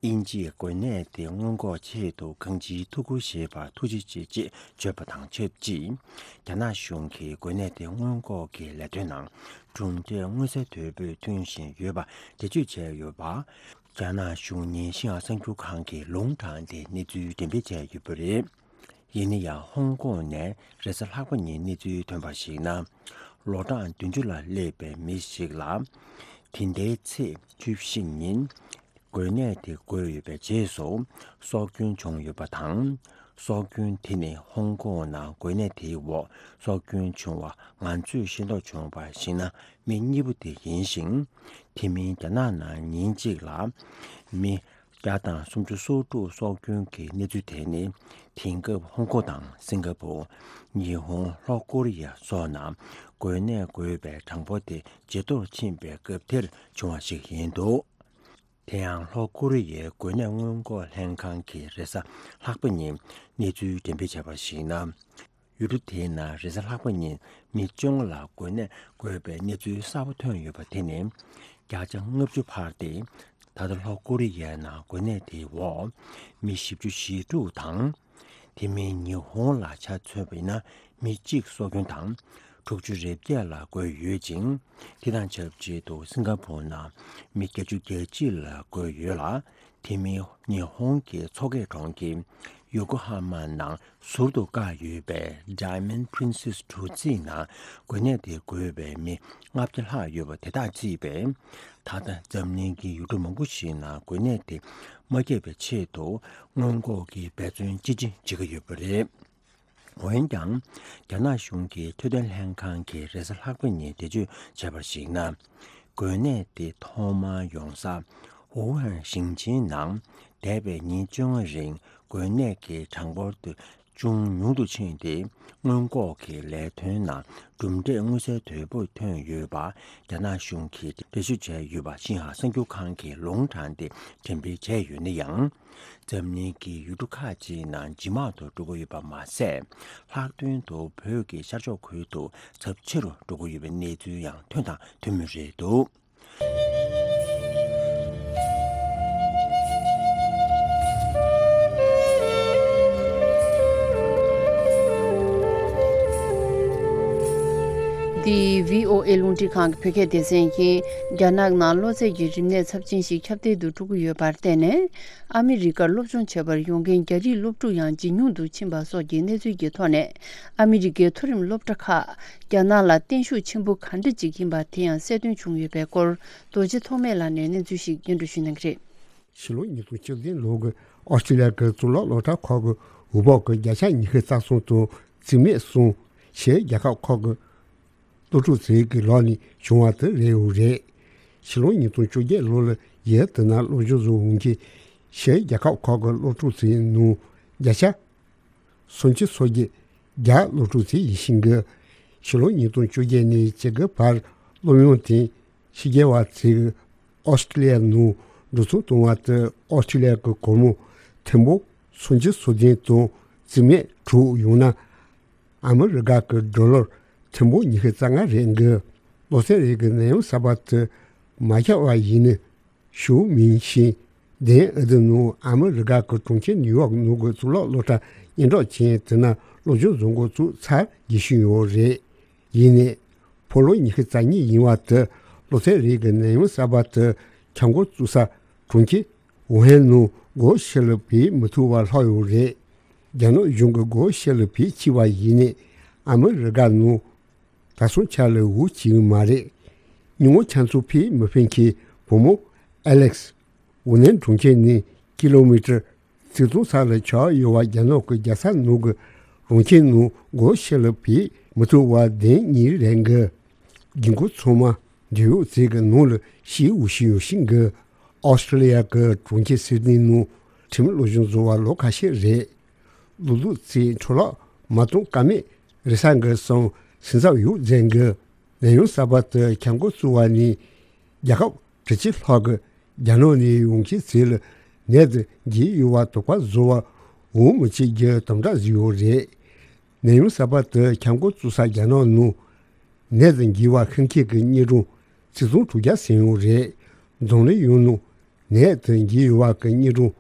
དབྱིན་ཇིས་འགོས་ནད་དེ་སྔོན་འགོག་ཆེད་དུ་གང་ཅིའི་ཐུགས་ཁུར་བཞེས་པར་ཐུགས་རྗེ་ཆེ་ཅེས་བརྗོད་པ་དང་ཆབས་ཅིག་རྒྱ་ནག་གཞུང་གིས་འགོས་ནད་དེ་སྔོན་འགོག་གི་ལས་དོན་ནང་གྲུབ་འབྲས་མངོན་གསལ་དོད་པོས་ཐོན་བཞིན་ཡོད་པ་འགྲེལ་བརྗོད་བྱས་ཡོད་པ། རྒྱ་ནག་གཞུང་ཉིན་ཤིང་ཧྭ་གསར་འགྱུར་ཁང་གིས་ལུང་དྲངས་ཏེ་གནས་ཚུལ་འགྲེམས་སྤེལ་བྱས་ཡོད་པ་རེད། ཡིན་ན་ཡང་ཧོང་ཀོང་ནས་རེས་གཟའ་ལྷག་པ་ཉིན་གནས་ཚུལ་ཐོན་པར་གཞིགས་ན། ལོ་གྲངས་བདུན་ཅུ་ལ་སླེབས་པའི་མི་ཞིག་ལ། དེ་ཟླའི་ཚེས་བཅུ་བཞི་ཉིན་འགོས་ནད་དེ་འགོས་ཡོད་པའི་རྗེས་སུ་སྲོག་སྐྱོན་བྱུང་ཡོད་པ་དང་། སྲོག་སྐྱོན་དེ་ནི་ཧོང་ཀོང་ནང་འགོས་ནད་དེའི་འོག་སྲོག་སྐྱོན་བྱུང་བ་ང་ཚོས་ཤེས་རྟོགས་བྱུང་བར་གཞིགས་ན་མི་གཉིས་པོ་དེ་ཡིན་ཞིང་། དེ་མིན་རྒྱ་ནག་ནང་ཉིན་གཅིག་ལ་མི་བརྒྱ་དང་སུམ་ཅུ་སོ་དྲུག་སྲོག་སྐྱོན་གྱི་གནས་ཚུལ་དེ་ནི། དེང་སྐབས་ཧོང་ཀོང་དང་སིང་ག་པོར། ཉི་ཧོང་། ལྷོ་ཀོ་རི་ཡ་སོགས་ནང་འགོས་ནད་འགོས་པའི་གྲངས་འབོར་དེ་ཇེ་མཐོར་ཕྱིན་པའི་སྐབས་དེར་བྱུང་བ་ཞིག་ཡིན་འདུག་དེ་ཡང་ལྷོ་ཀོ་རི་ཡའི་འགོས་ནད་སྔོན་འགོག་ལྷན་ཁང་གིས་རེས་གཟའ་ལྷག་པ་ཉིན་གནས་ཚུལ་འགྲེམས་སྤེལ་བྱས་པར་གཞིགས་ན། ཡུལ་གྲུ་དེའི་ནང་རེས་གཟའ་ལྷག་པ་ཉིན་མི་བཅོ་ལྔ་ལ་འགོས་ནད་འགོས་པའི་གནས་ཚུལ་གསར་པ་ཐོན་ཡོད་པ་དེ་ནི་བརྒྱ་ཆ་ལྔ་བཅུ་འཕར་ཏེ། ད་ལྟ་ལྷོ་ཀོ་རི་ཡའི་ནང་འགོས་ནད་དེའི་འོག་མི་བཞི་བཅུ་ཞེ་དྲུག་དང་། དེ་མིན་ཉི་ཧོང་ལ་ཆ་མཚོན་པ་ཡིན་ན་མི་གཅིག་སྲོག་སྐྱོན་དང་དྲུག་ཅུ་རེ་བརྒྱད་ལ་འགོས་ཡོད་ཅིང་། དེ་དང་ཆབས་ཅིག་ཏུ་སིང་ག་པོར་ནང་མི་བརྒྱད་ཅུ་གྱ་གཅིག་ལ་འགོས་ཡོད་ལ། དེ་མིན་ཉི་ཧོང་གི་མཚོ་ཁའི་གྲོང་ཁྱེར་ཡོ་ཀོ་ཧ་མ་ནང་ཟུར་དུ་བཀག་ཡོད་པའི་Diamond Princess གྲུ་གཟིངས་ནང་འགོས་ནད་དེ་འགོས་པའི་མི་ལྔ་བརྒྱ་ལྷག་ཡོད་པ་དེ་དག་བརྩིས་པས། ད་ལྟ་འཛམ་གླིང་གི་ཡུལ་གྲུ་མང་པོ་ཞིག་ནང་འགོས་ནད་དེ་མ་ཁྱབ་པའི་ཆེད་དུ་སྔོན་འགོག་གི་འབད་བརྩོན་ཅི་ཆེ་བྱེད་ཀྱི་ཡོད་པ་རེད། འོན་ཀྱང་རྒྱ་ནག་གཞུང་གི་འཕྲོད་བསྟེན་ལྷན་ཁང་གིས་རེས་གཟའ་ལྷག་པ་ཉིན་འགྲེལ་བརྗོད་བྱས་པར་གཞིགས་ན། འགོས་ནད་དེ་ཐོག་མར་ཡོང་ས་ཝུ་ཧན་ཞིང་ཆེན་ནང་། འདས་པའི་ཉིན་བཅོ་ལྔ་རིང་འགོས་ནད་ཀྱི་གྲངས་འབོར་དུ་ཅུང་ཉུང་དུ་ཕྱིན་ཏེ། སྔོན་འགོག་གི་ལས་དོན་ནང་གྲུབ་འབྲས་མངོན་གསལ་དོད་པོ་ཐོན་ཡོད་པ་རྒྱ་ནག་གཞུང་གིས་འགྲེལ་བརྗོད་བྱས་ཡོད་པ་ཤིན་ཧྭ་གསར་འགྱུར་ཁང་གིས་ལུང་དྲངས་ཏེ་འགྲེམས་སྤེལ་བྱས་ཡོད་ན་ཡང་། འཛམ་གླིང་གི་ཡུལ་གྲུ་ཁག་ཅིག་ནང་ཇེ་མང་དུ་འགྲོ་གི་ཡོད་པ་མ་ཟད། ལྷག་དོན་དུ་བོད་ཀྱི་ཤར་ཕྱོགས་ཁུལ་དུ་ཚབས་ཆེ་རུ་འགྲོ་གི་ཡོད་པའི་གནས་ཚུལ་ཡང་ཐོན་དང་ཐོན་མུས་རེད་འདུག། འདི་བྷི་ཨོ་ཨེ་རླུང་འཕྲིན་ཁང་གི་བོད་སྐད་སྡེ་ཚན་ཡིན། རྒྱ་ནག་ནང་གློ་ཚད་ཀྱི་རིམས་ནད་ཚབས་ཆེན་ཞིག་ཁྱབ་གདལ་དུ་འགྲོ་གི་ཡོད་པར་བརྟེན་ནས། ཨ་མི་རི་ཀར་སློབ་སྦྱོང་བྱེད་པར་ཡོང་མཁན་རྒྱ་རིགས་སློབ་ཕྲུག་ཡང་ཇེ་ཉུང་དུ་ཕྱིན་པ་སོགས་ཀྱི་གནས་ཚུལ་གྱི་ཐོག་ནས། ཨ་མི་རི་ཀའི་མཐོ་རིམ་སློབ་གྲྭ་ཁག་རྒྱ་ནག་ལ་བརྟན་ཤུགས་ཆེན་པོ་ག་འདྲ་ཅིག་ཡིན་པ་དེ་ཡང་གསལ་སྟོན་བྱུང་ཡོད་པའི་སྐོར། རྡོ་རྗེ་ཐོགས་མེད་ལགས་ནས་གནས་ཚུལ་ཞིག་སྙན་སྒྲོན་ཞུ་གནང་གི་རེད། ཕྱི་ལོ་ཉིས་སྟོང་བཅུ་བདུན་ལོ་གི་ཨོ་སི་ཀྲི་ལི་ཡ་གི་གཙུག་ལག་སློབ་གྲྭ་ཁག་གི་འོས་འབབ་ཀྱི་བརྒྱ་ཆ་ཉི་ཤུ་རྩ་གསུམ་དང་རྩིས་མེད་གསུམ་ཕྱིའི་རྒྱལ་ཁབ་ཁག་གི་སློབ་ཕྲུག་ཚོའི་གི་ལག་ནས་བྱུང་བ་དེ་རེད་འོ་རེད། ཕྱི་ལོ་ཉིས་སྟོང་བཅོ་བརྒྱད་ལོ་ལ་ཡུལ་དེ་ནང་སློབ་སྦྱོང་བཟོ་འོང་གི་ཕྱིའི་རྒྱལ་ཁབ་ཁག་གི་སློབ་ཕྲུག་ཚོའི་ནང་བརྒྱ་ཆ་སུམ་ཅུ་སོ་བརྒྱད་རྒྱ་སློབ་ཕྲུག་ཚོ་ཡིན་ཤིང་གི། ཕྱི་ལོ་ཉིས་སྟོང་བཅོ་བརྒྱད་ནས་བཅུ་དགུ་བར་སློབ་ཡོན་དེ་ཕྱི་རྒྱལ་བ་ཚོས་ཨོ་སི་ཀྲི་ལི་ཡ་ནང་འགྲོ་སོང་གཏོང་བ་དེ་ཨོ་སི་ཀྲི་ལི་ཡ་གི་སྒོར་མོ་ཐེར་འབུམ་སུམ་ཅུ་སོ་བདུན་དང་རྩིས་མེད་དྲུག་ཡང་ན་ཨ་མི་རི་ཀ་གི་ཌོ་ལར་ཐེར་འབུམ་ཉི་ཤུ་རྩ་ལྔ་རེད་འདུག། ལོ་ཚད་རེ་གི་ནད་ཡམས་གསར་པ་དེ་མ་ཁྱབ་པ་ཡིན་ན། ཞུ་མིན་ཤིང་། དེ་ཨ་ཏི་ནང་ཨ་མི་རི་ཀ་གི་གྲོང་ཁྱེར་ནིའུ་ཡོག་ནང་གི་གཙུག་ལག་སློབ་གྲྭ་སྙན་གྲགས་ཅན་དེ་ན་སློབ་སྦྱོང་བཟོ་འགོ་བཙུགས་ཚར་རྒྱུ་ཞིག་ཡོད་རེད། ཡིན་ནའི་ཕོ་ལོ་ཉི་ཤུ་རྩ་གཉིས་ཡིན་བ་དེ་ལོ་ཚད་རེ་གི་ནད་ཡམས་གསར་པ་དེ་ཁྱབ་འགོ་བཙུགས་ས་གྲོང་ཁྱེར་ཝུ་ཧན་ནང་སྒོ་ཕྱི་ལ་བུད་མི་ཐུབ་པ་ལྷག་ཡོད་རེད། རྒྱ་ནག་གཞུང་གི་སྒོ་ཕྱི་ལ་བུད་ཕྱིན་པ་ཡིན་ནའི་ཨ་མི་རི་ཀ་ནང་ད་སོང་ཆ་ལ་འུ་ཅི་ཡང་མ་རེད། ཉིན་མོ་ཆ་ཚང་ཕེབས་མི་ཕེབས་མཁན་བུ་མོ་ཨ་ལེགས། ཝུ་ནན་གྲོང་ཁྱེར་ནས་ཀི་ལོ་མི་ཊར་ཆིག་སྟོང་ས་ལ་ཆགས་ཡོད་པ་རྒྱ་ནག་གི་རྒྱལ་ས་ནང་གི་རང་ཁྱིམ་ནང་སྒོ་ཕྱི་ལ་ཕེབས་མི་ཐུབ་པ་བདེན་གཉིས་རེད་འགི། རྒྱུན་གོ་ཚང་མ་འབྲེལ་ཡོད་ཚོས་ཀྱི་ནང་ལ་ཤི་འུ་ཤི་ཡོད་ཤིང་གི། ཨོ་སི་ཀྲི་ལི་ཡ་གི་གྲོང་ཁྱེར་སིད་ནི་ནང་ཁྲིམས་སློབ་སྦྱོང་བཟོ་བ་ལོ་ཁ་ཤས་རེད། ལུག་ལུག་རྩིས་འཕྲོ་བརླག་མ་གཏོང་ཀ་མེད་རེ་ས་འགའ་སོང་སེམས་འཚབ་ཡོད་མཛད་འགའ། ནད་ཡམས་གསར་པ་དེ་ཁྱབ་འགོ་བཙུགས་པ་ནས་རྒྱལ་ཁབ་དྲུག་ཅུ་ལྷག་གི་རྒྱ་ནག་ནས་ཡོང་མཁན་ཚོ་ལ་ནད་དེ་འགོས་ཡོད་པ་དོགས་པ་བཟོ་བར་འོས་མི་བྱེད་རྒྱུ་དམ་དྲག་བཟོས་ཡོད་རེད། ནད་ཡམས་གསར་པ་དེ་ཁྱབ་འགོ་བཙུགས་ས་རྒྱ་ནག་ནང་ནད་དེ་འགོས་པ་ཤི་མཁན་གྱི་དངོས་གྲངས་ཆིག་སྟོང་དྲུག་བརྒྱ་ཟིན་ཡོད་རེད། འཛམ་གླིང་ཡོངས་ནང་ནད་དེ་འགོས་ཡོད་པ་གི་དངོས་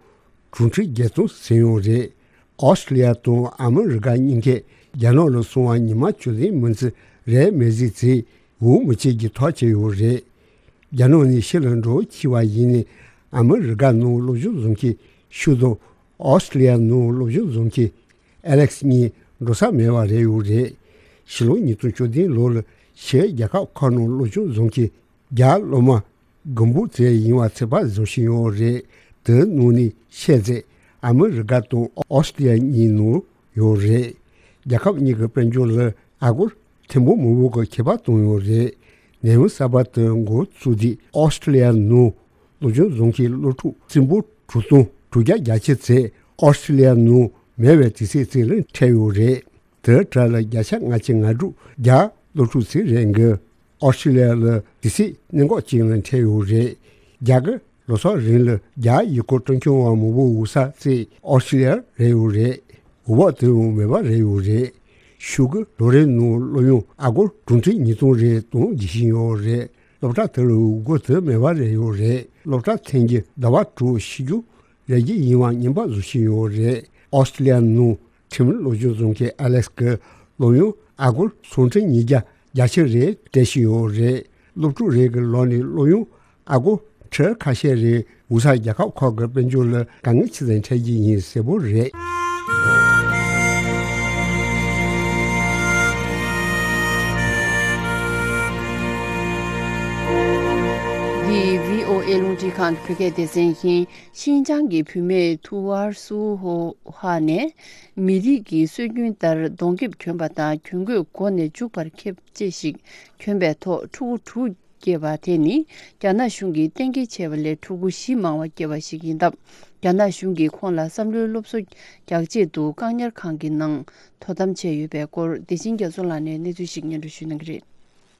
གྲངས་དྲུག་ཁྲི་བརྒྱད་སྟོང་ཟིན་ཡོད་རེད། ཨོ་སི་ཀྲི་ལི་ཡ་དང་ཨ་མི་རི་ཀ་གཉིས་ཀས་རྒྱ་ནག་ལ་སོང་བ་ཉི་མ་བཅུ་ལྷག་མིན་ཚེ་རེད་མེད་ཟིག་ཚེ་འོས་མི་བྱེད་ཀྱི་ཐག་བཅད་ཡོད་རེད། རྒྱ་ནག་ནས་ཕྱི་ལ་འགྲོ་འཆི་བ་ཡིན་ནའི་ཨ་མི་རི་ཀ་ནང་སློབ་སྦྱོང་བཟོ་མཁན་ཤུ་དང་ཨོ་སི་ཀྲི་ལི་ཡ་ནང་སློབ་སྦྱོང་བཟོ་མཁན་ཨ་ལེགས་གཉིས་འགྲོ་ས་མེད་པ་རེད་ཡོད་རེད། ཕྱི་ལོ་ཉིས་སྟོང་བཅུ་བདུན་ལོ་ལ་ཕྱིའི་རྒྱལ་ཁབ་ཁག་ནང་སློབ་སྦྱོང་བཟོ་མཁན་རྒྱ་སློབ་མ་དགུ་འབུམ་ཙམ་ཡིན་པ་ཚོད་དཔག་བཟོ་བཞིན་ཡོད་རེད། དེའི་ནང་ནས་ཤས་ཚོ་ཨ་མི་རི་ཀ་དང་ཨོ་སི་ཀྲི་ལི་ཡ་གཉིས་ནང་ཡོད་རེད། རྒྱལ་ཁབ་གཉིས་ཀྱི་དཔལ་འབྱོར་ལ་ཨ་སྒོར་ཐེར་འབུམ་མང་པོ་གི་ཁྱད་པར་བཏང་ཡོད་རེད། ནད་ཡམས་གསར་པ་དེ་འགོ་བཙུགས་དུས་ཨོ་སི་ཀྲི་ལི་ཡ་ནང་སློབ་སྦྱོང་བཟོ་མཁན་སློབ་ཕྲུག་རྩིས་འབོར་དྲུག་སྟོང་དྲུག་བརྒྱ་གྱ་གཅིག་ཚོ་ཨོ་སི་ཀྲི་ལི་ཡ་ནང་མེད་པའི་དུས་ཚོད་ཅིག་ལ་འཕྲད་ཡོད་རེད། དེའི་གྲས་ལ་བརྒྱ་ཆ་ལྔ་བཅུ་ང་དྲུག་རྒྱ་སློབ་ཕྲུག་ཅིག་རེད་འགི། ཨོ་སི་ཀྲི་ལི་ཡ་ལ་དུས་ཚོད་གནད་འགག་ཅིག་ལ་འཕྲད་ཡོད་རེད། རྒྱ་གི་ལོ་གསར་རིང་ལ་རྒྱ་ཡུལ་སྐོར་སྤྲོ་འཆམ་པ་མང་པོ་འོང་ས་ཅིག་ཨོ་སི་ཀྲི་ལི་ཡ་རེད་ཡོད་རེད། འོས་འབབ་དེ་ཡང་མེད་པ་རེད་ཡོད་རེད། ཤུ་གི་ལོ་རེ་ནང་སློབ་ཡོན་ཨ་སྒོར་གྲངས་ཁྲི་ཉིས་སྟོང་རེ་གཏོང་བགྱིད་བཞིན་ཡོད་རེད། སློབ་གྲྭ་དེ་ལ་འོས་འགན་དེ་མེད་པ་རེད་ཡོད་རེད། སློབ་གྲྭ་ཐོན་རྒྱུ་ཟླ་བ་དྲུག་ཕྱི་རྒྱུགས་རེ་རྒྱུ་ཡིན་པ་ངན་པ་བཟོ་བཞིན་ཡོད་རེད། ཨོ་སི་ཀྲི་ལི་ཡ་ནང་ཁྲིམས་སློབ་སྦྱོང་བཟོ་མཁན་ཨ་ལེགས་ཀྱི་སློབ་ཡོན་ཨ་སྒོར་སུམ་ཁྲི་ཉིས་བརྒྱ་བརྒྱད་ཅུ་རེ་སྤྲད་བཞིན་ཡོད་རེད། སློབ་ཕྲུག་རེ་གི་ལག་ནས་སློབ་ཡོན་ཨ་སྒོར་ཁྲི་ཁ་ཤས་རེ་འོང་ས་རྒྱལ་ཁབ་ཁག་གི་དཔལ་འབྱོར་ལ་དཀའ་ངལ་ཆེ་ཙམ་འཕྲད་ཀྱི་ཡིན་གསལ་པོ་རེད། འདི་བྷི་ཨོ་ཨེ་རླུང་འཕྲིན་ཁང་གི་བོད་སྐད་སྡེ་ཚན་ཡིན། ཤིན་ཅང་གི་བུད་མེད་ཐུ་ཝར་སུ་ཧོ་ཧ་ནས་མི་རིགས་ཀྱི་སྲོལ་རྒྱུན་ལྟར་གདོང་ཁེབས་གྱོན་པ་དང་གྱོན་གོས་མགོ་ནས་མཇུག་བར་ཁེབས་བཅས་ཤིག་གྱོན་པའི་ཐོག་ཕྲུ་གུ་དྲུག་ བསྐྱེད་པ་དེ་ནི་རྒྱ་ནག་གཞུང་གིས་གཏན་འཁེལ་བྱས་པ་ལས་ཕྲུ་གུ་བཞི་མང་བ་སྐྱེས་པ་ཞིག་ཡིན་སྟབས། རྒྱ་ནག་གཞུང་གིས་ཁོང་ལ་བསམ་བློའི་སློབ་གསོ་རྒྱག་ཆེད་དུ་བཀག་ཉར་ཁང་གི་ནང་དོ་དམ་བྱས་ཡོད་པའི་སྐོར། བདེ་ཆེན་རྒྱ་མཚོ་ལགས་ནས་གནས་ཚུལ་ཞིག་སྙན་སྒྲོན་ཞུ་གནང་གི་རེད།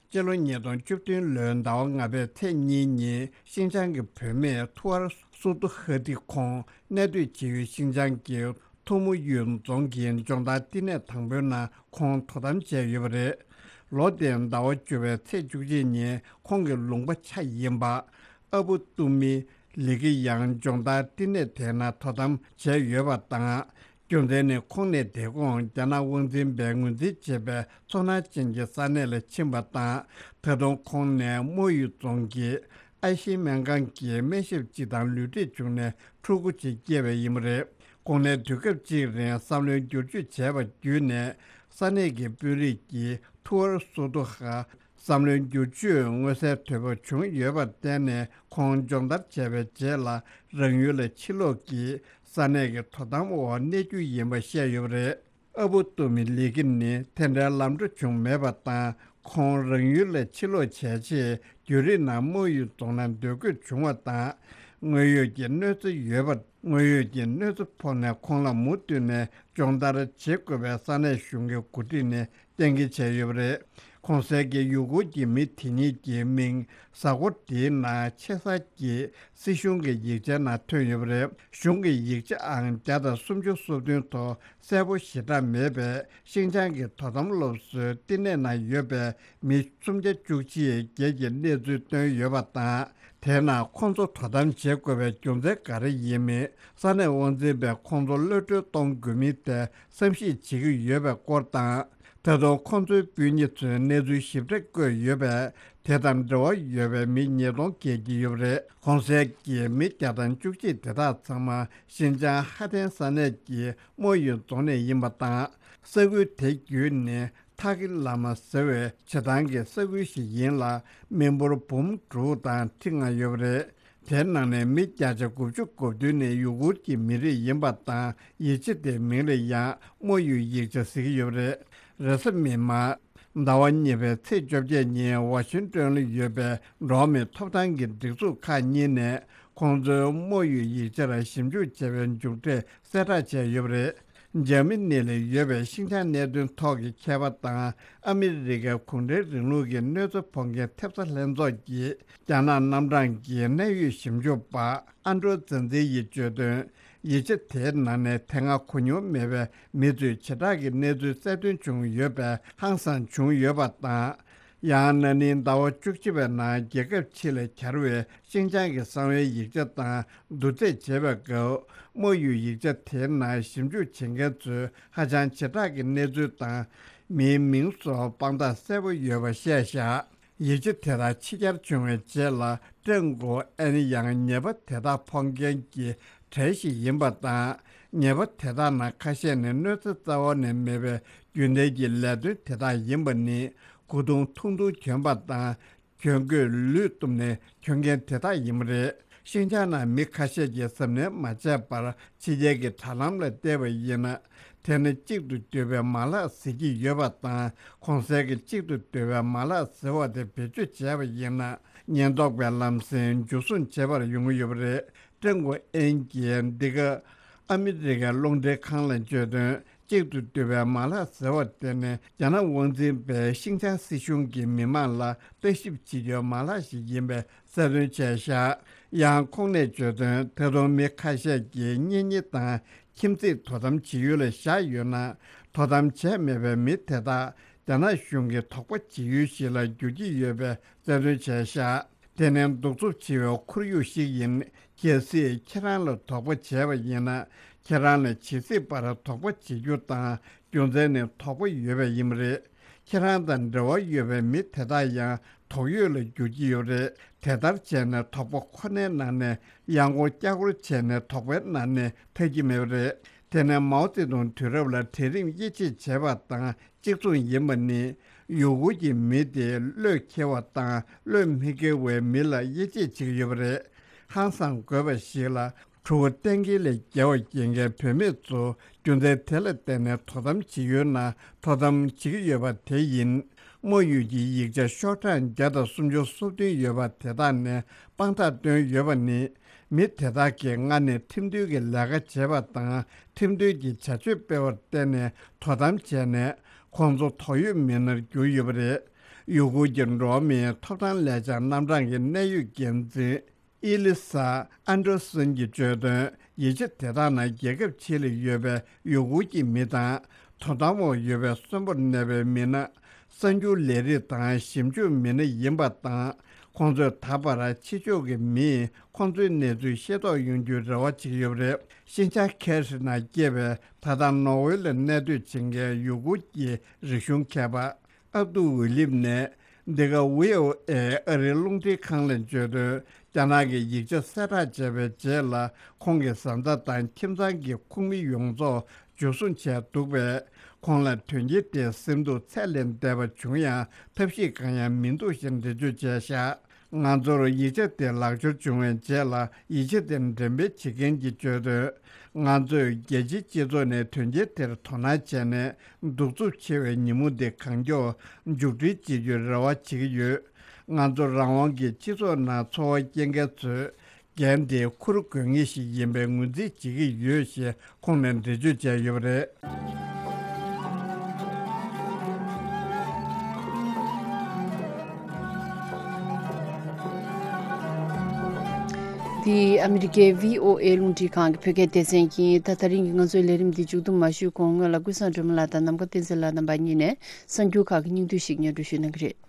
སྤྱི་ལོ་ཉིས་སྟོང་བཅུ་བདུན་ལོའི་ཟླ་བ་ལྔ་པའི་ཚེས་གཉིས་ཉིན་ཤིན་ཅང་གི་བུད་མེད་ཐུ་ཨར་སུ་ཏུ་ཧ་ཏི་ཁོང་གནས་སྡོད་བྱེད་ཡུལ་ཤིན་ཅང་གི་ཐུ་མུ་ཡུས་རྫོང་གི་སྦྱོང་བརྡར་བསྟི་གནས་དང་པོའི་ནང་ཁོང་དོ་དམ་བྱས་ཡོད་པ་རེད། ལོ་དེའི་ཟླ་བ་བཅུ་པའི་ཚེས་བཅུ་གཅིག་ཉིན་ཁོང་གི་ལུང་པ་ཆ་ཡིན་པ་ཨ་བུ་ཏུ་མི་ལི་ཀི་ཡང་སྦྱོང་བརྡར་བསྟི་གནས་དེའི་ནང་དོ་དམ་བྱས་ཡོད་པ་དང་། རྒྱུ་མཚན་ནི་ཁོང་ནས་དེ་གོང་རྒྱ་ནག་དབང་འཛིན་པས་ངོས་འཛིན་བྱེད་པའི་ཚོར་སྣང་ཅན་གྱི་ས་གནས་ལ་ཕྱིན་པ་དང་། ད་དུང་ཁོང་ནས་མོ་ཡུས་རྫོང་གི་ཨ་ཤི་སྨན་ཁང་གི་སྨན་ཞབས་གཅིག་དང་ལུས་འབྲེལ་བྱུང་ནས་ཕྲུ་གུ་གཅིག་སྐྱེས་པ་ཡིན་པ་རེད། ཁོང་ནས་དུས་སྐབས་གཅིག་རིང་བསམ་བློའི་བསྒྱུར་བཅོས་བྱས་པ་བརྒྱུད་ནས་ས་གནས་ཀྱི་དཔོན་རིགས་ཀྱིས་ཐུ་ཨར་སུ་ཏུ་ཧ་བསམ་བློའི་བསྒྱུར་བཅོས་མངོན་གསལ་དོད་པོ་བྱུང་ཡོད་པར་བརྟེན་ནས། ཁོང་སྦྱོང་བརྡར་བྱས་པའི་རྗེས་ལ་རང་ཡུལ་ལ་ཕྱིར་ལོག་གིས་ས་གནས་ཀྱི་དོ་དམ་འོག་གནས་རྒྱུ་ཡིན་པ་བཤད་ཡོད་པ་རེད། ཨ་བུ་ཏུ་མི་ལི་ཀི་ནི་དེ་འདྲའི་ལམ་འགྲོ་བྱུང་མེད་པ་དང་། ཁོང་རང་ཡུལ་ལ་ཕྱིར་ལོག་བྱས་རྗེས་རྒྱུན་རིང་ནང་མོ་ཡུས་རྫོང་ནང་སྡོད་དགོས་བྱུང་བ་དང་། དངོས་ཡོད་ཀྱི་གནོད་འཚེ་ཡོད་པ། དངོས་ཡོད་ཀྱི་གནོད་འཚེ་ཕོག་ནས་ཁོང་ལ་མུ་མཐུད་ནས་སྦྱོང་བརྡར་བྱེད་དགོས་པའི་ས་གནས་གཞུང་གི་འགོ་ཁྲིད་ནས་གཏན་འཁེལ་བྱས་ཡོད་པ་རེད། གོང་གསལ་གྱི་ཡུ་གུར་གྱི་མི་དེ་གཉིས་ཀྱི་མིང་གཟའ་འཁོར་འདིའི་ནང་ཆེ་ས་ཀྱི་སྲིད་གཞུང་གི་ཡིག་ཆའི་ནང་ཐོན་ཡོད་པ་རེད། གཞུང་གི་ཡིག་ཆའང་བརྒྱ་དང་སུམ་ཅུ་སོ་བདུན་ཐོག་གསལ་པོ་ཞེ་དྲག་མེད་པས། ཤིན་ཅང་གི་དོ་དམ་སློབ་གསོའི་བསྟི་གནས་ནང་ཡོད་པའི་མི་སུམ་བརྒྱ་བཅུ་གཅིག་བརྒལ་གྱི་གནས་ཚུལ་བཏོན་ཡོད་པ་དང་། དེའི་ནང་ཁོང་ཚོ་དོ་དམ་བྱེད་དགོས་པའི་རྒྱུ་མཚན་ག་རེ་ཡིན་མིན། ས་གནས་དབང་འཛིན་པས་ཁོང་ཚོ་གློད་གྲོལ་གཏོང་དགོས་མིན་ཐད་བསམ་གཞིག་བྱེད་ཀྱི་ཡོད་པའི་སྐོར་དང་། ད་དུང་ཁོང་ཚོའི་སྤུན་ཉེ་ཚོས་གནས་ཚུལ་ཞིབ་ཕྲ་བཀོད་ཡོད་པས། དེ་དང་འབྲེལ་བ་ཡོད་པའི་མི་ཉིས་སྟོང་བརྒལ་གྱི་ཡོད་པ་རེད། གོང་གསལ་གྱི་མི་བརྒྱ་དང་བཅུ་གཅིག་དེ་དག་ཚང་མ་ཤིན་ཅང་ཧ་ཐན་ས་གནས་ཀྱི་མོ་ཡུས་རྫོང་ནས་ཡིན་པ་དང་། ས་ཁུལ་དེ་བརྒྱུད་ནས་ཐ་ཀི་ལ་མ་ཟེར་བའི་བྱེ་ཐང་གི་ས་ཁུལ་ཞིག་ཡིན་ལ། མི་འབོར་འབུམ་དྲུག་དང་ཁྲི་ལྔ་ཡོད་པ་རེད། དེའི་ནང་ནས་མི་བརྒྱ་ཆ་དགུ་བཅུ་གོ་བདུན་ནི་ཡུ་གུར་གྱི་མི་རིགས་ཡིན་པ་དང་། ཡིག་ཆ་དེའི་མིང་ལ་ཡང་མོ་ཡུས་ཡིག་ཆ་ཟེར་གྱི་ཡོད་པ་རེད། རེས་གཟའ་མིག་དམར། ཟླ་བ་གཉིས་པའི་ཚེས་བཅོ་བརྒྱད་ཉིན་ཝ་ཤིང་ཏོན་ལ་ཡོད་པའི་འགྲོ་བ་མིའི་ཐོབ་ཐང་གི་སྒྲིག་འཛུགས་ཁག་གཉིས་ནས་ཁོང་ཚོའི་མོ་ཡུས་ཡིག་ཆར་ཞིབ་འཇུག་བྱས་པའི་མཇུག་འབྲས་གསལ་བསྒྲགས་བྱས་ཡོད་པ་རེད། འཇར་མ་ནི་ལ་ཡོད་པའི་ཤིང་ཆའང་གནད་དོན་ཐོག་གི་མཁས་པ་དང་ཨ་མི་རི་ཀའི་གུང་ཁྲན་རིང་ལུགས་ཀྱི་གནོད་འཚེ་ཕོག་མཁན་ཐེབས་རྩ་ལྷན་ཚོགས་ཀྱི་རྒྱ་ནག་རྣམ་གྲངས་ཀྱི་གནད་ཡོད་ཞིབ་འཇུག་པ་ཨན་ཀྲོ་ཛན་ཛི་ཡིས་བརྗོད་དོན། ཡིག་ཆ་དེའི་ནང་ནས་དེ་སྔ་གོ་མྱོང་མེད་པའི་མི་ཚོས་བྱེ་བྲག་གི་གནས་ཚུལ་གསལ་སྟོན་བྱུང་ཡོད་པས་ཧང་སངས་བྱུང་ཡོད་པ་དང་། ཡང་ན་ནིང་ཟླ་བ་བཅུ་གཅིག་པའི་ནང་རྒྱལ་ཁབ་ཕྱི་ལ་གྱར་བའི་ཤིང་ཅང་གི་གསང་བའི་ཡིག་ཆ་དང་བསྡུར་རྩིས་བྱེད་པའི་སྐབས། དམར་ཡུལ་ཡིག་ཆ་དེའི་ནང་ཞིབ་འཇུག་བྱེད་མཁན་ཚོས་ཧ་ཅང་བྱེ་བྲག་གི་གནས་ཚུལ་དང་། མིའི་མིང་སོགས་དཔང་རྟགས་གསལ་པོ་ཡོད་པ་བཤད་བཞག་ཡིག་ཆ་དེ་དག་ཕྱི་གྱར་བྱུང་བའི་རྗེས་ལ། ཀྲེང་གོ་ཨན་ཡང་ཉེས་པ་དེ་དག་ཕོག་མཁན་གྱི་གྲས་ཤིག་ཡིན་པ་དང་། ཉེས་པ་དེ་དག་ནང་ཁ་ཤས་ནི་གནོད་འཚེ་རྩ་བ་ནས་མེད་པའི་རྒྱུན་ལྡན་གྱི་ལས་དོན་དེ་དག་ཡིན་པ་ནི། མགོ་རྡུང་ཐུང་ཐུང་གྱོན་པ་དང་། གྱོན་གོས་ལུས་གཏུབས་ནས་གྱོན་མཁན་དེ་དག་ཡིན་པ་རེད། ཤིན་ཅང་ནང་མི་ཁ་ཤས་ཀྱིས་གཟབ་ནན་མ་བྱས་པར་ཕྱི་རྒྱལ་གྱི་དྲ་ལམ་ལ་བལྟས་པ་ཡིན་ན། དེ་ནི་གཅིག་ཏུ་སྡོད་པའི་མ་ལག་ཟེར་གྱི་ཡོད་པ་དང་། གོང་གསལ་གྱི་གཅིག་ཏུ་སྡོད་པའི་མ་ལག་ཟེར་བ་དེ་བེད་སྤྱོད་བྱས་པ་ཡིན་ན། ཉེན་རྟོག་པས་ལམ་སེང་འཇུ་བཟུང་བྱེད་པར་ཡོང་གི་ཡོད་པ་རེད། ཀྲེང་གོ་ཨན་གྱིས་འདི་ག་ཨ་མི་རི་ཀའི་རླུང་འཕྲིན་ཁང་ལ་བརྗོད་དོན། གཅིག་ཏུ་སྡོད་པའི་མ་ལག་ཟེར་བ་དེ་ནི་རྒྱ་ནག་དབང་འཛིན་པས་ཤིང་ཅང་སྲིད་གཞུང་གི་མི་མང་ལ་ལྟ་ཞིབ་བྱེད་རྒྱུའི་མ་ལག་ཞིག་ཡིན་པའི་གསལ་སྟོན་བྱས་བཞག་ཡང་ཁོང་ནས་བརྗོད་དོན། ད་དུང་མི་ཁ་ཤས་ཀྱིས་གཉེན་ཉེ་དང་ཁྱིམ་མཚེས་དོ་དམ་བྱེད་ཡུལ་ལ་བཞག་ཡོད་ན། དོ་དམ་བྱས་མེད་པའི་མི་དེ་དག་རྒྱ་ནག་གཞུང་གི་དོགས་པ་བྱེད་ཡུལ་ཞིག་ལ་འགྱུར་གྱི་ཡོད་པའི་གསལ་སྟོན་བྱས་བཞག་དེ་ནི་གདུག་རྩུབ་ཆེ་བའི་ཁོར་ཡུག་ཞིག་ཡིན། གལ་སྲིད་ཁྱེད་རང་ལ་དོགས་པ་བྱས་པ་ཡིན་ན། ཁྱེད་རང་ལ་ཇི་སྲིད་བར་དོགས་པ་བྱེད་རྒྱུ་དང་རྒྱུ་མཚན་ནི་དོགས་པ་ཡོད་པ་ཡིན་པ་རེད། ཁྱེད་རང་དང་འབྲེལ་བ་ཡོད་པའི་མི་དེ་དག་ཡང་དོགས་ཡོད་ལ་འགྱུར་གྱི་ཡོད་པ་རེད། དེ་ལྟར་བྱས་ནས་དོགས་པ་ཁོ་ནའི་ནང་ནས་ཡང་སྐོར་བསྐྱར་སྐོར་བྱས་ནས་དོགས་པའི་ནང་ནས་ཐར་གྱི་མེད་པ་རེད། དེ་ནས་མའོ་ཙེ་ཏུང་དུས་རབས་ལ་གྲལ་རིམ་དབྱེ་འབྱེད་བྱས་པ་དང་གཅིག་མཚུངས་ཡིན་པ་ནི། ཡུ་གུར་གྱི་མི་དེ་བློས་འཁེལ་བ་དང་བློས་མི་འཁེལ་བའི་མི་ལ་དབྱེ་འབྱེད་བྱེད་ཀྱི་ཡོད་པ་རེད། ཧང་སང་དགོས་པ་ཞིག་ལ། ཕྲུ་གུ་གཏན་འཁེལ་ལས་བརྒལ་བ་སྐྱེ་མཁན་བུད་མེད་ཚོ་རྒྱུ་མཚན་དེ་ལ་བརྟེན་ནས་དོ་དམ་བྱེད་ཡུལ་ནང་དོ་དམ་བྱེད་ཀྱི་ཡོད་པ་དེ་ཡིན། དམོད་ཡུལ་གྱི་ཡིག་ཆ་ཤོག་གྲངས་བརྒྱ་དང་སུམ་ཅུ་སོ་བདུན་ཡོད་པ་དེ་དག་ནས་དཔང་རྟགས་བཏོན་ཡོད་པ་ནི། མི་དེ་དག་གིས་སྔ་ནས་ཁྲིམས་མཐུན་གྱི་ལས་ཀ་བྱས་པ་དང་ཁྲིམས་མཐུན་གྱི་བྱ་སྤྱོད་སྤེལ་བར་བརྟེན་ནས་དོ་དམ་བྱས་ནས་ཁོང་ཚོ་དོགས་ཡོད་མི་སྣར་གྱུར་ཡོད་པ་རེད། ཡུ་གུར་གྱི་འགྲོ་བ་མིའི་ཐོབ་ཐང་ལས་འཆར་རྣམ་གྲངས་ཀྱི་གནད་ཡོད་འགན་འཛིན་ཨི་ལི་ས་ཨན་ཏྲོ་སན་གྱིས་བརྗོད་དོན། ཡིག་ཆ་དེ་དག་ནང་རྒྱལ་ཁབ་ཕྱི་ལ་ཡོད་པའི་ཡུ་གུར་གྱི་མི་དང་དོ་དམ་འོག་ཡོད་པའི་གསོན་པོར་གནས་པའི་མི་སྣ། གསར་འགྱུར་ལས་རིགས་དང་ཞིབ་འཇུག་མི་སྣ་ཡིན་པ་དང་། ཁོང་ཚོས་ད་བར་ཕྱི་ཕྱོགས་ཀྱི་མིས་ཁོང་ཚོའི་གནས་ཚུལ་ཤེས་རྟོགས་ཡོང་རྒྱུའི་རེ་བ་བྱེད་ཀྱི་ཡོད་པ་རེད། ཤིན་ཅང་ཁེ་ཧྲི་ནང་སྐྱེས་པའི་ད་ལྟ་ནོར་ཝེ་ལ་གནས་སྡོད་བྱེད་མཁན་ཡུ་གུར་གྱི་རིག་གཞུང་མཁས་པ་ཨབ་ཏུ་ཝི་ལིབ་ནས་འདི་ག་ཝི་ཨོ་ཨེ་ཨ་རིའི་རླུང་འཕྲིན་ཁང་ལ་བརྗོད་དོན། རྒྱ་ནག་གིས་ཡིག་ཆ་གསལ་བསྒྲགས་བྱས་པའི་རྗེས་ལ་ཁོང་གི་བཟའ་ཟླ་དང་ཁྱིམ་ཚང་གི་ཁོངས་མི་ཡོངས་རྫོགས་འཇུ་བཟུང་བྱས་འདུག་པས། ཁོང་ལ་དོན་རྐྱེན་དེ་སེམས་སྡུག་ཚད་ལས་འདས་པ་བྱུང་ཡང་ཐབས་ཤེས་གང་ཡང་མི་འདུག་ཞེས་འགྲེལ་བརྗོད་བྱས་བཞག་ང་ཚོར་ཡིག་ཆ་དེ་ལག་འབྱོར་བྱུང་བའི་རྗེས་ལ་ཡིག་ཆ་དེ་འགྲེམས་སྤེལ་བྱེད་མཁན་གྱིས་བརྗོད་དོན། ང་ཚོས་རྒྱལ་སྤྱིའི་སྤྱི་ཚོགས་ནས་དོན་རྐྱེན་དེར་དོ་སྣང་བྱས་ནས་གདུག་རྩུབ་ཆེ་བའི་ཉིན་མོ་འདི་གང་མགྱོགས་མཇུག་སྒྲིལ་བྱེད་རྒྱུའི་རེ་བ་བྱེད་ཀྱི་ཡོད། ང་ཚོ་རང་དབང་གི་སྤྱི་ཚོགས་ནང་འཚོ་བ་སྐྱེལ་མཁན་ཚོས། འགན་དེ་འཁུར་དགོས་ངེས་ཤིག་ཡིན་པའི་ངོས་འཛིན་བྱེད་ཀྱི་ཡོད་ཞེས་ཁོང་ནས་འགྲེལ་བརྗོད་བྱས་ཡོད་པ་རེད། འདི་ཨ་མི་རི་ཀའི་ཝི་ཨོ་ཨེ་རླུང་འཕྲིན་ཁང་གི་བོད་སྐད་སྡེ་ཚན་ཡིན། ད་ད་རིང་གི་ང་ཚོའི་ལས་རིམ་འདི་མཇུག་བསྡོམས་མ་ཞུས་གོང་སྔོན་ལ་ཀུན་བཟང་སྒྲོལ་མ་ལགས་དང་ནམ་མཁའ་བསྟན་འཛིན་ལགས་རྣམ་པ་གཉིས་ནས་གསར་འགྱུར་ཁག་གི་སྙིང་བསྡུས་ཤིག་སྙན་སྒྲོན་ཞུ་གནང་གི་རེད།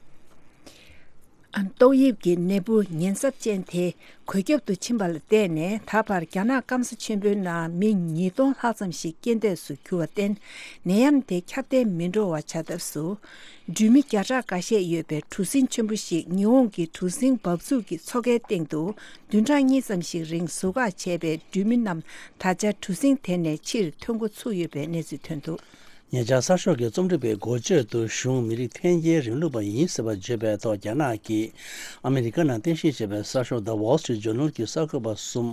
ཏོག་དབྱིབས་ཀྱི་ནད་འབུ་ཉེན་ཚབས་ཅན་དེ་འགོས་ཁྱབ་ཏུ་ཕྱིན་པ་ལ་བརྟེན་ནས། ད་བར་རྒྱ་ནག་སྐམ་ས་ཆེན་པོའི་ནང་མི་ཉིས་སྟོང་ལྷག་ཙམ་ཞིག་རྐྱེན་འདས་སུ་གྱུར་བར་བརྟེན། ནད་ཡམས་དེ་ཁྱབ་གདལ་མི་འགྲོ་བ་བྱ་ཐབས་སུ། འགྲུལ་མི་བརྒྱ་ཕྲག་འགའ་ཤས་ཡོད་པའི་གྲུ་གཟིངས་ཆེན་པོ་ཞིག་ཉི་ཧོང་གི་གྲུ་གཟིངས་འབབ་ཚུགས་ཀྱི་མཚོ་ཁའི་སྟེང་དུ་བདུན་ཕྲག་གཉིས་ཙམ་ཞིག་རིང་ཟུར་བཀག་བྱས་པའི་འགྲུལ་མི་རྣམས་ད་ཆ་གྲུ་གཟིངས་དེ་ནས་ཕྱིར་ཐོན་འགོ་ཚུགས་ཡོད་པའི་གནས་ཚུལ་ཐོན་འདུག་ཉེ་ཆར་གསར་ཤོག་གི་རྩོམ་སྒྲིག་པའི་འགོ་བརྗོད་དུ་གཞུང་མི་རིགས་འཐེན་འཁྱེར་རིང་ལུགས་པ་ཡིན་ཟེར་བ་བརྗོད་པའི་ཐོག་རྒྱ་ནག་གིས་ཨ་མི་རི་ཀ་ནང་རྟེན་གཞི་བྱས་པའི་གསར་ཤོག་The Wall Street Journal གྱི་གསར་འགོད་པ་གསུམ་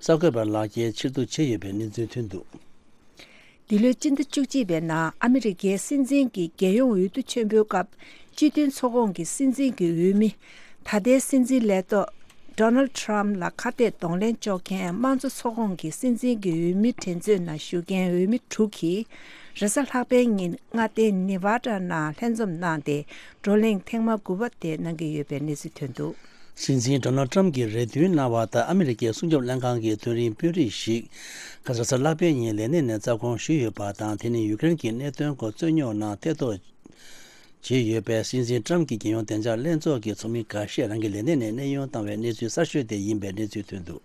གསར་འགོད་པར་ལག་འཁྱེར་ཕྱིར་བསྡུ་བྱས་ཡོད་པའི་གནས་ཚུལ་ཐོན་འདུག་འདི་ལོའི་སྤྱི་ཟླ་བཅུ་གཅིག་པའི་ནང་ཨ་མི་རི་ཀའི་སྲིད་འཛིན་གྱི་རྒྱལ་ཡོངས་འོས་བསྡུ་ཆེན་པོའི་སྐབས། སྤྱི་མཐུན་ཚོགས་ཁོངས་ཀྱི་སྲིད་འཛིན་གྱི་འོས་མི། ད་ལྟའི་སྲིད་འཛིན་ལས་ཐོག་Donald Trump ལ་ཁ་གཏད་གདོང་ལེན་གཅོག་མཁན་དམངས་གཙོ་ཚོགས་ཁོངས་ཀྱི་སྲིད་འཛིན་གྱི་འོས་མི་འགྲན་རྩོད་ནང་ཞུགས་མཁན་འོས་མི་དྲུག་གིས། རེས་གཟའ་ལྷག་པའི་ཉིན་མངའ་སྡེ་ནེ་ཝ་ཌ་ནང་ལྷན་འཛོམས་གནང་སྟེ། བགྲོ་གླེང་ཐེངས་མ་དགུ་པ་དེ་གནང་གི་ཡོད་པའི་གནས་ཚུལ་ཐོན་འདུག་སྲིད་འཛིན་Donald Trump གྱིས་རེ་འདུན་གནང་བ་ལྟར། ཨ་མི་རི་ཀའི་སྲུང་སྐྱོབ་ལྷན་ཁང་གི་མཐོ་རིམ་དཔོན་རིགས་ཤིག་ཁ་ས་གཟའ་ལྷག་པའི་ཉིན་ལས་གནས་ནས་རྩ་དགོངས་ཞུས་ཡོད་པ་དང་། དེ་ནི་ཡུ་ཀེ་རེན་གྱི་གནད་དོན་སྐོར་རྩོད་རྙོག་ནང་ཐེ་གཏོགས་བྱས་ཡོད་པའི་སྲིད་འཛིན་Trump གྱི་རྒྱལ་ཡོངས་བདེ་འཇགས་ལྷན་ཚོགས་ཀྱི་ཚོགས་མི་འགའ་ཤས་རང་གི་ལས་གནས་ནས་གནས་དབྱུང་བཏང་བའི་གནས་ཚུལ་གསར་ཤོས་དེ་ཡིན་པའི་གནས་ཚུལ་ཐོན་འདུག་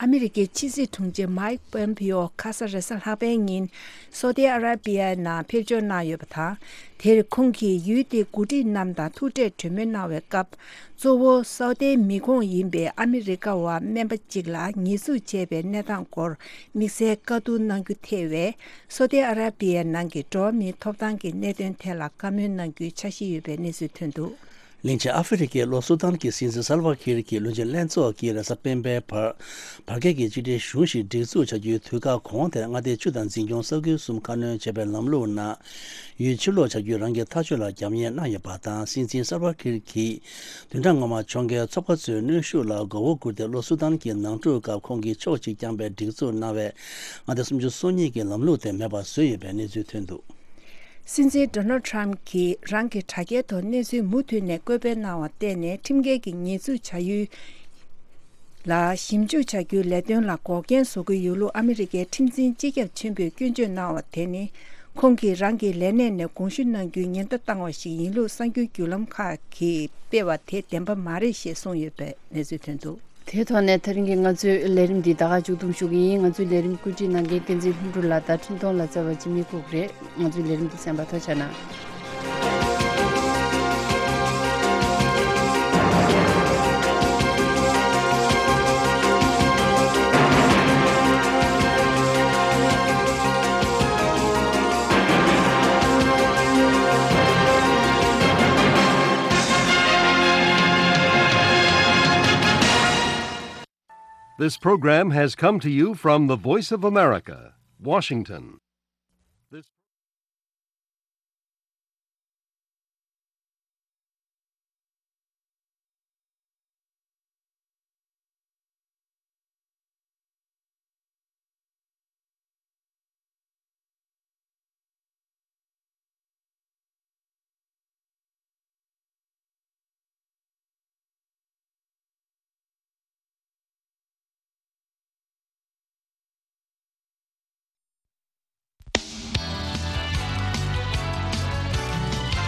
ཨ་མི་རི་ཀའི་ཕྱི་སྲིད་དྲུང་ཆེ་Mike Pompeo ཁ་ས་རེས་གཟའ་ལྷག་པའི་ཉིན་སོ་ཏི་ཨ་ར་པི་ཡའི་ནང་ཕེབས་འབྱོར་གནང་ཡོད་པ་དང་། དེར་ཁོང་གིས་ཡུལ་དེའི་འགོ་ཁྲིད་རྣམས་དང་ཐུག་འཕྲད་གྲོས་མོལ་གནང་བའི་སྐབས། གཙོ་བོ་སོ་ཏའི་མི་ཁོངས་ཡིན་པའི་ཨ་མི་རི་ཀ་བ་སྨན་པ་གཅིག་ལ་ཉེས་འཛུགས་བྱས་པའི་གནས་སྟངས་སྐོར་དམིགས་བསལ་བཀའ་བསྡུར་གནང་རྒྱུ་ཐེ་བའི་སོ་ཏི་ཨ་ར་པི་ཡའི་ནང་གི་འགྲོ་བ་མིའི་ཐོབ་ཐང་གི་གནད་དོན་ཐད་ལ་བཀའ་མོལ་གནང་རྒྱུའི་འཆར་གཞི་ཡོད་པའི་གནས་ཚུལ་ཐོན་འདུག་གླིང་ཆེན་ཨ་ཧྥེ་རི་ཁའི་ལྷོ་སུ་དཱན་གྱི་སྲིད་འཛིན་སལ་ཝ་ཁིར་གྱིས་བློན་ཆེན་ལྷན་ཚོགས་ཀྱིས་རེས་གཟའ་སྤེན་པའི་བར་བར་བརྒལ་གྱི་གཅིག་སྒྲིལ་གཞུང་ཞིག་སྒྲིག་འཛུགས་བྱ་རྒྱུའི་དུས་བཀག་གོང་དེར་མངའ་སྡེའི་ཆུ་དང་འཛིན་སྐྱོང་ས་ཁུལ་གསུམ་ཁ་སྣོན་བྱས་པའི་ལམ་ལུགས་ནང་ཡུལ་ཕྱིར་ལོག་བྱ་རྒྱུའི་རང་གི་ཐག་གཅོད་ལ་རྒྱབ་གཉེར་གནང་ཡོད་པ་དང་། སྲིད་འཛིན་སལ་ཝ་ཁིར་གྱིས་བདུན་ཕྲག་སྔོན་མ་ཕྱོགས་འགལ་ཚོགས་པ་ཚོའི་གནོན་ཤུགས་ལ་མགོ་བོ་སྒུར་ཏེ་ལྷོ་སུ་དཱན་གྱི་ནང་འཁྲུག་སྐབས་ཁོང་གིས་ཕྱོགས་གཅིག་བརྐྱངས་པའི་སྒྲིག་འཛུགས་གནང་བའི་མངའ་སྡེ་སུམ་ཅུ་སོ་གཉིས་ཀྱི་ལམ་ལུགས་དེ་མེད་པ་བཟོས་ཡོད་པའི་གནས་ཚུལ་ཐོན་འདུག་སྲིད་འཛིན་Donald Trump གྱིས་རང་གི་དྲ་རྒྱའི་ཐོག་གནས་ཚུལ་མུ་མཐུད་ནས་བཀོད་སྤེལ་གནང་བར་བརྟེན་ནས་ཁྲིམས་འགལ་གྱི་ཉེས་འཛུགས་བྱ་ཡུལ་ལ་ཞིབ་འཇུག་བྱ་རྒྱུའི་ལས་དོན་ལ་འགོག་རྐྱེན་བཟོ་གི་ཡོད་ལུགས་ཨ་མི་རི་ཀའི་ཁྲིམས་འཛིན་སྤྱི་ཁྱབ་ཆེན་པོས་སྐྱོན་བརྗོད་གནང་བ་དེ་ནི། ཁོང་གིས་རང་གི་ལས་གནས་ནས་དགོངས་ཞུ་གནང་རྒྱུའི་ཉེན་བརྡ་བཏང་བ་ཞིག་ཡིན་ལུགས་གསར་འགྱུར་བརྒྱུད་ལམ་ཁག་གིས་སྤེལ་བ་དེ་བདེན་པ་མ་རེད་ཞེས་གསུངས་ཡོད་པའི་གནས་ཚུལ་ཐོན་འདུག་དེའི་ཐོག་ནས་ད་རིང་གི་ང་ཚོའི་ལས་རིམ་འདི་ད་ག་མཇུག་བསྡོམས་ཞུ་གི་ཡིན། ང་ཚོའི་ལས་རིམ་བཀོད་སྒྲིག་གནང་མཁན་བསྟན་འཛིན་ལྷུན་གྲུབ་ལགས་དང་འཕྲིན་གཏོང་ལག་རྩལ་བ་འཇིགས་མེད་ཕུར་བུ་རེད། ང་ཚོའི་ལས་རིམ་འདི་གསན་པར་ཐུགས་རྗེ་གནང་། This program has come to you from the Voice of America, Washington.